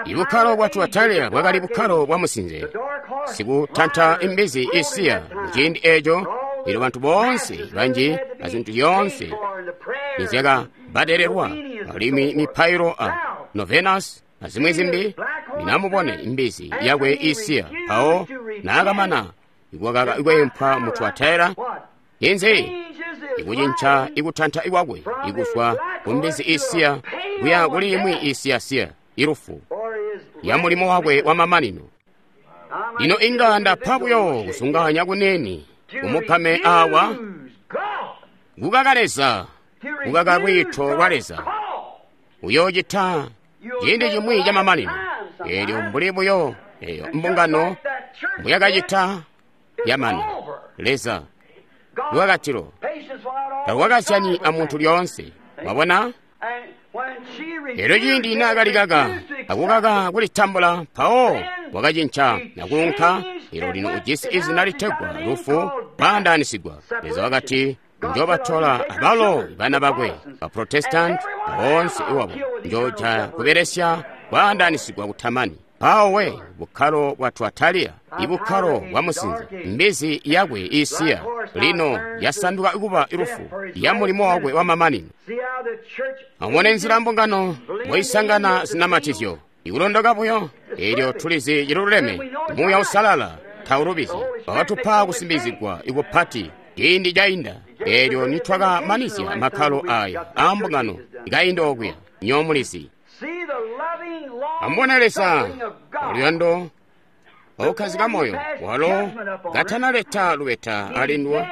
Ibukkalo bwa Tuataira bwakali bukkalo bwa musinze, The dark horse sikutanta rider imbizi rode in isiya. that time. Muciindi eeco elyo bantu boonse banji azintu zyoonse nizyakabbadelelwa, alimwi mipailo a novenas azimwi zimbi. Linamubone imbizi yakwe isiya. Mpawo naakamana ikwakaka ikwempwa mu Tuataira, inzi ikucinca ikutanta ikwakwe ikuzwa ku mbizi isiya kuya kuli imwi isiyasiya ilufu ya mulimo wakwe wamamanino. Lino inga ndapa buyo kusunganya kunene kumukame awa kukaka Leza, kukaka lwiitho lwa Leza, uyoocita ciindi cimwi camamanino. Eelyo mbuli buyo eyo mbungano mbuyakacita yamana. Leza lwakatilo talwakasyanyi amuntu lyoonse. Mwabona? Elyo ciindi naakalikaka akukaka kulitambula, mpawo wakacinca nakuunka. Elo lino ujisi izina litegwa lufu, baandaanisigwa. Leza wakati, njobatola abalo bana bakwe baprotestanti boonse iwabo, njoja kubelesya kwaandaanisigwa kutamani. Mpawo we bukkalo bwa Tuataria, ibukkalo bwa musinze, mbizi yakwe isiya lino yasanduka kuba ilufu ya mulimo wakwe wamamanino. Amubone nzila mbungano mboisangana zinamatizyo ikulondoka buyo. Eelyo tulizi ciluleme, Muuya Usalala taulubizi, wakatupa kusimbizigwa ikupati ciindi cainda. Eelyo nitwakamanizya makkalo aya aambungano ikainda okuya, nyomulizi. Amubone Leza luyando okukhazika moyo walo katanaleta lubeta alindwa,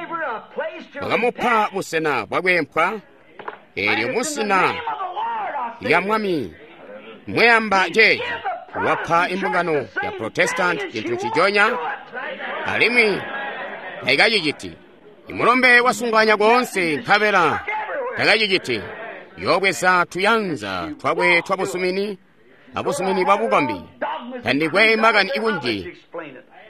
wakamupa busena bwakwempwa. Eelyo musina lya Mwami mweyamba ceeci wapa imbungano ya Protestant cintu nciconya, alimwi taikaciciti. Imulombe wasunganya koonse nkabela takaciciti. Yobweza tuyanza twakwe twa busumini abusumini bwa bukombi. Tandikwe makani ikunji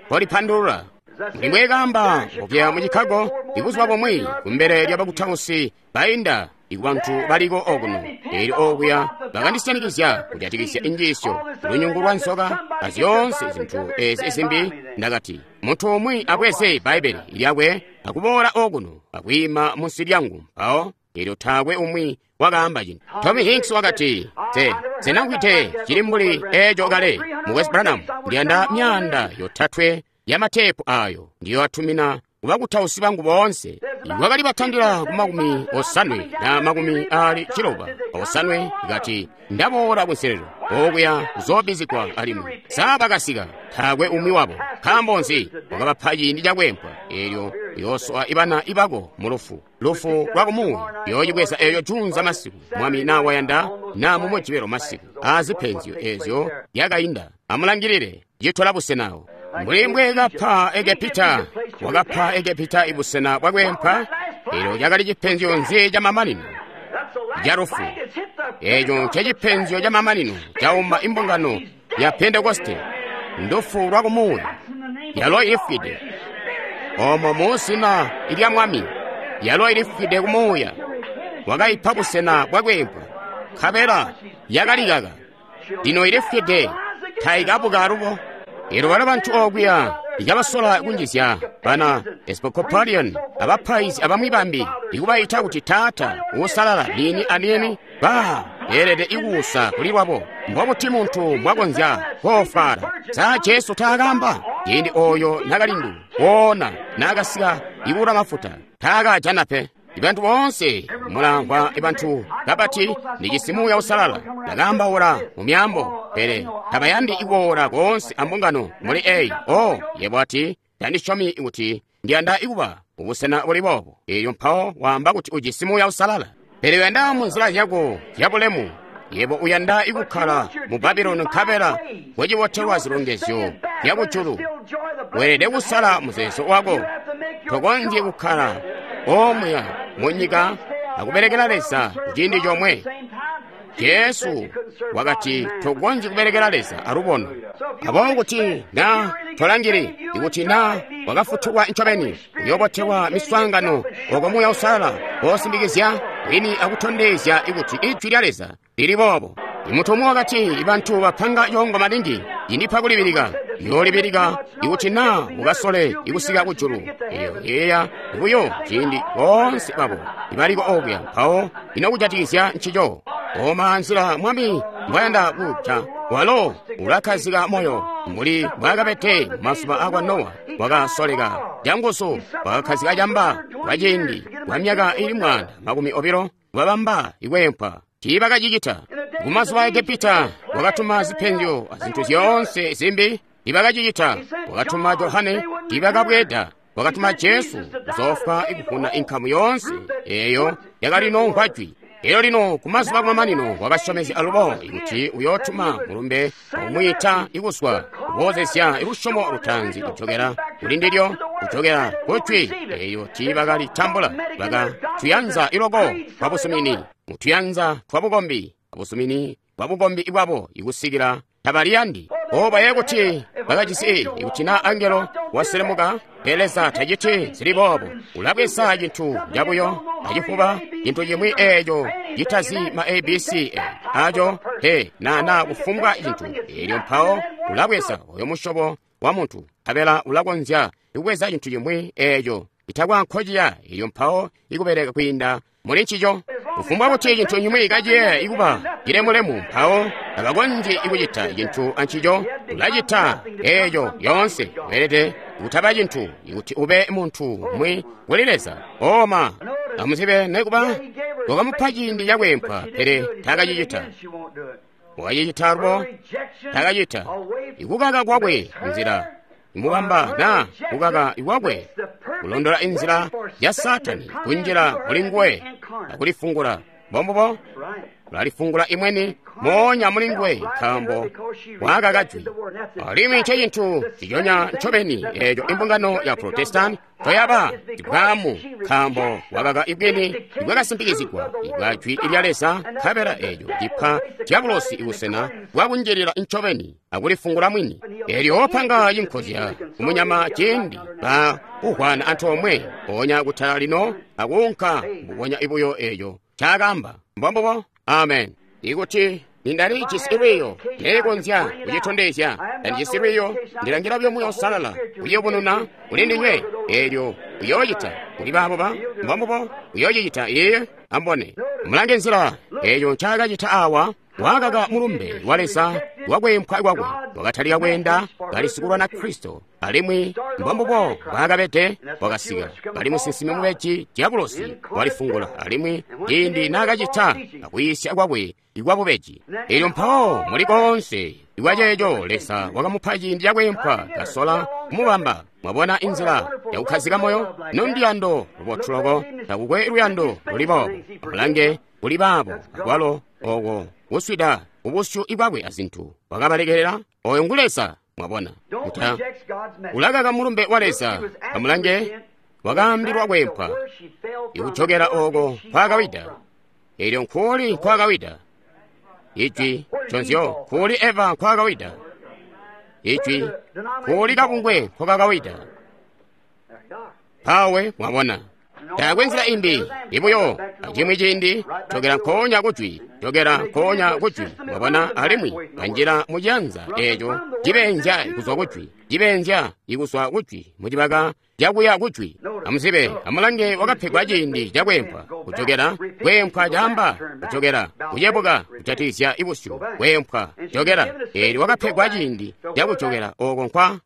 kolipandulula. Mulimbwe kamba kupya mu Chicago ibuzuba bomwe kumbele lya bakutausi bainda ikubantu baliko okuno. Eelyo okuya bakandisyanikizya kujatikizya injiisyo lunyungu lwa nsoka azyoonse zinthu ezi zimbi. Ndakati munthu umwe abweze Bbaibeli lyakwe akuboola okuno akuyima munsi lyangu mpawo Elyo taakwe umwi wakaamba cintu. Tommy Hicks wakati, "Nse, nsenamvwide cili mbuli eco kale, Mukwesu Branham, ndiyanda myaanda yotatwe ya matepu ayo ndiyoatumina kubakutausi bangu boonse." Wakali batandila ku makumi osanwe na makumi ali ciloba osanwe, kati, "Ndaboola kunselelo okuya kuzoobizigwa alimwi." Sa bakasika? Taakwe umwi wabo. Nkaambo nzi? Wakabapa ciindi cakwempwa. Elyo uyooswa ibana ibako mu lufu, lufu lwa kumuuya. Uyoocibweza eeyo junza masiku, Mwami na wayanda, na mu Mujibelo masiku, aazipenzyo ezyo yakainda. Amulangilile, citola busenawo. Mbuli mbwe kapa Egepita, wakapa Egepita ibusena bwakwempa. Elyo cakali cipenzyo nzi camamanino? Ca lufu. Eco ncecipenzyo camamanino cauma imbungano ya Pentekoste, ndufu lwa kumuuya. Yalo ilifwide. Omo mu zina lya Mwami, yalo ilifwide kumuuya. Wakaipa busena bwakwempwa, nkabela yakalikaka. Lino ilifwide, taikabuka alubo. Elyo balo bantu okuya ikabasola kunjizya bana Episcopalian, abapaizi abamwi bambi, ikubaita kuti Taata Uusalala nini anini, ba beelede ikuusa kuli lwabo. Mbobuti muntu mbwakonzya koofwaala? Sa Jesu taakamba ciindi oyo nakalindu woona naakasika ikuula mafuta, taakajana pe? Ibantu boonse mulamvwa ibantu kabati, "Ndijisi Muuya Uusalala, ndakaambaula mu myaambo," pele tabayandi ikuboola koonse ambungano muli eyi. O, yebo ati, "Tandisyomi kuti ndiyanda ikuba mubusena buli boobo." Elyo mpawo waamba kuti ujisi Muuya Uusalala, pele uyanda mu nzila zyako zyabulemu. Yebo uyanda ikukkala mu Babuloni nkabela wecibotelwa zilongezyo zyakujulu. Weelede kusala muzeezo wako. Tokonzyi kukkala omuya mu nyika akubelekela Leza kuciindi comwe. Jesu wakati tokonzyi kubelekela Leza alubono. Aboobo kuti na tolangili, ikuti na wakafutulwa ncobeni, uyobotelwa miswaangano oko Muuya Uusalala osindikizya wini akutondezya ikuti Ijwi lya Leza lili boobo. Imuntu umwi wakati, "Bantu bapanga coongo maningi, cindipa kulibilika." Uyoolibilika ikuti na ukasole ikusika kujulu. Eyo yeeya buyo ciindi boonse babo ibaliko okuya, mpawo ino kujatikizya ncico? Oma nzila Mwami mbwayanda kuca, walo ulakkazika moyo mbuli mbwaakabede mumazuba akwa Nowa. Wakasoleka canguzu, wakakkazika camba kwa ciindi kwa myaka ili mwaanda makumi obilo wabamba ikwempwa. Tiibakacicita. Kumazuba a Egepita wakatuma zipenzyo azintu zyoonse zimbi. Tiibakacicita. Wakatuma Johane, tiibakabweeda. Wakatuma Jesu kuzoofwa ikuvuna inkamu yoonse eyo yakali nomvwa jwi. Elyo lino kumazuba kumamanino wakasyomezya alubo ikuti uyootuma mulumbe umwiita ikuswa kuboozesya lusyomo lutaanzi kujokela kuli ndilyo, kujokela kujwi. Eyo tiibakalitambula. Baka tuyanza iloko twa busumini, mutuyanza twa bukombi, abusumini bwa bukombi bwabo ikusikila tabaliyandi. Obaye kuti bakajisi ikuti na angelo waselemuka, pele Leza taciti zili boobo. Ulabweza cintu cabuyo acifuba, cintu cimwi eeco citazi ma A B C aco pe na na kufumbwa cintu. Elyo mpawo ulabweza oyo musyobo wa muntu, nkabela ulakonzya kubweza cintu cimwi eeco citakwa nkociya, elyo mpawo ikubeleka kwiinda muli ncico. Kufumbwa kuti cintu cimwi kaciye ikuba cilemulemu, mpawo tabakonzyi ikucita cintu ancico. Ulacita eeco lyoonse. Weelede kutaba cintu ikuti ube muntu mwi kuli Leza. Oma amuzibe nekuba wakamupa ciindi cakwempwa, pele takacicita. Wakacicita alubo, takacita. Ikukaka kwakwe nzila imubamba na kukaka ikwakwe kulondola inzila ya Satani kunjila muli nguwe akulifungula. Mbombubo ulalifungula imweni moonya muli nguwe nkaambo wakaka jwi. Alimwi ncecintu ciconya ncobeni eeco imbungano ya Protestant toyaba cibwaamu, nkaambo wakaka ibwini ibwakasimpikizigwa ibwa jwi lya Leza, nkabela eeco cipa diabulosi ibusena bwakunjilila ncobeni akulifungula mwini. Eelyo wopanga cinkozya kumunyama ciindi ba kuhwana antoomwe, mpoonya kutala lino akuunka mbubonya ibuyo eeco ncaakaamba. Mbombubo. Amen. Ikuti nindali jisi lwiiyo, ndeekonzya kucitondezya. Ndandijisi lwiiyo, ndilangila buyo Muuya Uusalala kuyubununa kuli ndinywe. Eelyo uyoocita kuli baabo ba mbombubo uyoocicita. Iye, ambone mulange nzila eeyo ncaakacita awa. Wakaka mulumbe wa Leza wakweempwa kwakwe, wakatalika kweenda kali sikulwana Kristo, alimwi mbombubo bwaakabede. Wakasika kali musinsimi mubeji, dyabulosi walifungula, alimwi ciindi naakacita akwiisya kwakwe ikwabubeji. Eelyo mpawo muli koonse ikwaceeco Leza wakamupa ciindi cakweempwa, kasola kumubamba. Mwabona inzila yakukhazika moyo? Nondiyando lubotu loko, takukwe luyando luli boobo. Amulange kuli baabo akwalo oko kuswida kubusyu ibwakwe azintu wakabalekelela. Oyo ngu Leza. Mwabona, uta ulakaka mulumbe wa Leza. Amulange, wakaambilwa kweempwa ikujokela oko nkwaakawida. Eelyo nkuuli nkwaakawida ijwi nconzyo, nkuuli Eva nkwaakawida ijwi, nkuuli kabungwe nkokakawida pawe. Mwabona, taakwe nzila imbi ibuyo acimwi ciindi jokela nkoonya kujwi, jokela nkoonya kujwi. Mwabona, alimwi banjila mucianza eeco cibenzya kuzwa kujwi, cibenzya ikuzwa kujwi mucibaka cakuya kujwi. Amuzibe, amulange, wakapegwa ciindi cakweempwa, kujokela. Kweempwa caamba kujokela, kucebuka kujatikizya ibusyu, kweempwa, jokela. Eelyo wakapegwa ciindi cakujokela oko nkwa.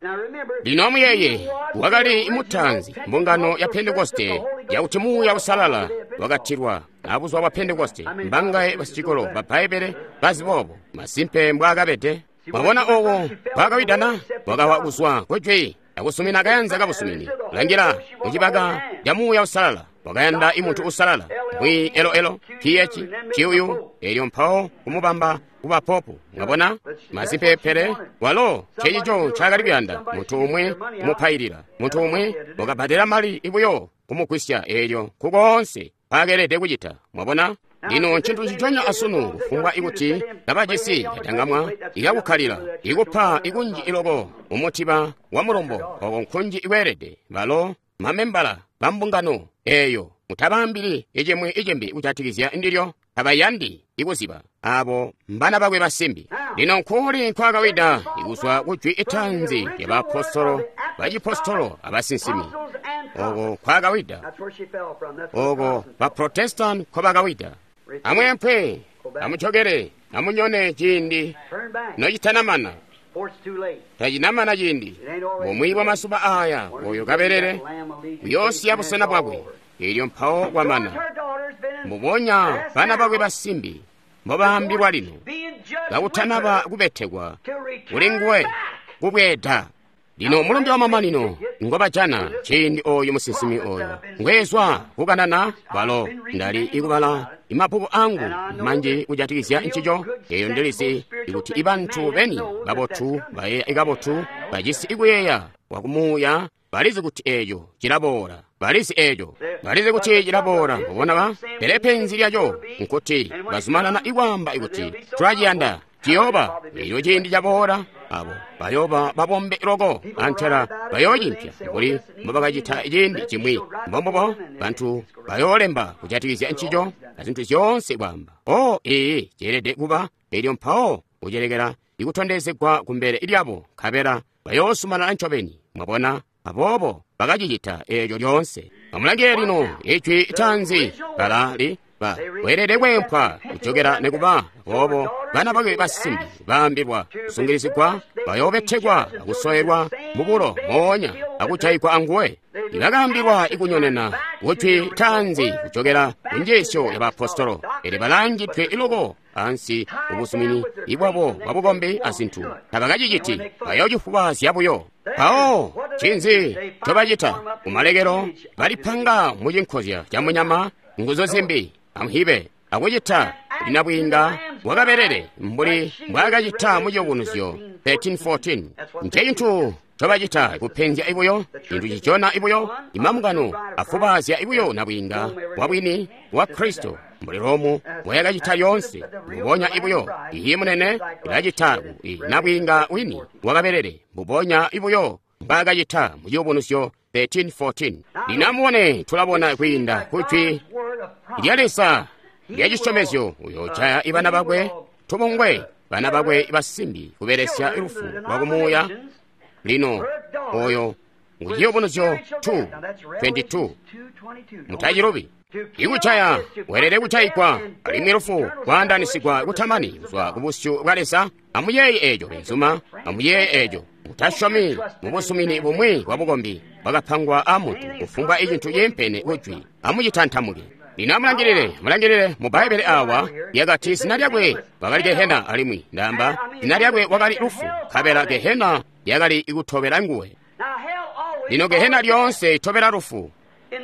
Lino amuyeeye, wakali mutaanzi mbungano ya Pentekoste yakuti Muuya Usalala wakatilwa abuzuba bwa Pentekoste. Mbangaye basicikolo ba Bbaibbele bazi boobo masimpe mbwaakabede. Mwabona oko mbwaakawidana? Wakawa kuzwa kujwi akusumina kayanza kabusumini. Langila mucibaka ca Muuya Usalala, wakayanda imuntu usalala mbwi L L P H Q U, eelyo mpawo kumubamba kuba popu. Mwabona, masimpe, pele walo cecico ncaakali kuyanda, muntu umwe kumupailila, muntu umwe wakabbadela mali ibuyo kumugwisya. Eelyo nkukoonse mpaakeelede kucita. Mwabona, lino ncintu nciconya asunu, kufumbwa ikuti kabajisi katangamwa ikakukkalila ikupa ikunji iloko mumutiba wa mulombo, oko nkunji ikweelede balo mamembala bambungano eeyo. Mutabaambili icimwi icimbi kujatikizya ndilyo, tabayandi ikuziba. Abo mbana bakwe basimbi. Lino nkuuli nkwaakawida? Ikuzwa kujwi itaanzi lya baapostolo, bacipostolo abasinsimi, oko nkwaakawida, oko baprotestant nkobakawida. Amweempwe, amujokele, amunyone ciindi nocitanamana. Tacinamana ciindi. Bumwi bwa masuba aya oyo kabelele uyoosiya busena bwakwe, eelyo mpawo kwamana. Mbubonya bana bakwe basimbi mbobaambilwa lino, kakutanaba kubetekwa kuli nguwe kubweeda. Lino mulumbe wa mamanino ngobajana ciindi oyu musinsimi oyo ngwezwa kukanana balo. Ndali ikubala imabbuku angu manji kujatikizya ncico. Eyo ndilizi ikuti ibantu beni babotu bayeeya ikabotu bajisi ikuyeeya wakumuuya balizi kuti eeco cilaboola, balizi eeco, balizi kuti cilaboola. Mubona ba, pele penzi lyaco nkuti bazumanana ikwaamba ikuti tulaciyanda, ciyooba. Eelyo ciindi caboola, abo bayooba babombe loko antela bayoocimpya mbuli mbobakacita ciindi cimwi. Mbombubo, bantu bayoolemba kujatikizya ncico azintu zyoonse, kwaamba, o ee, ceelede kuba. Eelyo mpawo kucelekela ikutondezegwa kumbele lyabo, nkabela bayoosumanana ncobeni. Mwabona, aboobo bakacicita eeco lyoonse. Amulange lino ijwi taanzi balali ba weelede kweempwa kujokela. Nikuba boobo bana bakwe basimbi baambilwa kusungilizigwa bayoobetekwa akusoyelwa mubulo moonya akujayigwa anguwe. Ibakaambilwa ikunyonena kujwi taanzi kujokela kunjiisyo ya baapostolo, pele balangidwe iloko ansi ubuzumini ibwabo bwabukombi azintu, tabakaciciti, bayoocifubaazya buyo. Mpawo ncinzi ncobacita? Kumalekelo balipanga mucinkozya ca munyama nguzu zimbi amuhibe akucita linabwiinga bwakabelele mbuli mbwaakacita mu Ciyubunuzyo thirteen fourteen. Ncecintu ncobacita, kupenzya ibuyo cintu cicona ibuyo. Imambungano afubaazya ibuyo nabwiinga wabwini wa Kristo mbuli Romu mbwayakacita lyoonse, mbubonya ibuyo. Iyi, munene, ilacita nabwiinga wini wakabelele mbubonya ibuyo mbwaakacita mu Ciyubunuzyo thirteen fourteen. Lino amubone, tulabona kwiinda kujwi lya Leza lya cisyomezyo uyojaya ibana bakwe tubungwe, bana bakwe basimbi, kubelesya lufu lwakumuuya. Lino oyo Ngu Ciyubunuzyo two twenty-two. Mutacilubi. Ikujaya weelede kujayigwa, alimwi lufu kwaandanisigwa kutamani kuzwa ku busyu bwa Leza. Amuyeeye eeco, benzuma, amuyeeye eeco. Mutasyomi mu busumini bumwi bwa bukombi bwakapangwa a muntu kufumbwa icintu ciimpene kujwi. Amucitantamuke. Lino amulangilile, mulangilile mu Bbaibbele awa lyakati zina lyakwe wakali Gehena, alimwi ndaamba zina lyakwe wakali lufu, nkabela Gehena lyakali kutobela nguwe. Lino Gehena lyoonse itobela lufu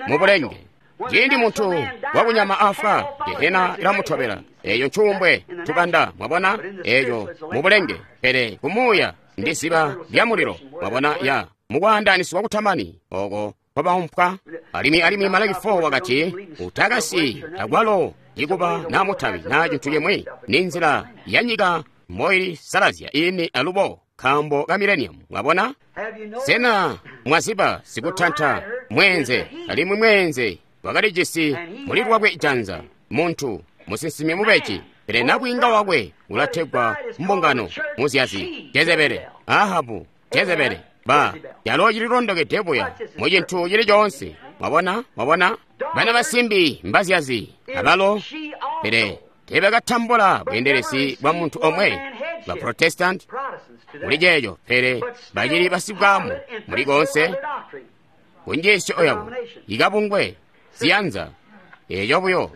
mu bulenge. Ciindi muntu wakunyama afwa, Gehena ilamutobela. Eeyo ncuumbwe tubanda, mwabona, eeyo mu bulenge, pele kumuuya ndi ziba lya mulilo, mwabona, ya mukwaandaanisigwa kutamani oko kwabaumpwa. Alimwi alimwi Malaki four wakati, utakasi akwalo ikuba na mutabi na cintu cimwi, ni nzila ya nyika moilisalazya ini alubo nkaambo ka mileniamu, mwabona. Sena mwaziba sikutanta mweenze, alimwi mweenze wakalijisi muli lwakwe janza, muntu musinsimi mubeji, pele nabwiinga wakwe ulategwa mbungano muzyazi Jezebele, Ahabu, Jezebele. Ba yalo cililondokede buya mu cintu cili coonse. Mwabona, mwabona, bana basimbi mbazyazi abalo, pele teebakatambula bweendelezi bwa muntu omwe, ba Protestant muli ceeco, pele bacili basibwamu muli koonse kunjiisyo yabo ikabungwe ziyanza eeco buyo,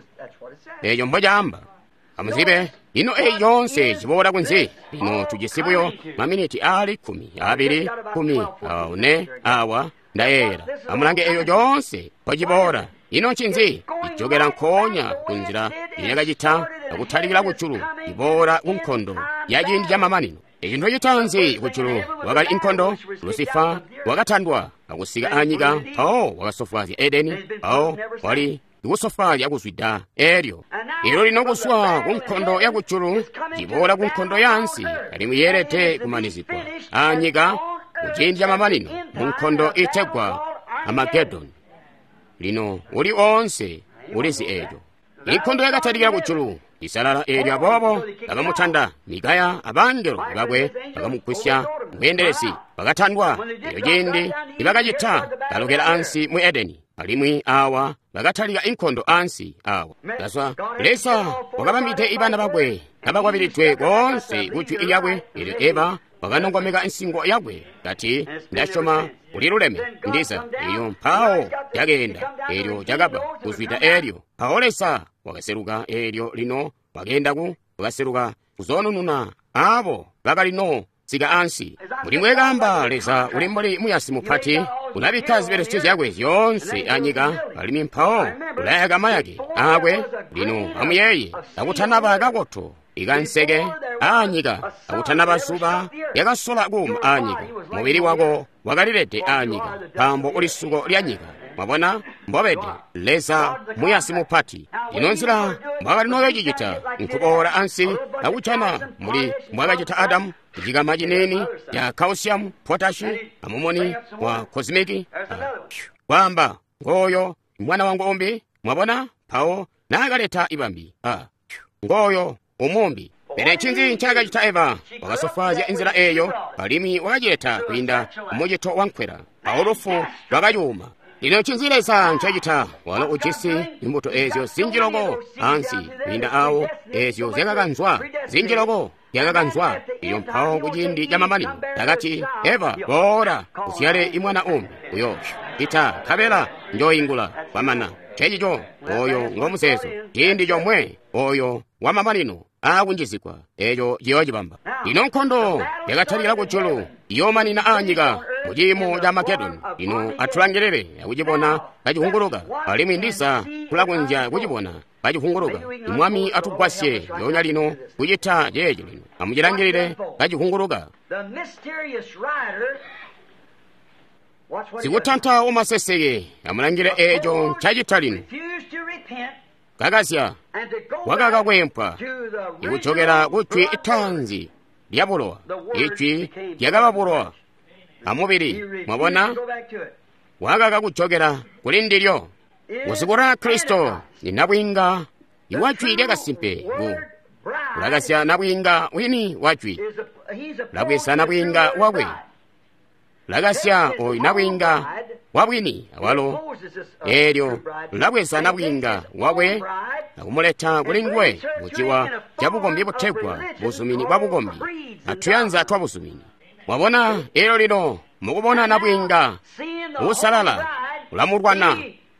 eeco mbocaamba. Amuzibe ino eyi yoonse ciboola kunzi. Lino tujisi buyo maminiti aali kkumi abili kkumi aone awa ndayeeyela. Amulange eyo yoonse mbociboola. Ino ncinzi? Ijokela nkoonya ku nzila yakacita akutalikila kujulu, iboola ku nkondo ya ciindi camamanino. Icintu citaanzi kujulu wakali inkondo. Lusifa wakatandwa akusika anyika, mpawo wakasofwaazya Edeni, mpawo wali ikusofwaazya kuzwida elyo. Elyo lino kuzwa ku nkondo ya kujulu ciboola ku nkondo yaansi, alimwi yeelede kumanizigwa anyika ku ciindi camamanino mu nkondo itegwa Amagedoni. Lino uli oonse ulizi eeco. Inkondo yakatalikila kujulu isalala eelyo, aboobo bakamutanda Mikaya abangelo bakwe, bakamugwisya bweendelezi, bakatandwa. Elyo ciindi nibakacita, balokela ansi mu Edeni, alimwi awa bakatalika inkondo ansi awa. Kazwa Leza wakabambide ibana bakwe kabakwabilidwe koonse kujwi lyakwe. Elyo Eva wakanongomeka nsingo yakwe kati, ndasyoma uliluleme, ndiza. Eyo mpawo yakeenda, elyo cakaba kuzwida elyo. Mpawo Leza wakaseluka, elyo lino wakeenda ku wakaseluka kuzoonununa abo bakalino sika ansi. Muli mwekamba Leza uli mbuli muyasi mupati, ulabikka zibelesyo zyakwe zyoonse anyika, alimwi mpawo ulayaka mayake akwe. Lino amuyeeye, akutanaba kakoto ikanseke anyika, akutanaba zuba lyakasola kuuma anyika, mubili wako wakalilede anyika, nkaambo uli suko lya nyika. Mwabona mbobede Leza muyasi mupati. Ino nzila mbwakalinooyocicita nkuboola ansi akujana muli mbwakacita Adamu, cikama ciniini ca calcium, potashi, amumoni wa kozimiki, kwaamba ngooyo mwana wangu umbi. Mwabona, mpawo naakaleta ibambi, ah, ngooyo umumbi. Pele ncinzi ncaakacita Eva? Wakasofwaazya inzila eeyo, alimwi wakacileta kwiinda mucito wankwela. Mpawo lufu lwakayuma. Lino ncinzi Leza ncacita? Walo ujisi imbuto eezyo zinji loko ansi kwiinda awo eezyo zyakakanzwa, zinji loko zyakakanzwa. Iyo mpawo kuciindi camamanino takati, Eva, boola uzyale imwana umbi uyo ita, nkabela njoyingula kwamana. Ncecico oyo ngomuzeezo, ciindi comwe oyo wamamanino aakunjizigwa, eeco ciyoocibamba. Lino nkondo yakatalikila kujulu iyoomanina anyika mu ciimo ca Amagedoni. Lino atulangilile akucibona kacihunguluka, alimwi ndiza tulakonzya kucibona kacihunguluka. Imwami atugwasye lyoonya lino kucita ceeci lino. Amucilangilile kacihunguluka. Sikutanta umaseseke, amulangile eeco ncacita lino. Kakasya, wakaka kweempwa, ikujokela kujwi itaanzi lya bulowa. Ijwi lyakaba bulowa amubili, mwabona, wakaka kujokela kuli ndilyo. Kusikula Kristo ni nabwiinga iwa jwi lyakasimpe ku ulakasya nabwiinga wini wa jwi, ulabweza nabwiinga wakwe, Ulakasya oyu nabwiinga wabwini awalo, eelyo ulabweza nabwiinga wakwe akumuleta kuli nguwe muciwa cabukombi butegwa buzumini bwa bukombi atuyanza twa buzumini. Mwabona, eelyo lino mukubona nabwiinga uusalala ulamulwana,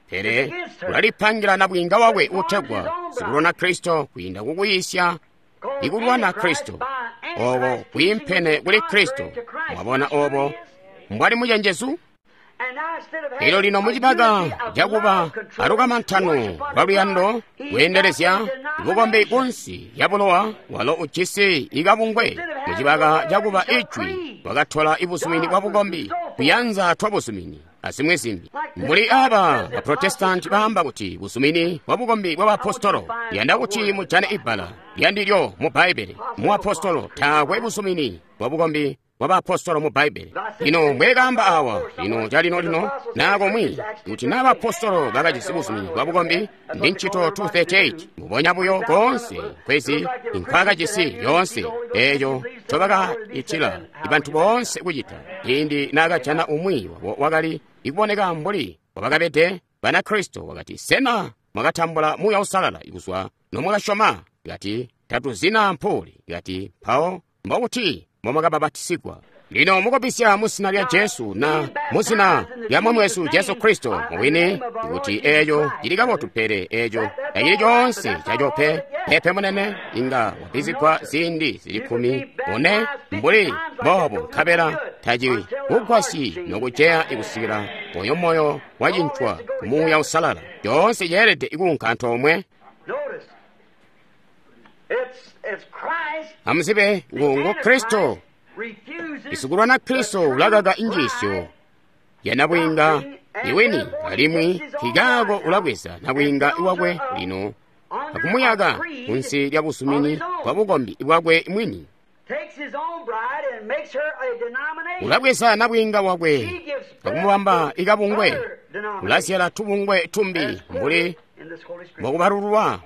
pele ulalipangila nabwiinga wakwe uutegwa sikulwana Kristo kwiinda kukuyiisya ikulwana Kristo, obo kwiimpene kuli Kristo. Mwabona obo mbwali mucenjezu? Elyo lino mucibaka cakuba alukamantano lwa luyando kweendelezya bukombi kunsi lya bulowa, walo ujisi ikabungwe. Mucibaka cakuba ijwi, wakatola ibuzumini bwa bukombi, kuyanza twa buzumini azimwi zimbi. Mbuli aba Baprotestanti baamba kuti buzumini bwa bukombi bwa baapostolo. Yanda kuti mujane ibbala lyandilyo mu Bbaibbele. Mu apostolo taakwe buzumini bwa bukombi bwa baapostolo mu Bbaibbele. Lino mbwekaamba awa lino calino-lino naakomwi kuti naa baapostolo bakajisi buzumini bwa bukombi ndi Ncito two thirty-eight mbubonya buyo koonse kwezi nkwaakajisi lyoonse eeco ncobakaitila bantu boonse kucita. Ciindi naakajana umwi wabo wakali ikuboneka mbuli wabakabede Banakristo, wakati, sena mwakatambula Muuya Uusalala kuzwa nomwakasyoma? Kati, tatuzina mpuli. Kati, mpawo mbokuti mbomwakabapatisigwa. Lino mukubisya muzina lya Jesu na muzina lya Mwami wesu Jesu Kristo mubwini kuti eeco cili kabotu, pele eeco tacili coonse caco pe. Pepe munene inga wabizigwa ziindi zili kkumi one mbuli boobo, nkabela taci kugwasyi nokuceya ikusikila moyo moyo wacincwa ku Muuya Uusalala. Coonse ceelede ikuunka antoomwe. Amuzibe ngu Kristo. Isikulwana Kristo ulakaka injiisyo ya nabwiinga iwini, alimwi nkikaako ulabweza nabwiinga iwakwe lino akumuyaka kunsi lya buzumini bwa bukombi bwakwe mwini. Ulabweza nabwiinga wakwe akumubamba ikabungwe, ulazyala tubungwe tumbi mbuli mbokubalulwa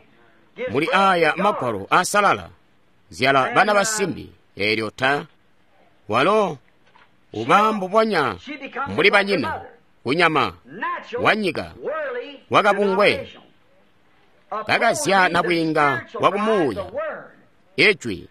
muli aya magwalo asalala. Zyala bana basimbi, eelyo ta walo uba mbubonya mbuli banyina kunyama wanyika wakabungwe kakazya nabwiinga wakumuuya ijwi.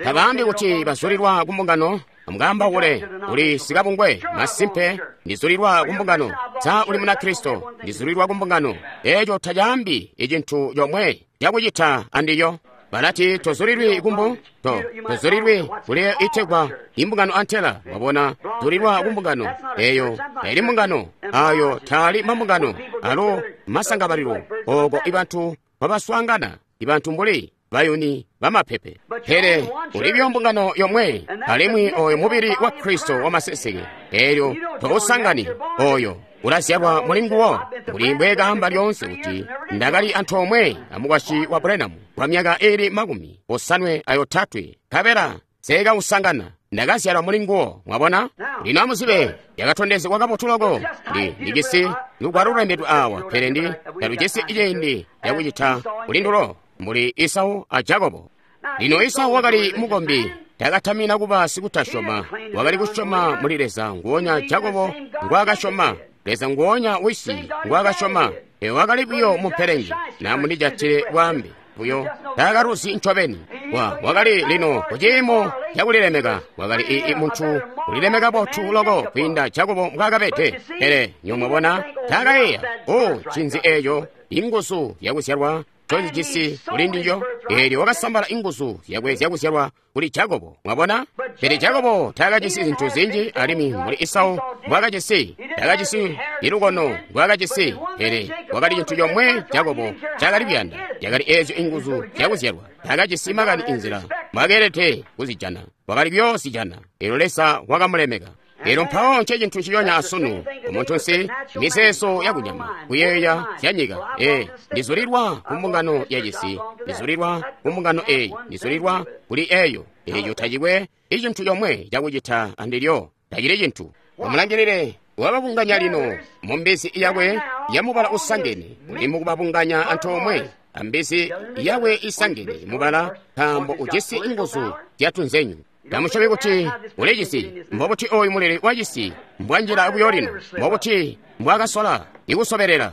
Tabaambi kuti bazulilwa kumbungano. Amukamba kule uli sikabungwe, masimpe ndizulilwa kumbungano. Sa uli Munakristo? Ndizulilwa kumbungano. Eeco tacaambi icintu comwe cakucita andiyo. Balati tozulilwi kumbu to tozulilwi kuli itegwa imbungano antela. Wabona, zulilwa kumbungano eyo taili mbungano, ayo taali mambungano, alo masangabalilo oko ibantu babaswaangana, ibantu mbuli bayuni bamapepe. Pele ulibyo mbungano yomwe, alimwi oyo mubili wa Kristo wamaseseke. Elyo tousangani oyo ulazyalwa muli nguwo. Mbuli mbwekaamba lyoonse kuti ndakali antoomwe amukwasyi wa Branham kwa myaka ili makumi osanwe ayotatwe, nkabela seekausangana, ndakazyalwa muli nguwo. Mwabona? Lino amuzibe, yakatondezegwa kabotu loko. Ndi ndijisi lugwalo lulembedwe awa, pele ndi talujisi ciindi cakucita kulindulo, mbuli Esau a Jakobo. Lino Esau wakali mukombi, takatamina kuba sikutasyoma, wakali kusyoma muli Leza nguonya Jakobo ngwaakasyoma, Leza nguonya wisi ngwaakasyoma. Eyo wakali buyo mumpelengi, namundijatile bwambe buyo taakaluzi ncobeni. Wa wakali lino kuciimo cakulilemeka, wakali ii muntu ulilemeka botu loko kwiinda Jakobo mbwaakabede. Pele nyo mwabona taakayeeya, o ncinzi eeco inguzu zyakuzyalwa ncozijisi kuli ndilyo. Eelyo wakasambala inguzu zyakwe zyakuzyalwa kuli Jakobo. Mwabona? Pele Jakobo taakajisi zintu zinji, alimwi mbuli Esau mbwaakajisi, taakajisi ilukono mbwaakajisi. Pele wakali cintu comwe Jakobo ncaakali kuyanda, yakali eezyo inguzu zyakuzyalwa. Taakajisi makani inzila mbwaakeelede kuzijana, wakali kuyoozijana. Eelyo Leza wakamulemeka. Elyo mpawo ncecintu ciyonya asunu umuntunsi mizeezo yakunyama kuyeeya zyanyika. E ndizulilwa ku mbungano yacisi, ndizulilwa ku mbungano eyi, ndizulilwa kuli eyo. Eyo tacikwe icintu comwe cakucita andilyo, tacili cintu. Amulangilile, wababunganya lino mu mbizi yakwe yamubala usangene, uli mukubabunganya antoomwe ambizi yakwe isangene mubala, nkaambo ujisi inguzu zyatunzenyu. Tamusyomi kuti ulijisi. Mbobuti oyu muleli wacisi mbwanjila buyo lino? Mbobuti mbwakasola ikusobelela?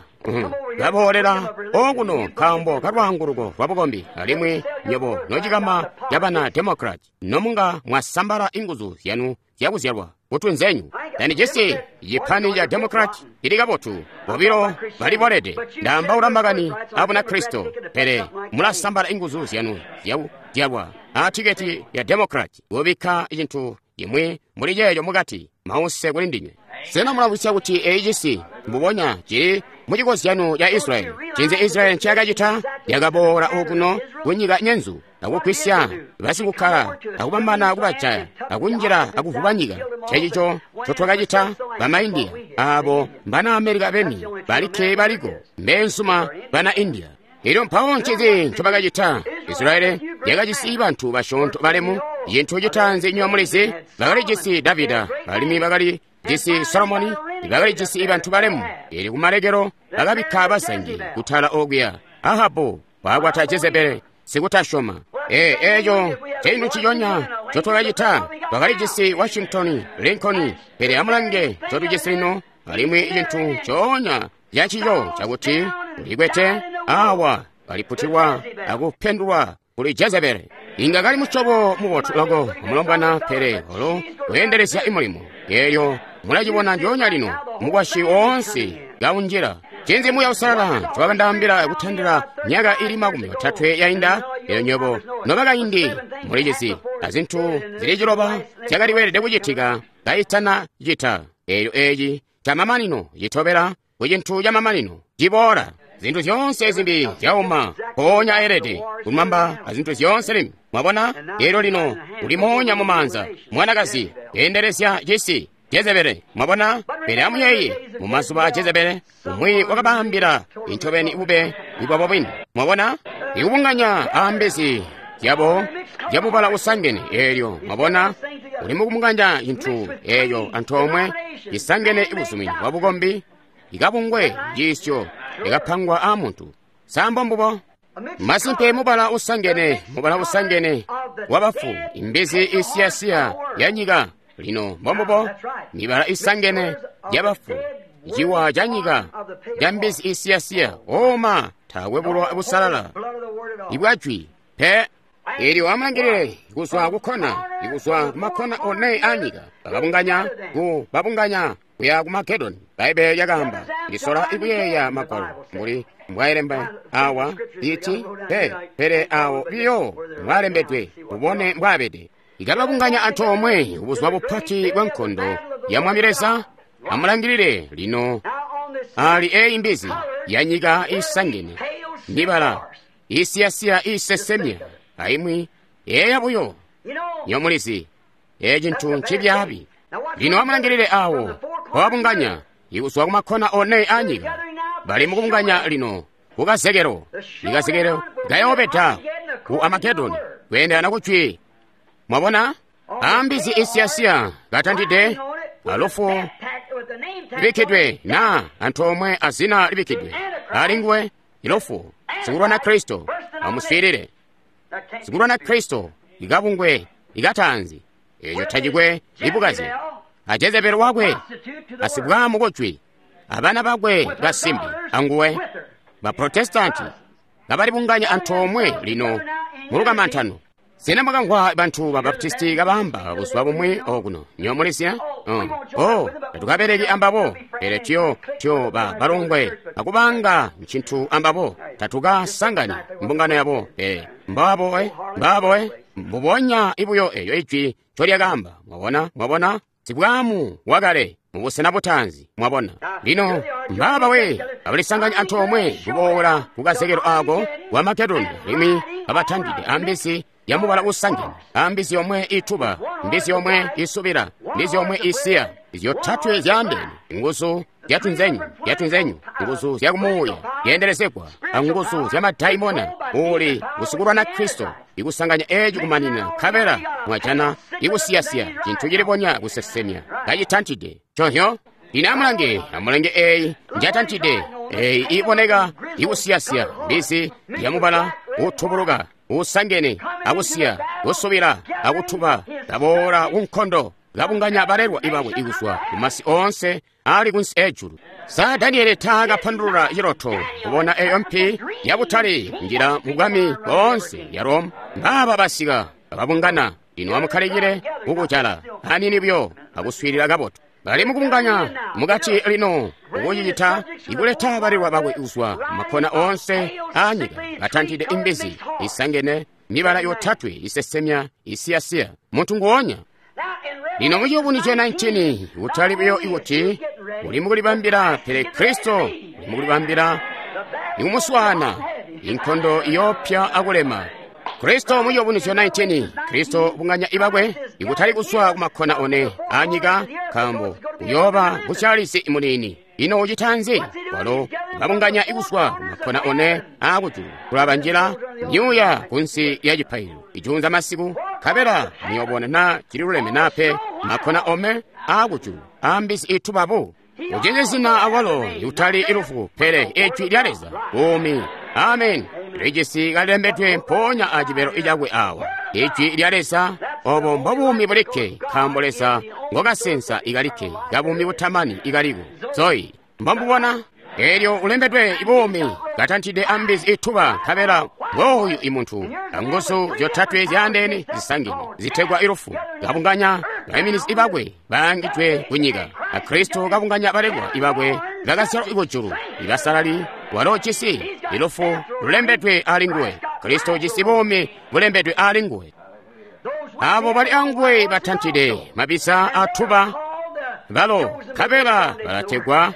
Kaboolela okuno nkaambo kalwaanguluko lwa bukombi, alimwi nywebo nocikama cabana Democrat nomunga mwasambala inguzu zyanu zyakuzyalwa kutunzenyu. Tandijisi cipani ca Democrat cili kabotu, bobilo balibolede. Ndaambaula makani a Bunakristo, pele mulasambala inguzu zyanu zyakuzyalwa a tiketi ya Democrat kubikka cintu cimwi mbuli ceeco mukati. Mause kuli ndinywe. Sena mulamvwisya kuti eyi cisi mbubonya cili mucikozyano ca Israyeli? Ncinzi Israyeli nciyakacita? Yakaboola okuno kunyika nyenzu akugwisya basikukkala akubambana kubajaya akunjila akuvuba nyika. Ncencico ncotwakacita bama India. Aabo mbana Amerika beni balikke baliko mbeenzuma bana India. Elyo mpawo ncinzi ncobakacita? Israyeli yakajisi bantu basyoonto balemu. Cintu citaanzi nywa mulizi, bakalijisi Davida, alimwi bakali jisi Solomoni, bakalijisi bantu balemu. Elyo kumalekelo bakabikka bazangi kutala okuya. Ahabu wakwata Jezebele sikutasyoma. Ee, eeco ncintu nciconya ncotwakacita. Twakalijisi Washington, Lincoln, pele amulange ncotujisi lino. Alimwi cintu ncoonya cancico cakuti ulikwete awa kaliputilwa akupendulwa kuli Jezebele. Inga kali musyobo mubotu loko mulombwana, pele olo weendelezya imulimo. Elyo mulacibona ndyoonya lino mukwasyi woonse kaunjila. Ncinzi Muuya Uusalala ncowakandaambila kutandila myaka ili makumi otatwe yainda? Elyo nywebo nobakaindi mulijizi azintu zili ciloba zyakali kweelede kucitika kaitana cita. Elyo eeci camamanino citobela ku cintu camamanino ciboola. Zintu zyoonse zimbi zyauma mpoonya ayelede kumamba azintu zyoonse limbi. Mwabona? Elyo lino uli moonya mumaanza mwanakazi yeendelezya cisi Jezebele. Mwabona? Pele amuyeeye, mumazuba a Jezebele umwi wakabaambila incobeni bube bwabo bwini. Mwabona? Ikubunganya aambezi zyabo zyamubala usangene. Elyo mwabona, uli mukubunganya cintu eeyo antoomwe cisangene ibuzumini bwa bukombi, ikabungwe njiisyo yakapangwa aamuntu. Sambo mbubo masimpe mubala usangene, mubala usangene wabafu, imbizi isiyasiya ya nyika. Lino mbombubo mibala isangene yabafu, ciwa ca nyika ca mbizi isiyasiya. Oma taakwe bulowa busalala ibwajwi pe. Elyo amulangilile kuzwa kukkona, ikuzwa kumakkona one a nyika, bakabunganya ku babunganya kuya ku Magedoni. Bbaibele lyakaamba, ndisola ikuyeeya magwalo mbuli mbwaelemba awa iti pe, pele awo biyo mwalembedwe mubone mbwaabede. Ikababunganya antoomwe kubuzuba bupati bwa nkondo ya Mwami Leza. Amulangilile lino ali eyi mbizi ya nyika isangene mibala isiyasiya isesemya aimwi yeeya buyo. Nyomulizi eeci cintu ncibyaabi. Lino amulangilile awo wabunganya ikuzwa kumakkona one a nyika. Bali mukubunganya lino kukazekelo, ikazekelo kayoobeda ku Amagedoni kweendana kujwi. Mwabona? Ambizi isiyasiya katandide alufu libikkidwe na antoomwe azina libikkidwe alinguwe ilufu sikulwana Kristo. Amuswiilile, sikulwana Kristo ikabungwe ikataanzi eeco tacikwe ibukaze a Jezebeli wakwe asibwamu kujwi abana bakwe basimbi anguwe Baprotestanti kabalibunganya antoomwe lino mulukamantano. Sena mwakamvwa bantu ba Baptisti kabaamba buzuba bumwi okuno? Nyomulisya? Uh. Oh, tatukabeleki ambabo, pele tuyo tuyo ba balongwe akubanga ncintu ambabo. Tatukasangani mbungano yabo, pele mbabo eh, mbabo eh, mbubonya ibuyo eyo ijwi ncolyakaamba. Mwabona? Mwabona? Sibwamu wakale mubusena butaanzi. Mwabona? Lino mbaba we abalisanganya antoomwe kuboola kukazekelo ako wa Makedoni, alimwi abatandide ambisi yamubala usangene, ambizi yomwe ituba, mbizi yomwe isubila, mbizi yomwe isiya, zyotatwe zyaandeene, nguzu zyatunzenyu zyatunzenyu, nguzu zyakumuuya zyendelezegwa anguzu zyamadaimona. Uli kusikulwana Kristo ikusanganya eeci kumanina, nkabela mwajana ikusiyasiya cintu cilibonya kusesemya kacitantide conhyo. Lino amulange, amulange eeyi njatantide, eeyi iboneka ikusiyasiya, mbizi yamubala utubuluka usangene akusiya, kusubila akutuba, kaboola kunkondo, kabunganya balelwa ibakwe ikuzwa kumasi oonse ali kunsi ejulu. Sa Daniele taakapandulula ciloto kubona eyo mpi yabutali kunjila mu bwami boonse ya Rome? Mbaaba basika babungana. Lino amukkalikile kukucala anini buyo akuswiilila kabotu. Bali mukubunganya mukati lino ukucicita ikuleta balelwa bakwe kuzwa makhona oonse a nyika, batantide imbizi isangene mibala yotatwe isesemya isiyasiya munthu nguwonya. Lino muciyubunuzyo nineteen kutali buyo ikuti uli mukulibambila, pele Kristo uli mukulibambila ikumuswaana inkondo iyopya akulema. Kristo muciyubunuzyo nineteen, Kristo bunganya ibakwe ikutali kuswa kumakhona one anyika, nkambo uyoba busyalisi munini. Ino ucita nzi? Walo babunganya ikuswa kumakhona one akujulu, kulabanjila myuya kunsi ya cipaililo ijunza masiku, nkabela muyobona na cililuleme nape makhona ome akujulu ambisi itubabu. Ucenjezina awalo ikutali ilufu, pele ijwi lya Leza buumi. Amen. Lijisi kalilembedwe mpoonya acibelo icakwe awa. Ijwi lya Leza obo mbobuumi bulikke, nkaambo Leza ngokasensa ikalikke kabuumi butamani ikaliko. Zoyi mbombubona elyo ulembedwe ibuumi katantide ambizi ituba, nkabela ngooyu imuntu anguzu zyotatwe zyaandeene zisangene zitegwa ilufu, kabunganya baiminizi ibakwe baangidwe kunyika, a Kristo kabunganya balelwa ibakwe bakazyalwa ikujulu ibasalali. Walo jisi ilufu lulembedwe ali nguwe, Kristo jisi buumi bulembedwe ali nguwe. Abo bali anguwe batantide mabisa atuba balo, nkabela balategwa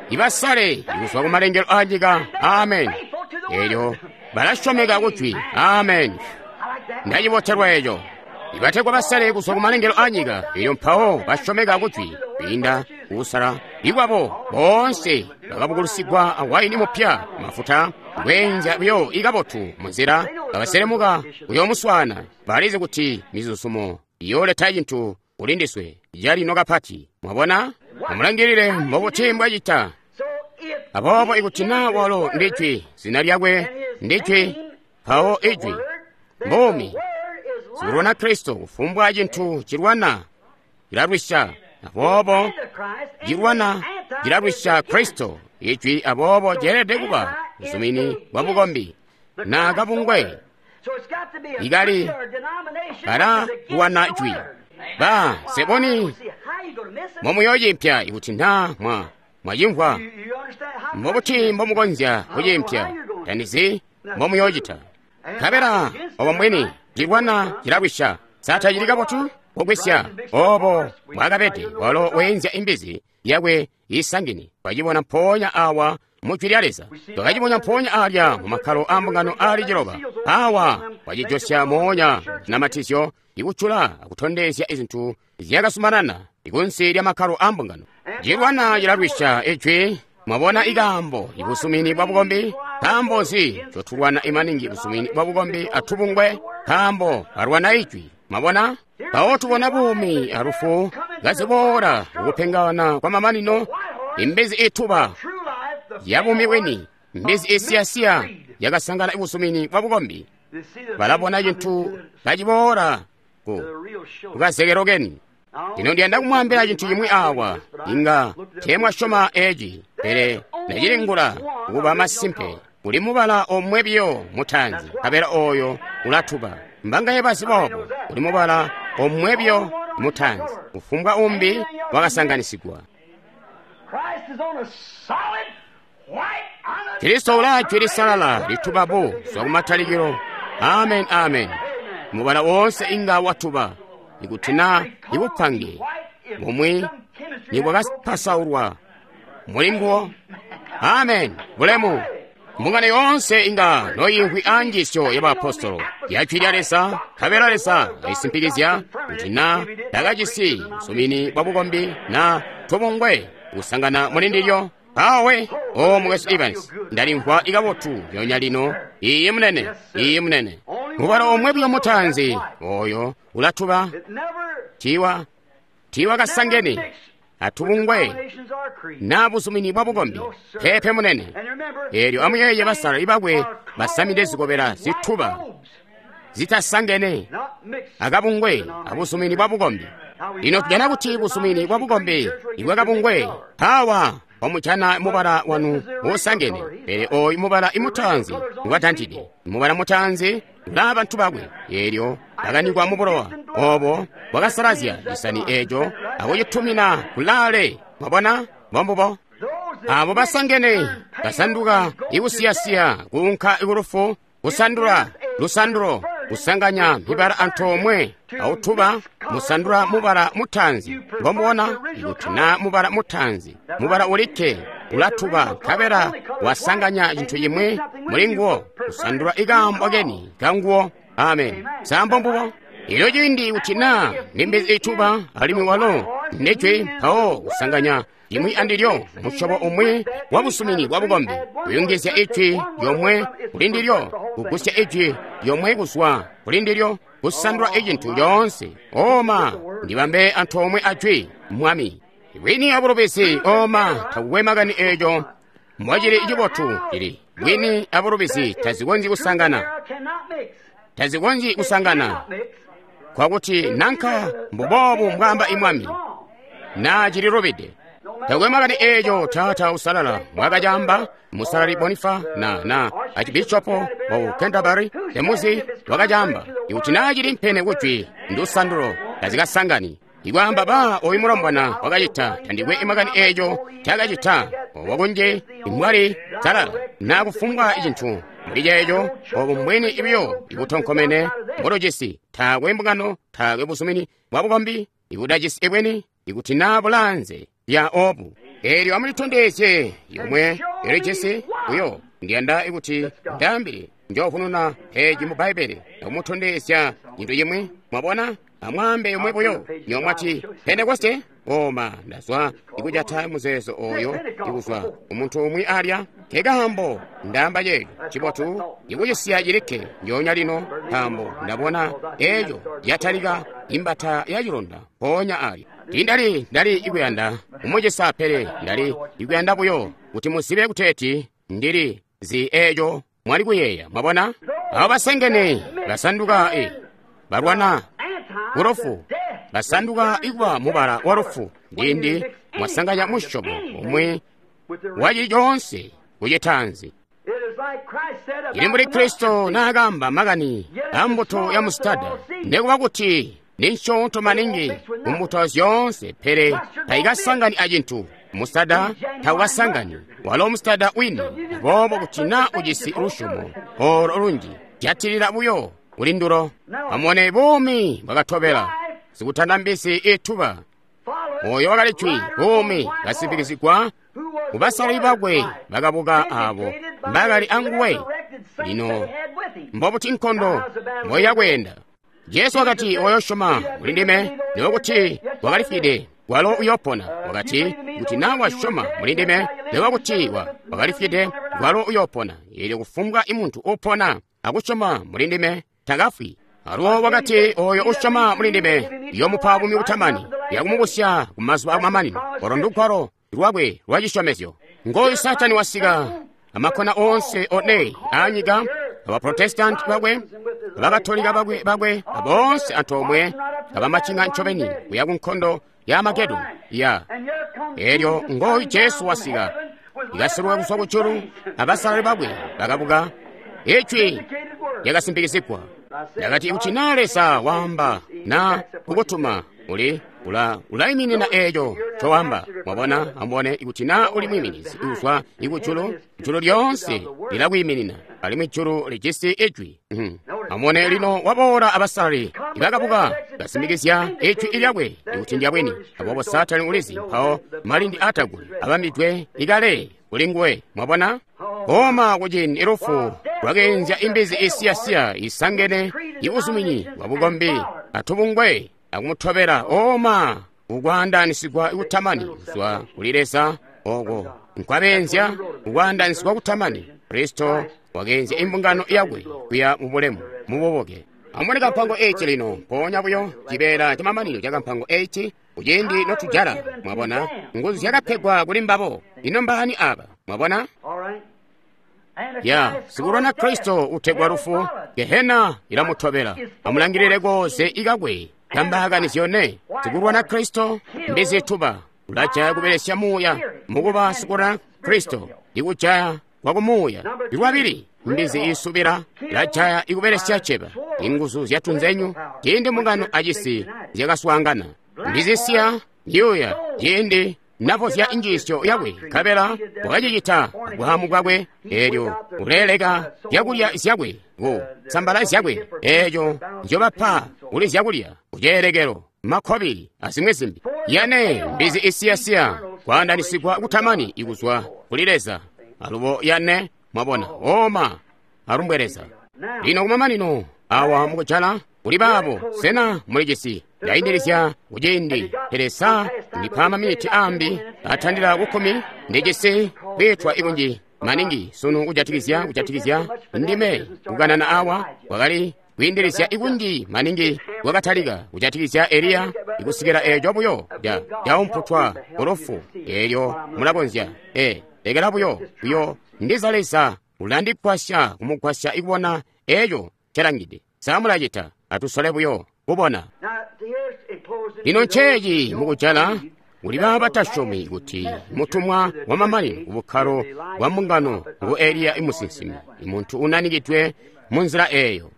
ibasale ikuzwa kumalengelo a nyika. Amen. Elyo balasyomeka kujwi. Amen. Ndacibotelwa eco. Ibategwa basale kuzwa kumalengelo a nyika, elyo mpawo basyomeka kujwi kwiinda kusala ikwabo boonse bakabukulusigwa awaini mupya mafuta kweenzya buyo ikabotu munzila bakaselemuka kuyoomuswaana. Balizi kuti mizuzumo iyooleta cintu kulindiswe calino kapati. Mwabona, amulangilile mbobuti mbwacita. Aboobo ikuti naa walo ndijwi, zina lyakwe ndijwi, mpawo ijwi mbuumi zikulwana Kristo. Kufumbwa cintu cilwana cilalwisya, aboobo cilwana cilalwisya Kristo ijwi. Aboobo ceelede kuba buzumini bwa bukombi na kabungwe ikali balakulwana jwi. Ba seboni momuyocimpya ikuti naa mwa mwacimvwa. Mbobuti mbomukonzya kucimpya? Tandizi mbomuyocita. Nkabela obo mbwini cilwana cilalwisya. Sa tacili kabotu kugwisya obo bwakabede walo weenzya imbizi yakwe isangini. Twacibona mpoonya awa mujwi lya Leza, twakacibona mpoonya alya mu makkalo a mbungano ali ciloba. Awa wacijosya moonya cinamatizyo ikucula akutondezya izintu zyakasumanana ikunsi lya makkalo a mbungano. Cilwana cilalwisya ijwi. Mwabona ikaambo ibusumini bwa bukombi? Nkaambo nzi ncotulwana imaningi busumini bwa bukombi atubungwe? Nkaambo balwana ijwi. Mwabona, mpawo tubona buumi alufu kaziboola kukupengana kwa mamanino. Imbizi ituba yabumi bwini, mbizi isiyasiya yakasangana ibusumini bwa bukombi. Balabona cintu kaciboola ku kukazekelo keni. Lino ndiyanda kumwaambila cintu cimwi awa, inga teemwasyoma eci, pele ndacilingula kuba masimpe. Kuli mubala omwe biyo mutaanzi, nkabela oyo ulatuba. Mbangaye bazi boobo? Kuli mubala omwe biyo mutaanzi, kufumbwa umbi wakasanganisigwa. Kristo ulaa jwi lisalala lituba bu zwa kumatalikilo. Amen, amen. Mubala woonse inga watuba ikuti naa ibupange bumwi nibwakapasaulwa muli nguwo. Amen. Bulemu. Mbungano yoonse inga noyimvwi anjiisyo ya baapostolo ya jwi lya Leza, nkabela Leza aisimpikizya kuti naa takajisi busumini bwa bukombi na tubungwe kusangana muli ndilyo. Awe o mukwesu Evans, ndalimvwa ikabotu lyonya lino. Iye munene, iye munene. Mubala omwe buyo mutaanzi oyo ulatuba tiwa tiwa kasangene atubungwe na busumini bwa bukombi. Pepe munene. Elyo amuyeeye basala ibakwe basamide zikobela zituba zitasangene akabungwe abuzumini bwa bukombi. Lino tujana kuti buzumini bwa bukombi ibwakabungwe awa wamujana mubala wanu uusangene, pele oyu mubala imutaanzi ngwatantide. Mubala mutaanzi ulaa bantu bakwe, eelyo bakanikwa mubulowa obo bwakasalazya cisani eeco akucitumina kulaale. Mwabona? Mbombubo. Abo basangene basanduka ikusiyasiya kuunka ikulufu, kusandula lusandulo, kusanganya mibala antoomwe autuba, musandula mubala mutaanzi. Mbomubona? Ikuti na mubala mutaanzi mubala ulikke ulatuba, nkabela wasanganya cintu cimwi mulinguwo, kusandula ikaambo keni kanguwo. Amen. Sa mbombubo? Elyo ciindi kuti na nimbizi ituba alimwi walo ndijwi, mpawo kusanganya imwi andilyo musyobo umwi wa busumini bwa bukombi, kuyungizya ijwi lyomwe kuli ndilyo, kugusya ijwi lyomwe kuzwa kuli ndilyo, kusandula icintu coonse. Oma ndibambe antoomwe ajwi Mwami. Bwini abulubizi, oma takukwe makani eeco mbwacili cibotu cili. Bwini abulubizi tazikonzyi kusangana, tazikonzyi kusangana, kwakuti nanka mbuboobu mbwaamba imwami na cililubide. Takwe makani eeco Taata Usalala mbwakacaamba, Musalali Bonifa na na Archbishop wa Canterbury temuzi wakacaamba, ikuti naa cili mpene kujwi ndusandulo tazikasangani. Ikwaamba ba oyu mulombwana wakacita, tandikwe makani eeco cakacita, obo kunje imwali salala na kufumbwa cintu muli ceeco, obo mbwini ibiyo ikutonkomene mbulujisi. Taakwe mbungano, taakwe busumini bwa bukombi ibudajisi ibweni ikuti naa bulanze lya obu. Eelyo amulitondezye yomwe elijisi buyo. Ndiyanda ikuti ndaambile njovununa peji mu Bbaibbele akumutondezya cintu cimwi. Mwabona? Amwaambe yomwe buyo. Nyomwati Pentekoste? Oma ndazwa ikujata muzeezo oyo ikuzwa umuntu umwi alya. Kekaambo ndaamba ceeco cibotu ikucisiya cilikke njoonya lino, nkaambo ndabona eeco yatalika imbata ya cilonda mpoonya alya. Tiindali ndali ikuyanda kumucisa, pele ndali ikuyanda buyo kuti muzibe kuteeti ndili zi eeco mwali kuyeeya. Mwabona? Abo basengene basanduka e balwana kulufu, basanduka ikuba mubala wa lufu. Ndindi mwasanganya musyobo umwi wacili coonse kucitanzi. Ili mbuli Kristo naakamba makani a mbuto ya musitada, nekuba kuti ni nsyoonto maningi ku mbuto zyoonse, pele tayikasangani acintu. Mustada tawukasangani, walo mustada wini. Aboobo kuti na ujisi lusyomo olo lunji, jatilila buyo kuli ndulo. Amone buumi bwakatobela sikutanda mbisi ituba oyo wakali jwi, buumi bwasimpikizigwa kubasalali bakwe bakabuka abo bakali anguwe. Lino mbobuti nkondo mboiyakweenda? Jesu wakati, oyo syoma muli ndime, nekuti wakalifwide, walo uyopona. Wakati, kuti na wasyoma muli ndime, nekuti wakalifwide, walo uyopona. Eelyo kufumbwa imuntu upona akusyoma muli ndime takafwi. Aluwo wakati, oyo usyoma muli ndime uyomupa buumi butamani, yakumubusya ku mazuba akumamanino. Olo ndugwalo lwakwe lwa cisyomezyo. Ngoyu Satani wasika amakona onse one anyika, abaprotestanti bakwe, abakatolika bakwe bakwe, abonse antoomwe abamacinga ncobeni kuya ku nkondo ya Amagedoni ya. Eelyo ngoyu Jesu wasika, ikaseluka kuzwa kujulu, abasalali bakwe bakabuka, ijwi lyakasimpikizigwa. Ndakati kuti na Leza waamba na kukutuma uli ula ulaiminina eeco cowamba. Mwabona? Amubone ikuti na uli mwiminizi uzwa ikujulu, julu lyoonse lilakwiiminina, alimwi julu lijisi ijwi. Amubone lino waboola abasalali ibakabuka basimpikizya ijwi lyakwe ikuti ndyabwini. Aboobo Satani ulizi mpawo malindi ataguli abambidwe ikale kuli nguwe. Mwabona? Oma kuciindi ilufu lwakeenzya imbizi isiyasiya isangene ibuzumini bwa bukombi atubungwe akumutobela. Oma ukwaandaanisigwa kutamani kuzwa kuli Leza oko nkwabeenzya ukwaandaanisigwa kutamani. Kristo wakeenzya imbungano yakwe kuya mubulemu mububuke. Amubone kampango eci lino, mpoonya buyo cibeela camamanino ca kampango eci kuciindi notujala. Mwabona nguzu zyakapegwa kuli mbabo. Ino mbaani aba? Mwabona? Ya sikulwana Kristo utegwa lufu, Gehena ilamutobela. Amulangilile koze ikakwe kambaakani zyone. Sikulwana Kristo mbizi tuba ulajaya kubelesya muuya mukuba sikulwana Kristo ikujaya kwakumuuya. Lwabili mbizi iisubila ilajaya ikubelesya ceba inguzu zyatunzenyu ciindi mbungano acisi zyakaswaangana. Mbizi siya myuuya ciindi navozya injiisyo yakwe nkabela wakacicita bwaamu bwakwe. Eelyo uleeleka zyakulya zyakwe ku sambala zyakwe eeco nzyobapa kuli zyakulya kuceelekelo makkobi azimwi zimbi. Yane mbizi isiyasiya kwaandanisigwa kutamani ikuzwa kuli Leza. Alubo yane mwabona oma alumbwe Leza. Lino kumamanino awa mukujala kuli baabo sena mulijisi ndaindilizya kuciindi pele sa ndipa maminiti ambi atandila kukkumi ndijisi kwiitwa ikunji maningi sunu kujatikizya kujatikizya ndime kukanana awa kwakali kwiindilizya ikunji maningi kwakatalika kujatikizya Eliya ikusikila eeco buyo ja jaumputwa kulufu. Eelyo mulakonzya e lekela buyo buyo ndiza Leza ulandigwasya kumugwasya ikubona eeco calangide. Sa mulacita atusole buyo kubona. Lino nceeci mukujala kuli baba batasyomi kuti mutumwa wamamanino kubukkalo bwa mbungano ngu Eliya imusinsimi, imuntu unanikidwe munzila eeyo.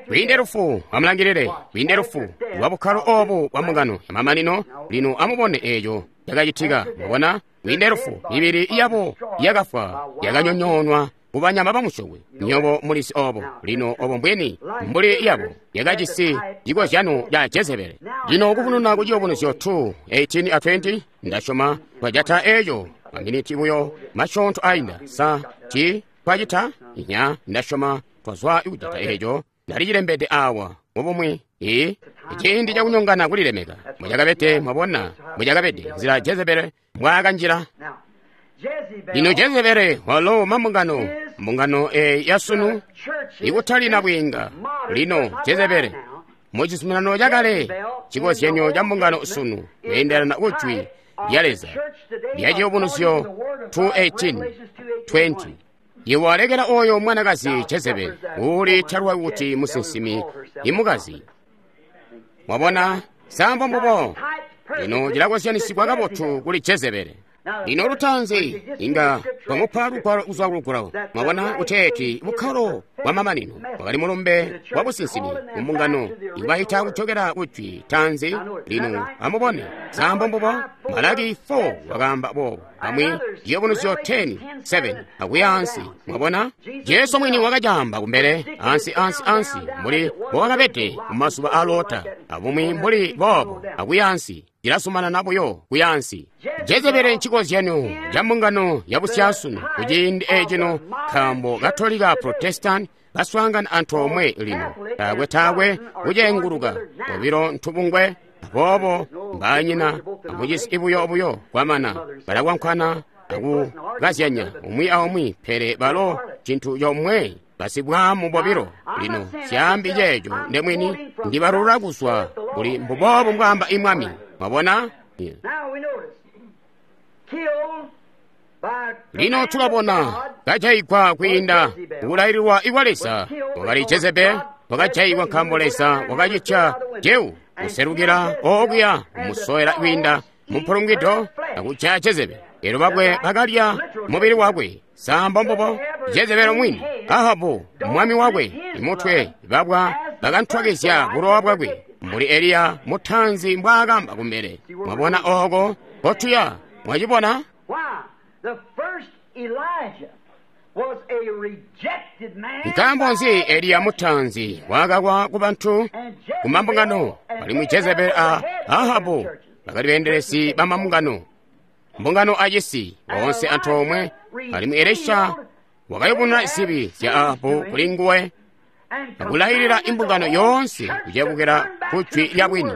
Kwiinde lufu amulangilile, kwiinde lufu lwa bukkalo obu bwa mbungano yamamanino. Lino amubone eeco cakacitika. Mwabona, kwiinde lufu mibili yabo yakafwa yakanyonyoonwa kubanyama bamusyokwe. Nyobo mulisi obo. Lino obo mbwini mbuli yabo yakajisi cikozyano ca Jezebele. Lino kubununa ku Ciyubunuzyo two eighteen a twenty ndasyoma twajata eeco maminiti buyo masyoonto ainda. Sa ti twacita? Inya ndasyoma twazwa ikujata eeco. Ndalicilembede awa mubumwi. Ee, ciindi cakunyongana kulilemeka mbwacakabede. Mwabona mbwacakabede nzila Jezebele mbwaakanjila. Lino Jezebele walo mambungano mbungano eyi yasunu ikutalina bwiinga. Lino Jezebele mucizuminano cakale cikozyanyo ca mbungano sunu kweendelana kujwi lya Leza lya Ciyubunuzyo two eighteen twenty. Iwe alekela oyo mwanakazi Jezebeli uli talwa kuti musinsimi imukazi. Mwabona sambo mbubo. Lino cilakozyanisigwa kabotu kuli Jezebele. Lino lutanzi inga twamupa lugwalo kuzwa kulugwalo. Mwabona kuteeti bukkalo bwa mamanino bwakali mulumbe wa businsimi mumbungano ikubayita kujokela kujwi tanzi. Lino amubone sambo mbubo. Malaki four wakaamba boobo amwi Ciyubunuzyo ten seven akuya ansi. Mwabona Jesu mwini wakacamba kumbele ansi ansi ansi mbuli mbowakabede mumazuba a Lota abumwi mbuli boobo akuya ansi. Cilazumanana buyo kuya ansi. Jezebele ncikozyanyo ca mbungano yabusyasunu kuciindi ecino nkaambo Katolika Protestant baswaangana antoomwe lino taakwe taakwe kucenguluka bobilo ntubungwe aboobo mbanyina amucisi buyo buyo kwamana balakwankwana akukazyanya umwi aumwi pele balo cintu comwe basibwamu bobilo. Lino syaambi ceeco ndemwini ndibalula kuzwa kuli mbuboobu mbwaamba imwami. Mwabona? Lino tulabona kajaigwa kwiinda kulaililwa ikwa Leza. Wakali Jezebeli wakajaigwa nkaambo Leza wakacitya Jehu kuselukila okuya kumusowela kwiinda mumpulungwido akujaya Jezebeli. Elyo bakwe bakalya mubili wakwe. Sambo mbubo Jezebeli mwini Ahabu mwami wakwe imutwe babwa bakantwakizya bulowa bwakwe mbuli Eliya mutanzi mbwaakamba kumbele. Mwabona ooko kotuya. Mwacibona? Nkaambo nzi Eliya mutanzi wakakwa ku bantu kumambungano alimwi Jezebeli a Ahabu bakali beendelezi bamambungano mbungano acisi boonse antoomwe. Alimwi Elisha wakayubununa zibi zya Ahabu kuli nguwe akulailila imbungano yoonse kucebukila kujwi lya bwini.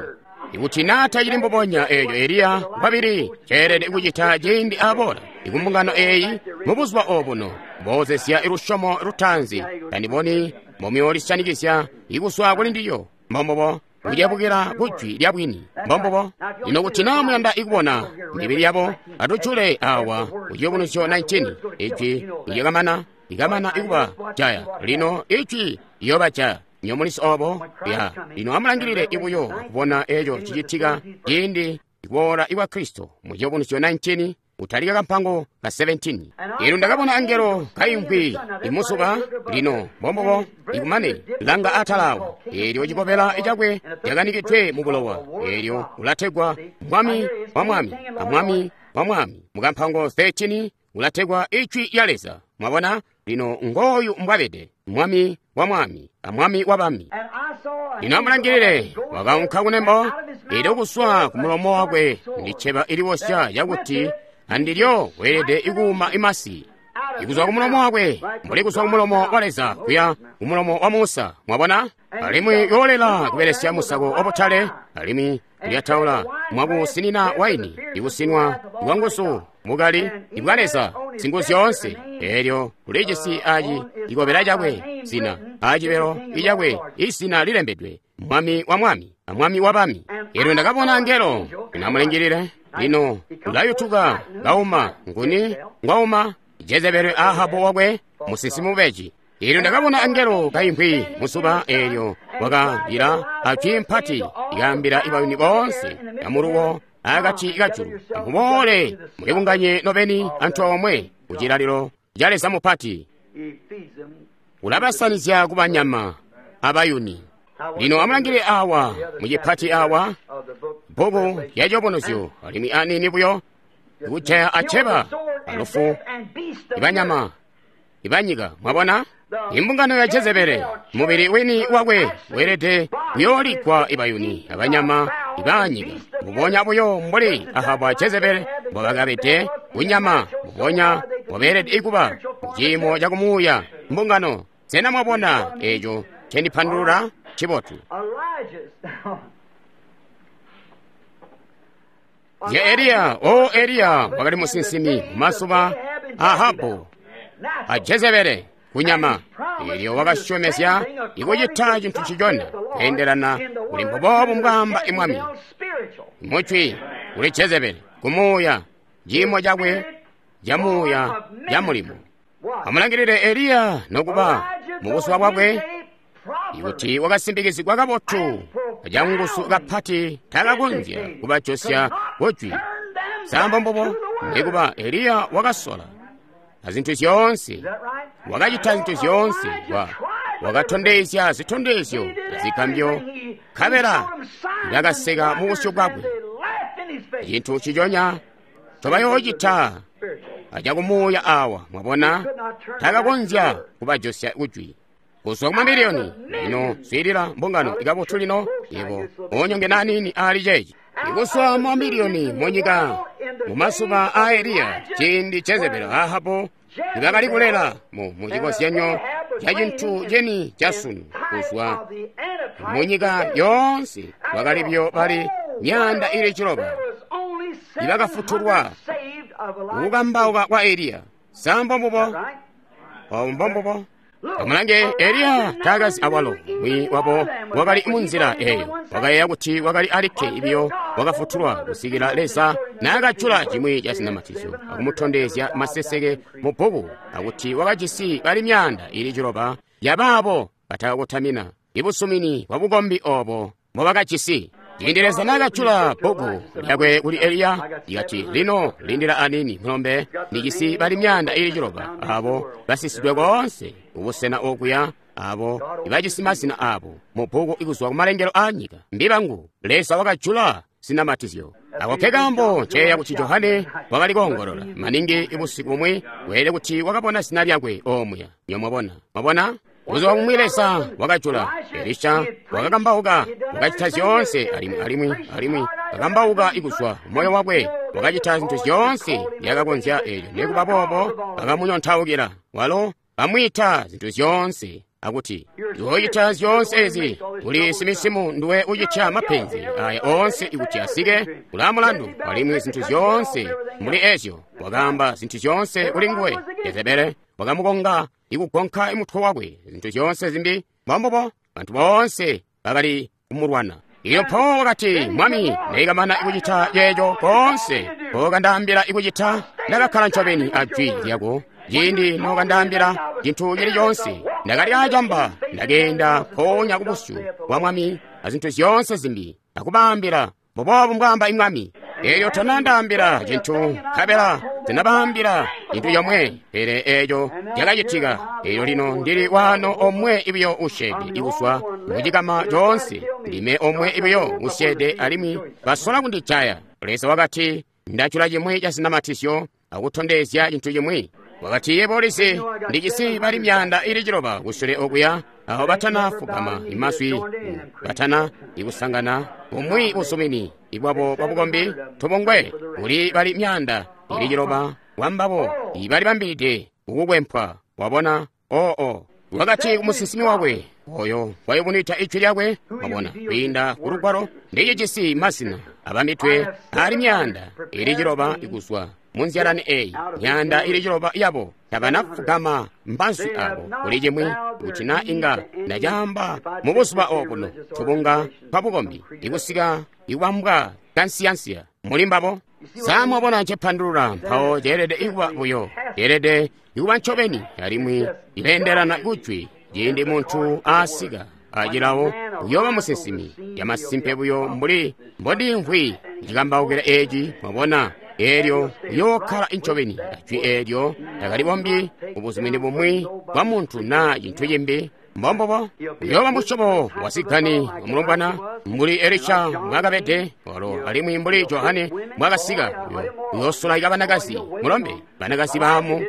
Ikuti naa tacili mbubonya eeco Eliya kwabili ceelede kucita ciindi aboola ikumbungano eeyi mubuzuba obuno mboozesya lusyomo lutaanzi tandiboni mbomuyoolisyanikizya ikuswa kuli ndiyo. Mbombubo kucebukila kujwi lya bwini. Mbombubo. Lino kuti naa muyanda ikubona mibili yabo atujule awa ku Ciyubunuzyo nineteen. Ijwi lyakamana likamana ikuba jaya. Lino ijwi Iyobaca. Nyo mulisi obo ya. Lino amulangilile ibuyo kubona eco cicitika ciindi kuboola ikwa Kristo mu Ciyubunuzyo nineteen utalika kampango ka seventeen. Elyo ndakabona angelo kaimvwi imuzuba lino mbombubo ikumane langa atalawo. Elyo cikobela cakwe cakanikidwe mu bulowa. Elyo ulategwa Mwami wa Mwami a Mwami wa Mwami. Mu kampango thirteen ulategwa Ijwi lya Leza. Mwabona? Lino ngoyu mbwabede Mwami wa Mwami a Mwami wa Bami. Lino amulangilile wakaunka kunembo elyo kuswa ku mulomo wakwe ndiceba iliwosya yakuti andilyo weelede ikuuma imasi. Ikuzwa ku mulomo wakwe mbuli kuzwa ku mulomo wa Leza kuya ku mulomo wa Musa. Mwabona? Alimwi yoolela kubelesya musako wabutale alimwi kulyataula mwakusinina waini ikusinwa bwanguzu mukali ibwa Leza singuzu zyoonse. Elyo ulijisi aci ikobela cakwe zina acibelo icakwe izina lilembedwe Mwami wa Mwami a Mwami wa Bami. Elyo ndakabona angelo namulingilile lino ulayutuka kauma nguni ngwauma Jezebeli Ahabu wakwe musinsimi mubeji. Elyo ndakabona angelo kaimvwi muzuba elyo wakaambila ajwi mpati ikaambila ibayuni boonse amuluwo akati kajulu, amuboole mulibunganye nobeni antoomwe kucilalilo ca Leza mupati. Ulabasanizya kubanyama abayuni. Lino amulangile awa mucipati awa bbuku lya Ciyubunuzyo alimwi anini buyo kujaya aceba alufu ibanyama ibanyika. Mwabona? Imbungano ya Jezebele mubili wini wakwe weelede kuyooligwa ibayuni abanyama ibanyika mbubonya buyo mbuli Ahabu a Jezebele mbobakabede kunyama mbubonya mbobeelede ikuba muciimo cakumuuya mbungano. Sena mwabona eco cendipandulula? Cibotu. Zya Eliya. O Eliya wakali musinsimi mumazuba Ahabu a Jezebele kunyama. Elyo wakasyomezya ikucita cintu cicona kweendelana kuli mbuboobu mbwaamba imwami mujwi kuli Jezebele kumuuya ciimo cakwe camuuya ca mulimo. Amulangilile Eliya nokuba mubuzuba bwakwe ikuti wakasimbikizigwa kabotu acanguzu kapati takakonzya kubajosya kujwi. Sambo mbubo nikuba Eliya wakasola azintu zyoonse, wakacita zintu zyoonse, wakatondezya zitondezyo zigambyo, nkabela bakaseka mu busyu bwakwe. Cintu ciconya ncobayoocita acakumuuya awa. Mwabona, takakonzya kubajosya kujwi. Kuzwa kumamiliyoni lino swiilila mbungano ikabotu lino yebo onyongena anini ali ceeci. Ikuswa mamiliyoni munyika mumazuba a Eliya ciindi Jezebeli Ahabu nibakali kulela mu mucikozyanyo ca cintu ceni ca sunu. Kuzwa munyika yoonse bakali byo bali myaanda ili ciloba ibakafutulwa kukambauka kwa Eliya. Sambo mbubo obo mbombubo. Amulange Eliya taakazi awalo mwi wabo wakali munzila eyo wakayeeya kuti wakali alikke ibyo wakafutulwa kusikila Leza naakajula cimwi ca zinamatizyo akumutondezya maseseke mu bbuku akuti wakajisi bali myaanda ili ciloba yabaabo batakakotamina ibusumini bwa bukombi obo mbobakajisi. Ciindi Leza naakajula bbuku lyakwe kuli Eliya ikati, lino lindila anini mulombe, ndijisi bali myaanda ili ciloba abo basisidwe koonse kubusena okuya abo ibajisi mazina abo mu bbuku ikuzwa kumalengelo a nyika mbibangu. Leza wakajula zinamatizyo. Ako ke kaambo nceeya kuti Johane wakali koongolola maningi ibusiku bumwi weelede kuti wakabona zina lyakwe omuya. Nyomwabona? Mwabona? Buzuba bumwi Leza wakajula Elisha wakakambauka wakacita zyoonse alimwi alimwi alimwi kakambauka ikuzwa moyo wakwe wakacita zintu zyoonse yakakonzya eelyo nikuba boobo bakamunyontaukila walo bamwiita zintu zyoonse akuti ucita zyoonse ezi uli simisimu nduwe ucitya mapenzi aya oonse ikuti asike ulaa mulandu alimwi zintu zyoonse mbuli ezyo wakaamba zintu zyoonse kuli nguwe. Jezebele wakamukonga ikugonka imutwe wakwe zintu zyoonse zimbi mbombubo bantu boonse bakali kumulwana. Iyo mpo wakati, Mwami, nekamana ikucita yeeco koonse kokandaambila ikucita ndakakkala ncobeni ajwi lyako. Ciindi nokandaambila cintu cili coonse Ndakali aacamba, ndakeenda mpoonya kubusyu bwa Mwami azintu zyoonse zimbi, akubaambila mbuboobu mbwaamba Mwami. Elyo tonandaambila cintu, nkabela tinabaambila cintu comwe, pele eeco cakacitika. Elyo lino ndili waano omwe buyo usyeede ikuzwa mucikama coonse, ndime omwe buyo usyeede alimwi basola kundijaya. Leza wakati, ndajula cimwi ca zinamatizyo akutondezya cintu cimwi. Wakati, yebo ulizi, ndijisi bali myaanda ili ciloba kusule okuya, aho batana fugama imaswi, batana ikusangana umwi busumini ibwabo bwabukombi tubungwe, uli bali myaanda ili ciloba wambabo ibali bambilide ukukwempwa. Wabona? Oo. Wakati kumusinsimi wakwe oyo wayubunwida ijwi lyakwe, wabona, kwiinda ku lugwalo, ndicijisi mazina abamitwe ali myaanda ili ciloba ikuzwa munzyalani eyi, myaanda ili ciloba yabo tabanafugama mbazwi abo kuli cimwi, kuti na inga ndacaamba mu buzuba obuno tubunga twabukombi ikusika ikwambwa kansiyansiya muli mbabo. Sa mwabona cepandulula? Mpawo ceelede ikuba buyo, ceelede ikuba ncobeni, alimwi ileendelana kujwi. Ciindi muntu aasika acilawo uyooba musinsimi yamasimpe buyo mbuli mbondimvwi ncikambaukila eeci, mwabona. Eelyo uyookkala incobeni ajwi eelyo takalibombi ubuzumini bumwi bwa muntu naa cintu cimbi. Mbombobo uyooba musyobo wasigani wa mulombwana mbuli Elisha mbwaakabede walo, alimwi mbuli Johane mbwaakasika. Uyo uyoosulaika banakazi mulombe, banakazi baamu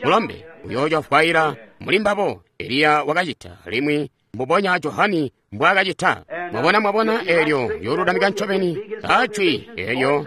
mulombe, uyoocofwaila muli mbabo. Eliya wakacita, alimwi mbubonya Johane mbwaakacita. Mwabona, mwabona, eelyo uyoolulamika ncobeni ajwi eelyo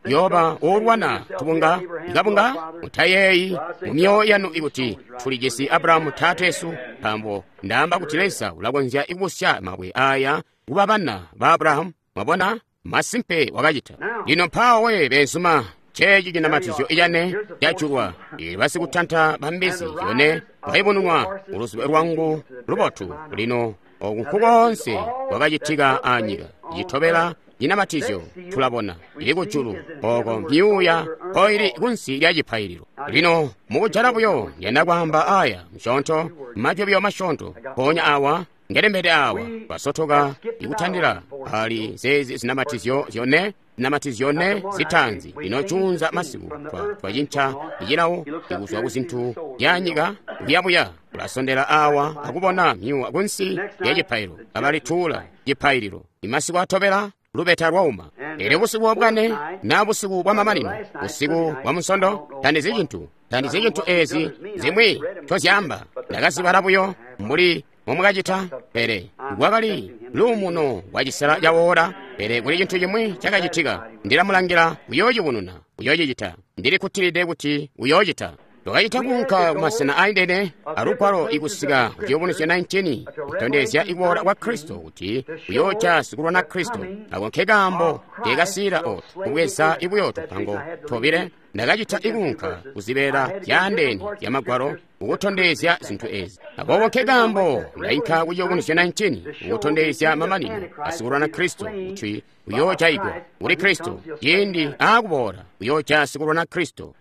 uyooba uulwana tubunga ikabunga. Mutayeeyi mu myoyo yanu ikuti tulijisi Abrahamu taateesu, nkaambo ndaamba kuti Leza ulakonzya kubusya mabwe aya kuba bana ba Abrahamu. Mwabona, masimpe wakacita. Lino mpaawo we beenzuma, ceeci cinamatizyo icane cajulwa, basikutanta bambizi zyone bayubununwa uluzibo lwangu lubotu. Lino oku nkukoonse kwakacitika aanyika. Citobela cinamatizyo tulabona ili kujulu, oko myuuya mpoili kunsi lya cipaililo. Lino mukujala buyo ndiyanda kwaamba aya musyoonto, majwi buyo masyoonto. Mpoonya awa ngelembede awa basotoka ikutandila ali zeezi zinamatizyo zyone, zinamatizyo zyone zitaanzi. Lino cuunza masiku twacinca icilawo ikuzwa ku zintu zyanyika kuyabuya, ulasondela awa akubona myuwa kunsi lya cipaililo, abalituula cipaililo. Imasiku atobela lubeta lwauma. Elyo busiku bwabwane na busiku bwa mamanino, busiku bwa munsondo, tandizi cintu, tandizi cintu ezi zimwi ncozyaamba. Ndakazibala buyo mbuli momwakacita, pele lwakali luumuno lwa cisela ca woola. Pele kuli cintu cimwi cakacitika. Ndilamulangila uyoocibununa, uyoocicita. Ndilikkutilide kuti uyoocita. Twakacita kuunka kumasena aindene alugwalo ikusika kuciyubunuzyo nineteen, kutondezya ikuboola kwa Kristo kuti uyooca sikulwana Kristo. Ako nkekaambo teekasiila otu kubweza ibuyo tupango tobile. Ndakacita ikuunka kuzibeela zyaandeene zya magwalo kukutondezya zintu ezi. Aboobo nkekaambo ndainka kuciyubunuzyo nineteen kukutondezya mamanino asikulwana Kristo kuti uyoocayigwa kuli Kristo ciindi aakuboola uyooca sikulwana Kristo.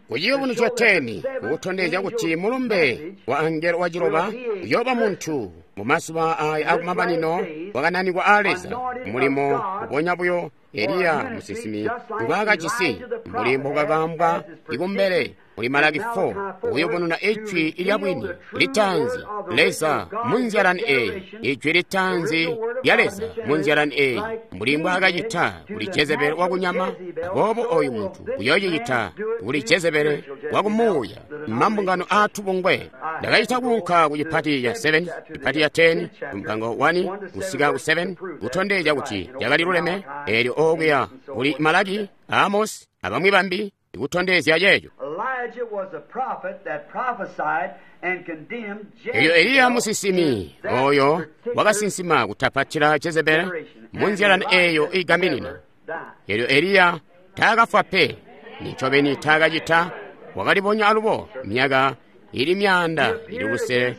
Kuciyubunuzyo ten kukutondezya kuti mulumbe wa angelo wa ciloba uyooba muntu mu mazuba aya akumamanino wakananikwa a Leza, mulimo ubonya buyo Eliya musinsimi ngwaakajisi, mbuli mbukakaambwa ikumbele muli Malaki four, ukuyubununa ijwi lya bwini litaanzi Leza munzyalani eyi, ijwi litaanzi lya Leza munzyalani eyi, mbuli mbwaakacita kuli Jezebeli wakunyama. Aboobo oyu muntu uyoocicita kuli Jezebeli wakumuuya, mambungano aatubungwe. Ndakacita kuunka ku cipati ca seven, cipati ca ten, mpango one kusika ku seven, kutondezya kuti cakali luleme. Eelyo okuya kuli Malaki, Amos, abamwi bambi ikutondezya ceeco. Elyo Eliya musinsimi oyo wakasinsima kutapatila Jezebeli munzyalani eyo igaminina. Elyo Eliya taakafwa pe, nincobeni taakacita, wakalibonya alubo myaka ili myaanda ili lusele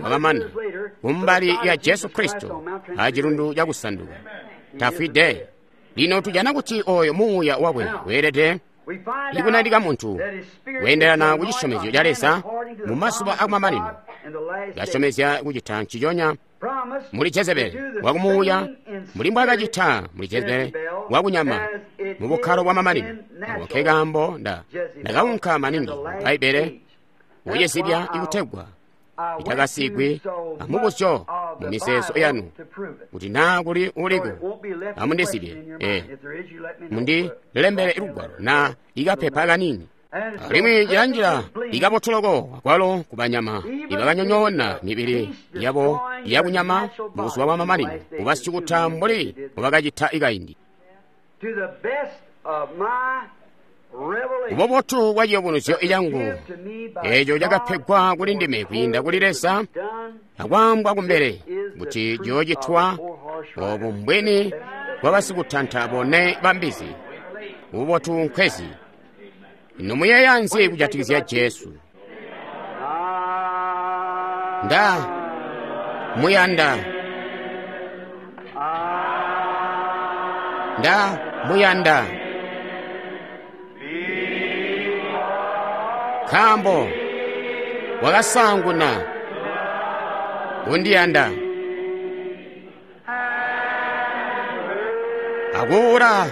wakamana kumbali ya Jesu Kristo acilundu cakusanduka. Tafwide. Lino tujana kuti oyo muuya wakwe weelede Ikunandika muntu kweendelana ku cisyomezyo ca Leza mu mazuba akumamanino, kasyomezya kucita nciconya muli Jezebeli wakumuuya, muli mbwaakacita muli Jezebeli wakunyama mu bukkalo bwamamanino. Ako nke kaambo nda ndakaunka maningi mu Bbaibbele kucizibya ikutegwa itakasigwi amubuzyo mu mizeezo yanu kuti naa kuli uliko amundizibye ee mundilembele lugwalo naa ikapepa kanini. Alimwi cilanjila ikabotu loko akwalo kubanyama ibakanyonyoona mibili yabo yakunyama mu buzuba bwamamanino kubasyukuta mbuli mbubakacita ikaindi. Ubobotu bwa ciyubunuzyo cangu eeco cakapegwa kuli ndime kwiinda kuli Leza akwaambwa kumbele kuti ciyoocitwa obu mbwini bwa basikutanta bone bambizi. Ububotu nkwezi. Ino muyeeya nzi kujatikizya Jesu? Nda muyanda. Nda muyanda. Nkaambo wakasaanguna kundiyanda akuula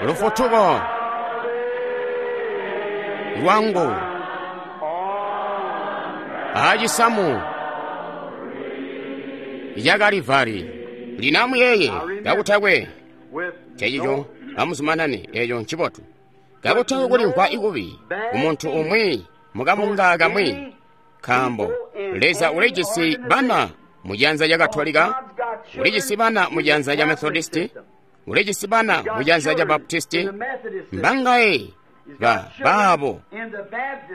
lufutuko lwangu acisamu ca Kalivari. Lino amuyeeye kakutakwe cecico, amuzumanane, eco ncibotu. Kakutakwe kulimvwa ikubi kumuntu umwi mukabunga kamwi, nkaambo Leza ulijisi bana mu janza lya Katolika, ulijisi bana mu janza lya Methodisti, ulijisi bana mu janza lya Baptisti, mbangaye ba baabo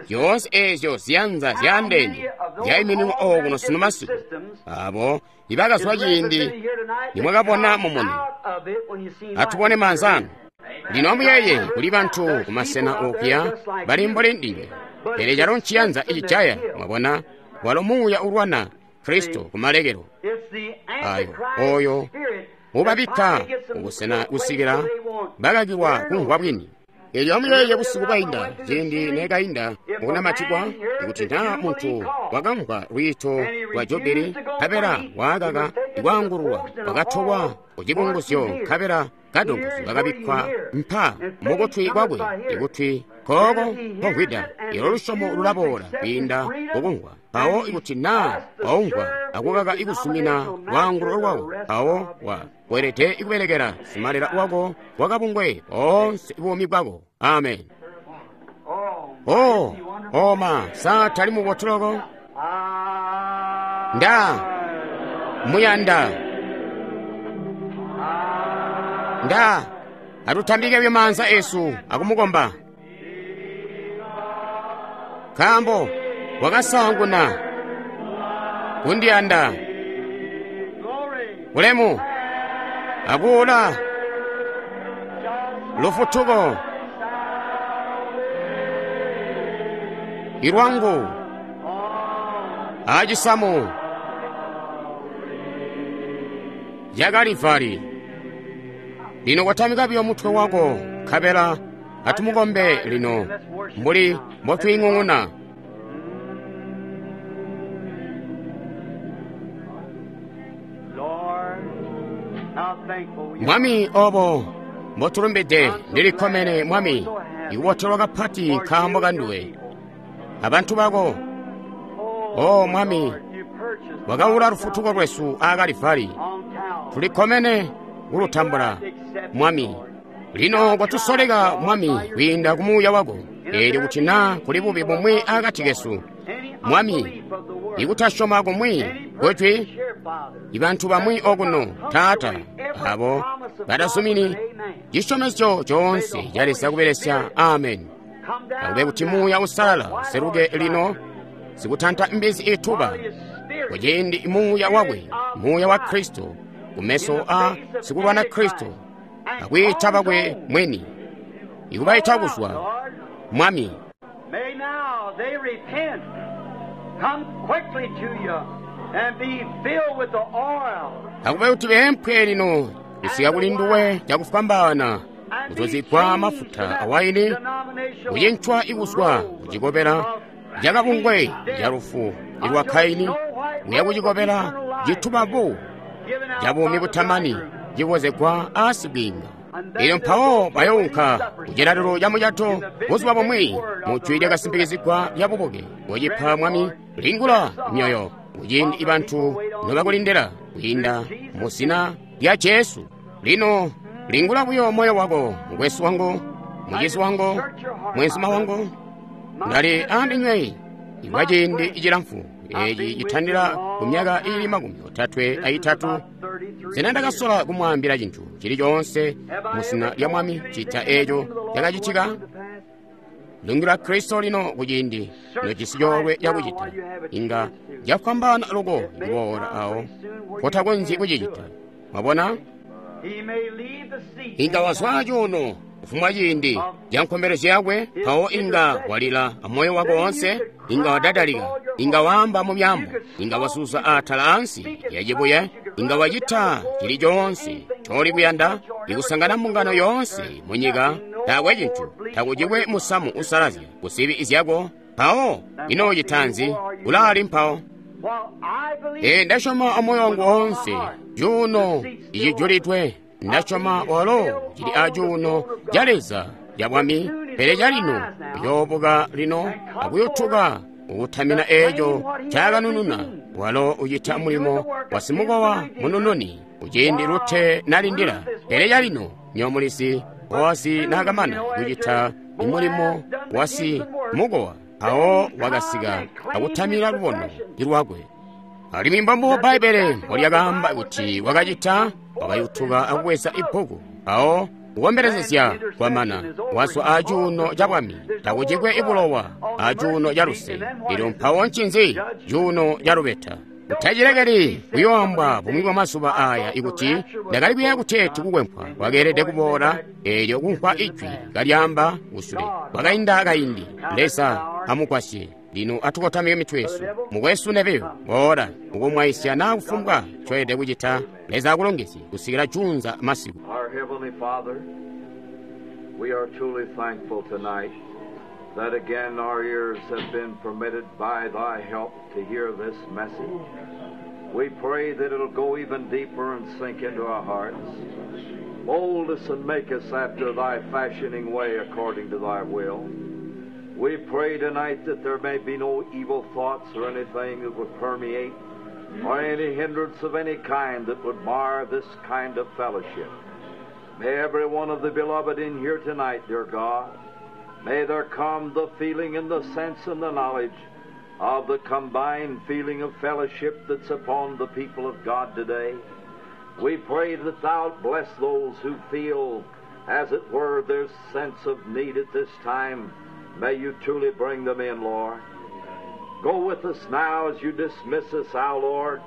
zyoonse eezyo ziyanza zyaandeene zyaiminwa okuno sunu masiku, abo ibakazwa ciindi nimwakabona mumuni. Atubone maanza anu. Lino amuyeeye kuli bantu kumasena okuya bali mbuli ndiwe, pele calo nciyanza icijaya. Mwabona, walo muuya ulwana Kristo kumalekelo ayo oyo ubabikka kubusena kusikila bakakilwa kumvwa bwini. Elyo amuyeeye busiku bwainda ciindi nekainda mukunamatikwa, ikuti naa muntu wakamvwa lwiito lwa Jobili nkabela waakaka ikwaangululwa, wakatolwa kucibunguzyo nkabela kadongozi kakabikkwa mpa mukutwi kwakwe, ikutwi kooko nkomvwida. Elo lusyomo lulaboola kwiinda kukumvwa. Mpawo ikuti naa waumvwa akukaka ikuzumina lwaangululo lwawo, mpawo wa weelede ikubelekela simalela wako wakabungwe boonse buumi bwako. Amen. Oh, oma sa tali mubotu loko? Nda muyanda. Nda atutambike buyo maanza esu akumukomba, nkaambo wakasaanguna kundiyanda. Ulemu akuula lufutuko ilwangu acisamu ca Kalivari. Lino kotamika buyo mutwe wako nkabela atumukombe lino mbuli mbotwiing'ung'una. Mwami, obo mbotulumbide, ndilikkomene Mwami, ikubotelwa kapati nkaambo kanduwe abantu bako. O Mwami, wakaula lufutuko lwesu aa Kalivari, tulikkomene kulutambula Mwami. Lino kotusoleka Mwami kwiinda ku Muuya wako, eelyo kuti naa kuli bubi bumwi akati kesu Mwami, ikutasyoma kumwi kwejwi ibantu bamwi okuno Taata abo batazumini cisyomezyo coonse ca Leza kubelesya amen. Akube kuti Muuya Uusalala useluke lino sikutanta mbizi ituba kuciindi Muuya wakwe, Muuya wa Kristo, kumeso a sikulwana Kristo akwiita bakwe mwini, ikubaita kuzwa Mwami. May now they repent, come quickly to you, and be filled with the oil. Akube kuti beempwe lino kusika kuli nduwe cakufwambaana kuzozigwa mafuta awaini, kucincwa ikuzwa kucikobela cakabungwe ca lufu ilwa Kaini kuya kucikobela citubabu ca buumi butamani cibozegwa aasibwiinga. Elyo mpawo bayounka kucilalilo ca mucato buzuba bumwi mu jwi lyakasimpikizigwa lya bubuke. Kocipa Mwami, lingula myoyo kuciindi ibantu nobakulindila kwiinda mu zina lya Jesu. Lino lingula buyo moyo wako, mukwesu wangu, mucizi wangu, mwenzuma wangu. Ndali andinywe kwa ciindi cilamfu eci citandila ku myaka iili makumi otatwe aitatu. Sena ndakasola kumwaambila cintu cili coonse mu zina lya Mwami cita eeco cakacitika? Lungila Kristo lino kuciindi nojisi coolwe cakucita. Inga cafwambaana loko kuboola awo kotakonzyi kucicita. Mwabona? Inga wazwa cuuno kufumbwa ciindi ca nkombelezyo yakwe, mpawo inga walila amoyo wako wonse, inga wadadalika, inga waamba mu myaambo, inga wasusa atala ansi yacibuye, inga wacita cili coonse ncoli kuyanda, ikusangana mbungano yoonse mu nyika. Taakwe cintu, takucikwe musamu usalazya kuzibi zyako. Mpawo ino ucitanzi? Ulaali mpawo? Ee, ndasyoma amoyo wangu woonse cuuno icijulidwe. Ndasyoma walo cili acuuno ca Leza ca bwami, pele calino uyoobuka lino akuyotuka ukutamina eeco ncakanununa. Walo ucita mulimo wa simukowa munununi kuciindi Rute nalindila, pele calino nyomulizi Bowazi naakamana kucita mulimo wa simukowa, mpawo wakasika akutamina lubono lwakwe. Alimwi mbombubo Bbaibbele mbolyakaamba kuti wakacita, wakayutuka akubweza ibbuku. Mpawo kukombelezezya kwamana, wazwa acuuno ca bwami, takucikwe ibulowa acuuno ca luse. Elyo mpawo ncinzi? Cuuno ca lubeta. Utacilekeli kuyoambwa bumwi bwa mazuba aya ikuti ndakali kuyeeya kuteeti kukwempwa kwakeelede kuboola, eelyo kumvwa ijwi kalyaamba kusule kwakainda kaindi. Leza amugwasye. Lino atukotamike mitwe yesu. Mukwesu Neville, boola ukumwaisya naa kufumbwa ncoyelede kucita. Leza akulongezye kusikila juunza masiku. Our Heavenly Father, we are truly thankful tonight that again our ears have been permitted by Thy help to hear this message. We pray that it'll go even deeper and sink into our hearts. Mold us and make us after Thy fashioning way according to Thy will. We pray tonight that there may be no evil thoughts or anything that would permeate or any hindrance of any kind that would mar this kind of fellowship. May every one of the beloved in here tonight, dear God, may there come the feeling and the sense and the knowledge of the combined feeling of fellowship that's upon the people of God today. We pray that Thou bless those who feel, as it were, their sense of need at this time. May you truly bring them in, Lord. Go with us now as you dismiss us, our Lord.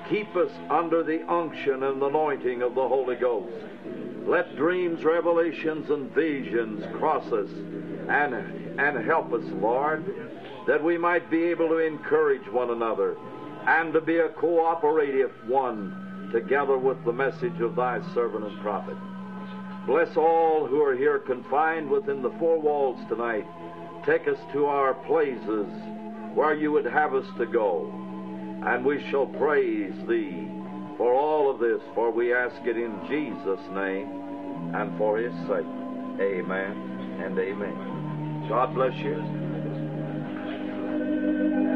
Keep us under the unction and anointing of the Holy Ghost. Let dreams, revelations, and visions cross us and, and help us, Lord, that we might be able to encourage one another and to be a cooperative one together with the message of Thy servant and prophet. Bless all who are here confined within the four walls tonight. Take us to our places where you would have us to go. And we shall praise Thee for all of this, for we ask it in Jesus' name and for His sake. Amen and amen. God bless you.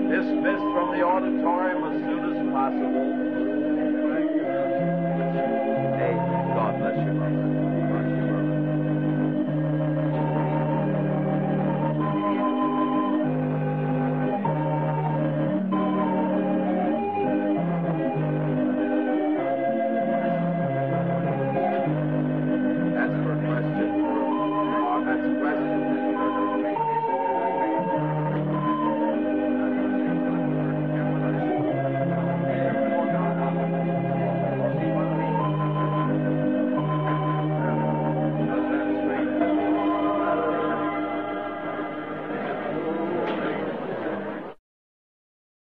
Dismissed from the auditorium as soon as possible. Amen. God bless you.